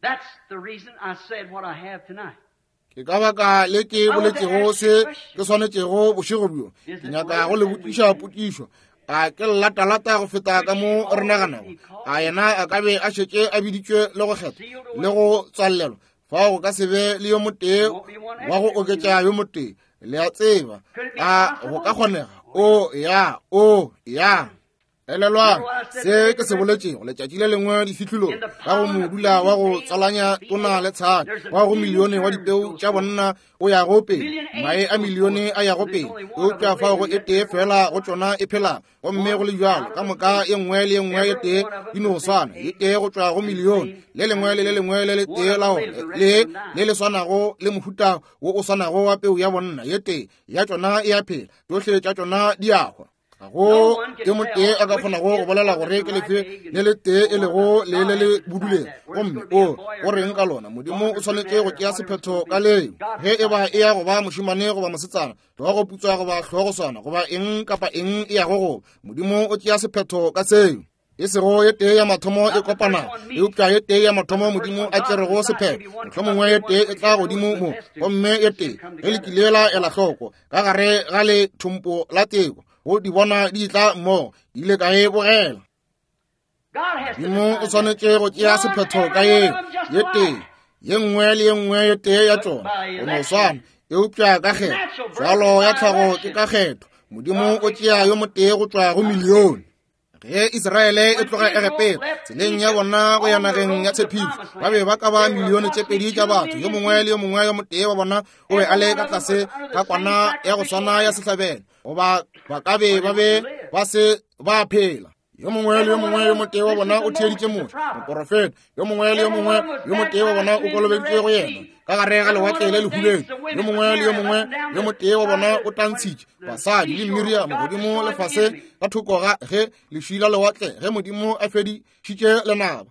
That's the reason I said what I have tonight. Ke ka baka le ke boletšego se ke swanetšego bošego bjo. Ke nyaka go le botšiša potšišo. A ke latalata go feta ka mo re naganago? A yena a ka be a šetše a biditšwe le go kgetha le go tswalelwa? Fao go ka se be le yo motee wa go oketša yo motee. Le a tseba, a go ka kgonega? O ya, o ya. Elelwang se ke se boletšego letšatši le lengwe difihlolong ka go modula wa go tswalanya tona le tshadi wa go milione wa dipeu tša bonna o yago pele, mae a milione a yago pele, eupša fao go e tee fela go tšona e phela. Gomme go le bjalo ka moka ye nngwe le ye nngwe ye tee di no swana, ye tee go tšwa go milione, le lengwe le le lengwe le le tee la ona le le le swanago le mohuta wo o swanago wa peu ya bonna, ye tee ya tšona e a phela, tšohle tša tšona di a hwa. Ga go yo motee a ka kgonago go bolela gore ke lefe le le tee e lego le le le boduleng. Gomme o go reng ka lona? Modimo o swanetše go tšea sephetho ka leo, ge e ba e ya go ba mošemane goba mosetsana, hlogo putswa goba hlogo swana, goba eng kapa eng e yago go. Modimo o tšea sephetho ka seo. E sego ye tee ya mathomo e kopanago, eupša ye tee ya mathomo Modimo a tšerego sephetho. Mohlomongwe ye tee e tla godimo mo, gomme ye tee ge le kile la ela hloko ka gare ga le thompo la teko, go di bona di tla mmogo, ile ka e bogela. Modimo o swanetše go tšea sephetho ka yeo ye tee, ye nngwe le ye nngwe ye tee ya tšona go no swana, eupša ka kgetho. Tswalo ya tlhago ke ka kgetho. Modimo o tšea yo motee go tšwa go milione. Ge Israele e tloga Egepeta tseleng ya bona go ya nageng ya tshepišo, ba be ba ka ba milione tše pedi tša batho. Yo mongwe le yo mongwe yo motee wa bona o be a le ka tlase ga kwana ya go swana ya sehlabelo, goba ba ka be ba be ba se ba phela. Yo mongwe le yo mongwe yo motee wa bona o theeditše Moshe moporofeta. Yo mongwe le yo mongwe yo motee wa bona o kolobeditšwe go yena ka gare ga lewatle le lehubedu. Yo mongwe le yo mongwe yo motee wa bona o tantshitše basadi le Miriam godimo le fase ka thoko ga ge lešwi la lewatle ge Modimo a fedišitše lenaba.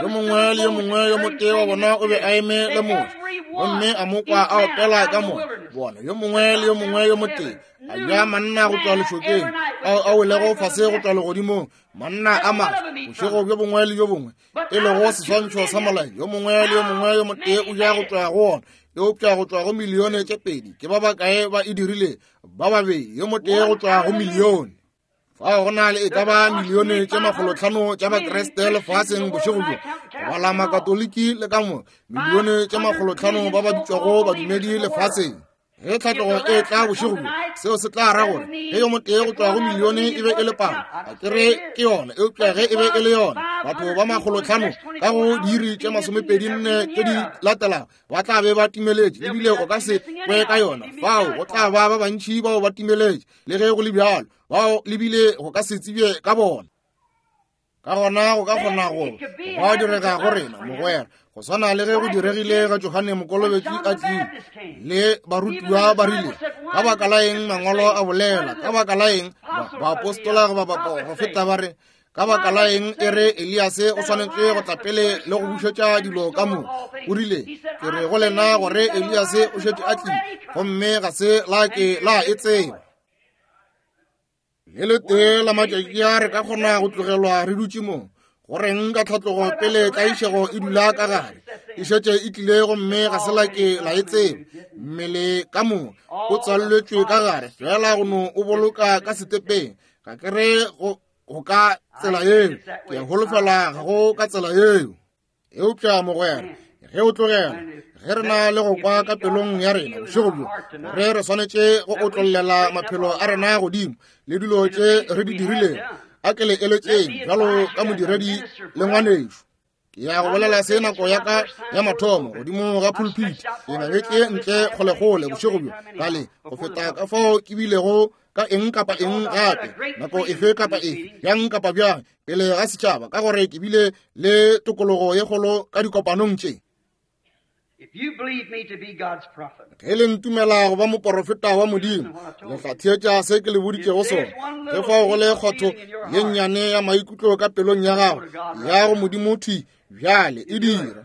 Yo mongwe le yo mongwe yo motee wa bona o be a eme le Moshe gomme a mo kwa a opela ka moya. Bona, yo mongwe le yo mongwe yo motee a ja manna go tšwa lešokeng ao a welego fase go tšwa legodimong, manna a maso bošego bjo bongwe le bjo bongwe, e lego seswantšho sa molai. Yo mongwe le yo mongwe yo motee o ja go tšwa go ona. Eupša go tšwa go milione tše pedi ke ba bakae ba e dirile? Ba babedi, yo motee go tšwa go milione. Fao go na le e ka ba milione tše makgolotlhano tša Bakriste lefaseng bošego bjo, go bala Makatoliki le ka mo milione tše makgolotlhano ba ba bitšwago badumedi lefaseng. Ge tlhatlogo e tla bošego bjo, seo se tla ra gore ge yo motee go tšwa go milione e be e le palo, a ke re ke yona, eupša ge e be e le yona, batho ba makgolotlhano ka go diiri tše masomepedi nne tše di latelago ba tla be ba timeletše, ebile o ka se kwe ka yona. Fao go tla ba ba bantši bao ba timeletše, le ge go le bjalo, bao lebile go ka se tsebje ka bona. Ka gona go ka kgona go gwa direga go rena, mogwera, go swana le ge go diregile ga Johane Mokolobetši a tlile le barutiwa ba rile, ka baka la eng mangwalo a bolela, ka baka la eng baapostola goba baprofeta ba re, ka baka la eng e re Eliase o swanetše go tla pele le go bušetša dilo ka mo. O rile, ke re go lena gore Eliase o šetše a tlile, gomme ga se la ke la e tseba. Le letee la matšatši a re ka kgona go tlogelwa re dutše mo. Go reng ka tlhatlogo pele tlaišego e dula ka gare, e šetše e tlile gomme ga se la ke la e tseba. Mmele ka mo o tswalletšwe ka gare, fela go no o boloka ka setepeng. Ga ke re go go ka tsela yeo, ke holofela ga go ka tsela yeo. Eupša mogwera, ge o tlogela, ge re na le go kwa ka pelong ya rena bošego bjo, gore re swanetše go otlollela maphelo a rena godimo le dilo tše re di dirilego, a ke le eletšeng bjalo ka modiredi le ngwanešo. Ke ya go bolela se nako ya ka ya mathomo godimo ga pulpit, ke ngangetse ntle kgolekgole bošego bjo kale go feta ka fao ke bilego ka eng kapa eng gape, nako efe kapa efe, bjang kapa bjang, pele ga setšhaba, ka gore ke bile le tokologo ye kgolo ka dikopanong tše. Ge le ntumela go ba moporofeta wa Modimo, le tla theetša se ke le boditšego sona. Ge fao go le kgotho ye nnyane ya maikutlo ka pelong ya gago, ya go Modimo thwi bjale e dira.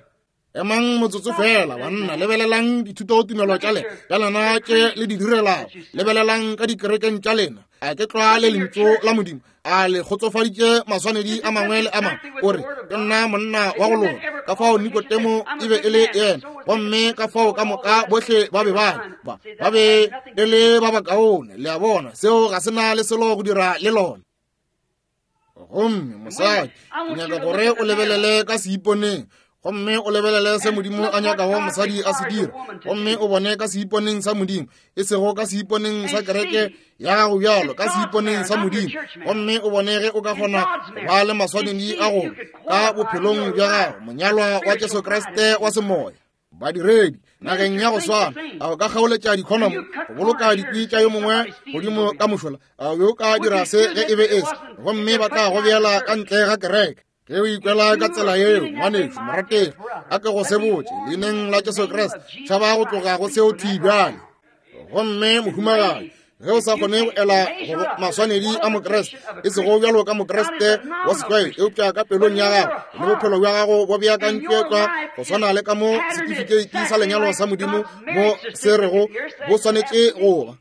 Emang motsotso fela, banna, lebelelang dithutotumelo tša lena tša lena tše le di direlago, lebelelang ka dikerekeng tša lena. A ke tlwa le lentšu la Modimo, a le kgotsofaditše maswanedi a mangwe le a mangwe. O re, ke nna monna wa go loka, ka fao Nikodemo e be e le yena, gomme ka fao ka moka bohle ba be ba ba ba be e le ba bakaone. Le a bona, seo ga se na le selo go dira le lona. Gomme mosadi, ke nyaka gore o lebelele ka seiponeng, gomme o lebelele se Modimo a nyakago mosadi a se dira, gomme o bone ka seiponeng sa Modimo, e sego ka seiponeng sa kereke ya gago bjalo, ka seiponeng sa Modimo, gomme o bone ge o ka kgona go ba le maswanedi a go ka bophelong bja gago, monyalwa wa Jesu Kriste wa semoya. Badiredi nageng ya go swana, a o ka kgaoletša dikhonomo go boloka dikwi tša yo mongwe godimo ka mošola? A o ka dira se ge e be e se, gomme ba tla go beela ka ntle ga kereke? Ge o ikwela ka tsela yeo, ngwanešo morategi, a ke go sebotše leineng la Jesu Kriste, tšhaba go tloga go seo thwi bjale. Gomme mohumagadi, ge o sa kgone go ela go maswanedi a Mokriste, e sego bjalo ka Mokriste wa setlwaedi, eupša ka pelong ya gago le bophelo bja gago bo beakantšwe tlwa go swana le ka mo setifikeiti sa lenyalo sa Modimo mo se rego bo swanetše go ba.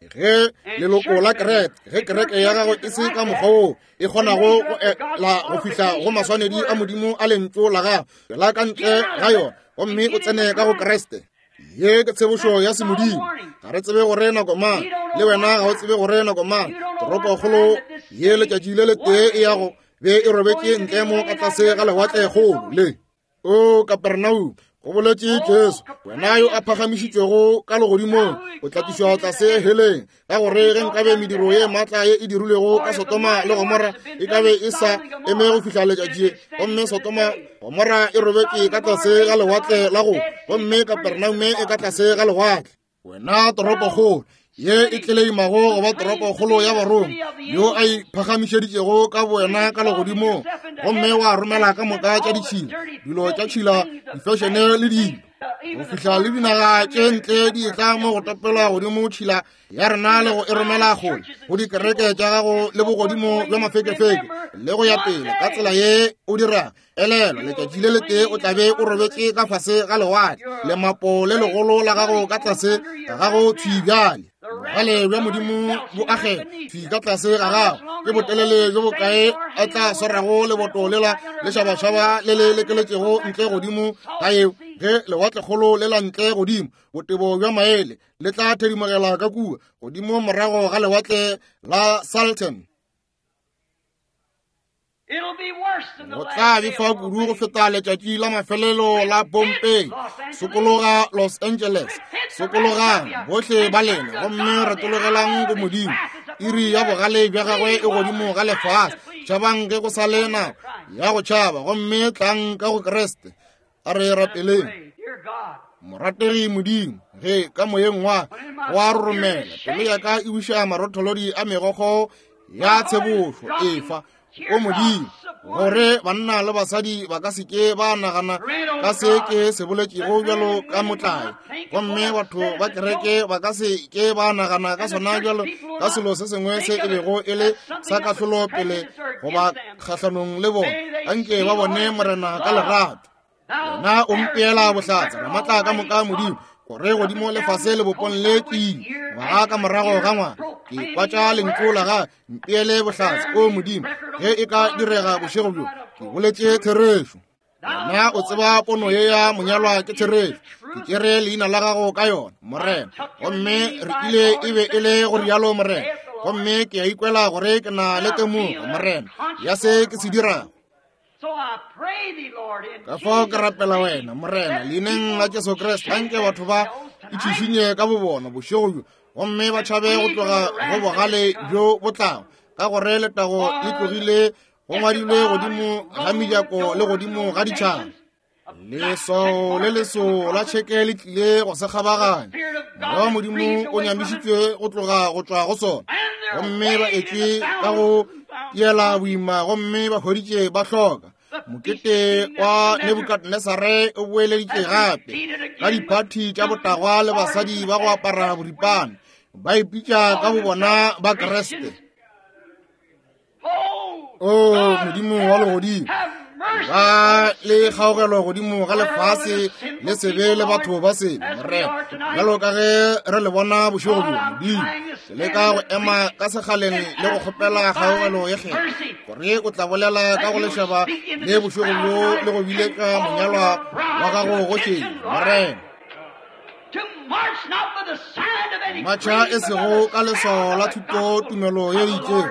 Ge leloko la kereke, ge kereke ya gago e se ka mokgwa woo e kgonago go ela go fihla go maswanedi a Modimo a lentšu la gago, la ka ntle ga yona, gomme o tsene ka go Kriste. Ye ke tshebošo ya semodimo. Ga re tsebe gore nako mang, le wena ga o tsebe gore nako mang. Toropokgolo ye letšatši le letee e ya go be e robetše ntle mo ka tlase ga lewatlekgolo le. O Kapernaum, go boletše Jesu, wena yo a phagamišitšwego ka legodimong, o tla tlišwa tlase heleng, ka gore ge nkabe mediro ye maatla ye e dirilwego ka Sotoma le Gomora e kabe e sa eme go fihla letšatši, gomme Sotoma Gomora e robetše ka tlase ga lewatle la go, gomme Kapernaume e ka tlase ga lewatle. Wena toropokgolo ye e tleleimago go ba toropokgolo ya Baroma, yo a iphagamišeditšego ka bowena ka legodimong, gomme wa romela ka moka tša ditšhila, dilo tša tšhila, difešene le dilo, go fihla le dinaga tše ntle di etla mo go topelwa godimo tšhila ya rena le go e romela kgole go dikereke tša gago le bogodimo bja mafekefeke le go ya pele ka tsela ye o dira. Elelwa, letšatši le letee o tla be o robetše ka fase ga lewatle, lemapo le legolo la gago ka tlase ga gago thwi bjale. Bogale bja Modimo bo agela thwi ka tlase ga gago. Ke botelele bjo bokae a tla swarago leboto lela lešabašaba le le lekeletšego ntle godimo ga yeo, ge lewatlekgolo le la ntle godimo botebo bja maele le tla thedimogela ka kua godimo morago ga lewatle la Salton. Go tla befa kudu go feta letšatši la mafelelo la Bombay. Sokologa Los Angeles, sokologang bohle ba lena, gomme retologelang go Modimo. Iri ya bogale bja gagwe e godimo ga lefase. Tšhabang ge go sa le nako ya go tšhaba, gomme tlang ka go Kriste. A re rapeleng. Morategi Modimo, ge ka moyeng wa wa roromela, pelo ya ka e buša marotholodi a megokgo ya tshebošo efa. O Modimo, gore banna le basadi ba ka se ke ba nagana ka se ke se boletšego bjalo ka motlae, gomme batho ba kereke ba ka se ke ba nagana ka sona bjalo ka selo se sengwe se e bego e le sa kahlolo pele goba kgahlanong le bona. Anke ba bone Morena ka lerato. Wena o mpeela bohlatse ramatla ka moka Modimo, gore godimo lefase lebopong le ke ngwaga ka morago ga ngwaga ke kwatša lentšu la ga mpeele bohlatse. O Modimo, ge e ka direga bošego bjo, ke boletše therešo. Wena o tseba pono ye ya monyalwa ke therešo. Ke tšere leina la gago ka yona, Morena, gomme re ile e be e le go rialo, Morena. Gomme ke a ikwela gore ke na le temogo, Morena, ya se ke se dirago. Ka fao ke rapela wena, Morena, leineng la Jesu Kriste, anke batho ba itšhišinye ka bobona bošego bjo, gomme ba tšhabe go tloga go bogale bjo bo tlago, ka gore letago le tlogile go ngwadilwe godimo ga mejako le godimo ga ditšhaba. Leswao le leso la tšheke le tlile go se kgabaganya. Moya wa Modimo o nyamišitšwe go tloga go tšwa go sona, gomme ba etšwe ka go tiela boima, gomme ba hweditše ba hloka. Mokete wa Nebukadnesare o boeleditše gape ka diphathi tša botagwa le basadi ba go apara boripana, ba ipitša ka bobona ba Kriste. O Modimo wa legodimo, ba le kgaogelo godimo ga lefase le sebe le batho ba sebe, Morena, bjalo ka ge re le bona bošego bjo. Modimo, ke leka go ema ka sekgaleng le go kgopela kgaogelo ye kgethwa, gore o tla bolela ka go lešaba le bošego bjo le go biletša monyalwa wa gago go šedi, Morena. Matšha e sego ka leswao la thuto tumelo ye itšego,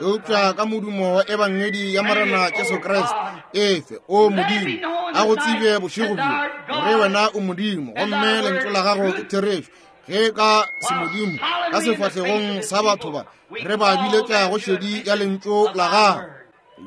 eupša ka modumo wa ebangedi ya Morena Jesu Kriste. Efe, o Modimo, a go tsebe bošego bjo gore wena o Modimo, gomme lentšu la gago ke therešo. Ge ka semodimo ka sefahlegong sa batho ba re ba biletša go šedi ya lentšu la gago,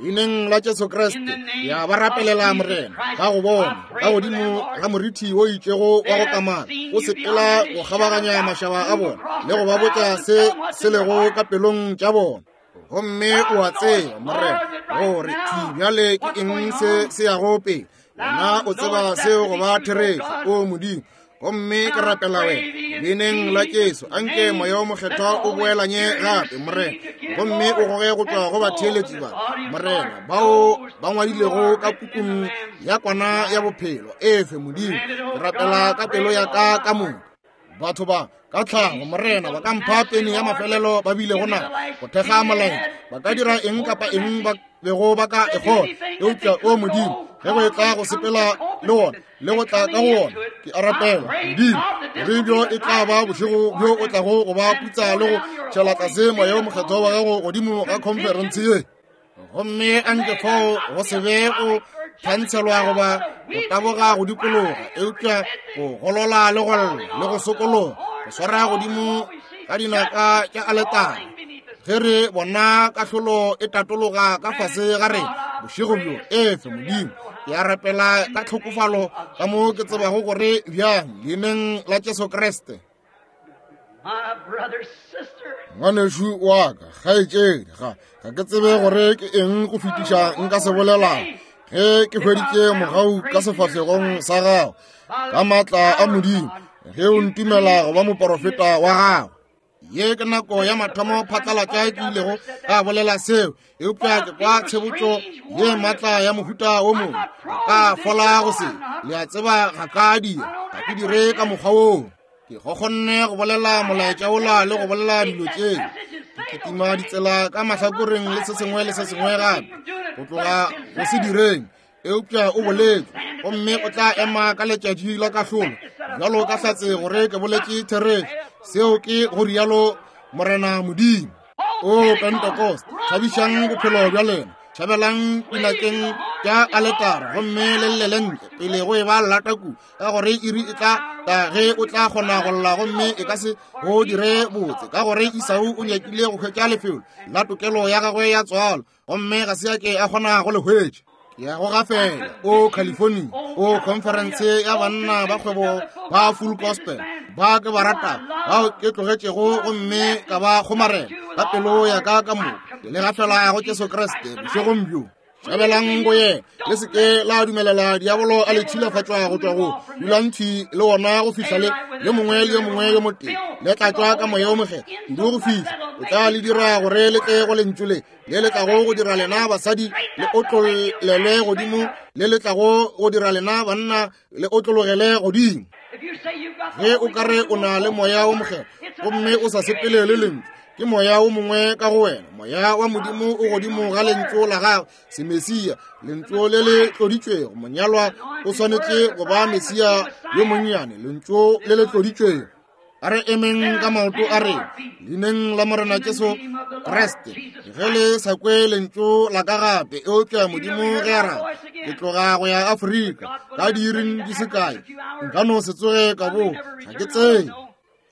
leineng la Jesu Kriste, ya ba rapelela, Morena, ka go bona ka godimo ga morithi o itšego wa go kamana o sepela go kgabaganya mašaba a bona le go ba botša se se lego ka pelong tša bona. Gomme o a tseba, Morena, gore thwi bjale ke eng se se yago pele. Wena o tseba seo go ba therešo, o Modimo. Gomme ke rapela wena leineng la Jesu, anke moya o mokgethwa o boelanye gape, Morena, gomme o goge go tšwa go batheeletši ba, Morena, bao ba ngwadilego ka pukung ya kwana ya bophelo. Efe, Modimo, ke rapela ka pelo ya ka ka moka. Batho ba ka tlhago, Morena, ba ka mpha peni ya mafelelo ba bilego na go thekga molaetša, ba ka dira eng kapa eng ba bego ba ka e kgona, eupša o Modimo, ge go e tla go sepela le wona le go tla ka go wona, ke a rapela, Modimo, gore bjo e tla ba bošego bjo o tlago go ba putsa le go tšhela tlase moya o mokgethwa wa gago godimo ga khonferense ye. Gomme anke fao go se be go thantshelwa goba go taboga go dikologa, eupša go golola le go lla le go sokologa, go swara godimo ka dinaka tša aletare, ge re bona kahlolo e tatologa ka fase ga rena bošego bjo. Efe, Modimo, ke a rapela ka tlhokofalo ka mo ke tsebago gore bjang, leineng la Jesu Kriste. Ngwanešu wa ka, kgaetšedi, ga ga ke tsebe gore ke eng go fetiša nka se bolelago ge ke hweditše mogau ka sefahlegong sa gago ka maatla a Modimo, ge o ntumela go ba moporofeta wa gago. Ye ke nako ya mathomo phatlalatša ke ilego ka bolela seo, eupša ke kwa tshebotšo ye maatla ya mohuta o mongwe. Ka fola go se, le a tseba ga ka dira, ga ke dire ka mokgwa woo. Ke kgonne go bolela molaetša ola le go bolela dilo tše, ke kitima ditsela ka mahlakoreng le se sengwe le se sengwe gape, go tloga go se direng. Eupša o boletše, gomme o tla ema ka letšatši la kahlolo bjalo ka hlatse gore ke boletše therešo. Seo ke go rialo Morena Modimo. O Pentecost, thabišang bophelo bja lena, tšhabelang dinakeng tša aletara gomme le llele ntle pele go e ba lata kudu, ka gore iri e tla ta ge o tla kgona go lla gomme e ka se go dire botse, ka gore Esau o nyakile go hwetša lefelo la tokelo ya gagwe ya tswalo gomme ga se a ke a kgona go le hwetša. Ke ya go gafela o California, o conference ya banna ba kgwebo ba Full Gospel ba ke ba rata, bao ke tlogetšego gomme ka ba kgomarela ka pelo ya ka ka moka. Ke le gafela go Jesu Kriste bošegong bjo. Tšhabelang go yena, le se ke la dumelela diabolo a le tšhilafatšwa go tšwa go dulang thwi le wona go fihla le yo mongwe le yo mongwe yo motee le tla tšwa ka moya o mokgethwa kudu go fihla o tla le dira gore le tle go lentšu le le le tlago go dira lena basadi le otlolelwe godimo, le le tlago go dira lena banna le otlologele godimo. Ge o ka re o na le moya o mokgethwa gomme o sa sepele le lentšu, ke moya o mongwe ka go wena. Moya wa Modimo o godimo ga lentšu la gagwe, semesia, lentšu le le tloditšwego. Monyalwa o swanetše go ba mesia yo monnyane, lentšu le le tloditšwego. A re emeng ka maoto a rena leineng la Morena Jesu Kriste. Ge le sa kwe lentšu la ka gape, eupša Modimo ge a rata, ke tloga go ya Afrika ka diiring di se kae. Nka no se tsoge ka bo, ga ke tsebe.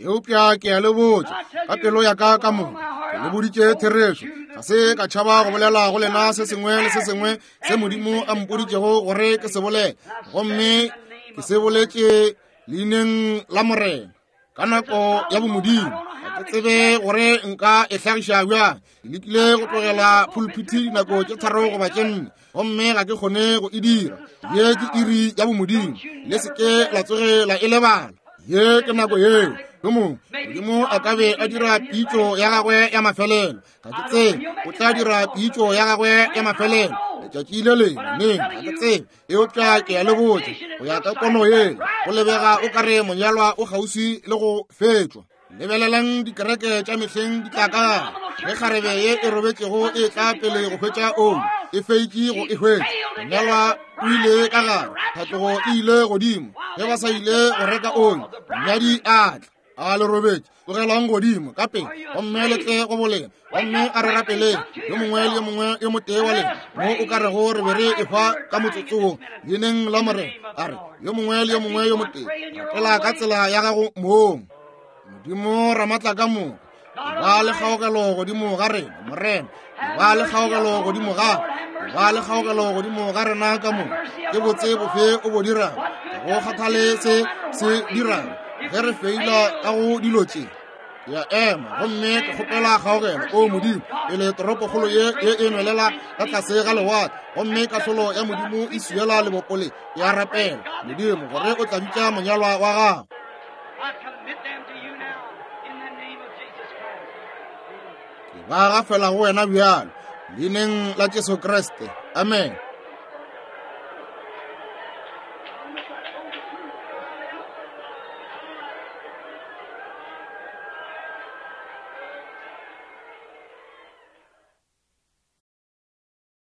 Eupša ke a le botša ka pelo ya ka ka moka, ke le boditše therešo. Ga se ka tšhaba go bolela go lena se sengwe le se sengwe se Modimo a mpoditšego gore ke se bolele, gomme ke se boletše leineng la Morena ka nako ya bomodimo. Ga ke tsebe gore nka e hlagiša bjang. Ke lekile go tlogela pulpiti dinako tše tharo goba tše nne, gomme ga ke kgone go e dira. Ye ke iri ya bomodimo, le se ke la tsoge la e lebala. Ye ke nako yeo yo mongwe Modimo a ka be a dira pitšo ya gagwe ya mafelelo. Ga ke tsebe o tla dira pitšo ya gagwe ya mafelelo letšatši le lengwe neng, ga ke tsebe. Eupša ke a le botša, go ya ka pono yeo, go lebega o ka re monyalwa o kgauswi le go fetšwa. Lebelelang dikereke tša mehleng di tla ka gare. Ge kgarebe ye e robetšego e tla pele go hwetša oli, e feitše go e hwetša. Monyalwa o ile ka gare, tlhatlogo e ile godimo. Ge ba sa ile go reka oli, monyadi a tla. A le robetše, tlogelang godimo ka pele gomme le tle go bolena, gomme a re rapeleng yo mongwe le yo mongwe yo motee wa lena mo o ka rego re be re ehwa ka motsotsong leineng la Morena. A re yo mongwe le yo mongwe yo motee rapela ka tsela ya gago mong. Modimo Ramatla ka moka, ba le kgaogelo godimo ga rena, Morena, ba le kgaogelo godimo ga ba le kgaogelo godimo ga rena ka moka. Ke botse bofe o bo dirang, ga go kgathale se se dirang ge re feila ka go dilo tše. Ke a ema gomme ke kgopela kgaogelo, o Modimo, pele toropokgolo ye ye e nwelela ka tlase ga lewatle gomme kahlolo ya Modimo e swiela lebopo le. Ke a rapela, Modimo, gore o tla bitša monyalwa wa gago. Ke ba gafela go wena bjalo leineng la Jesu Kriste. Amen.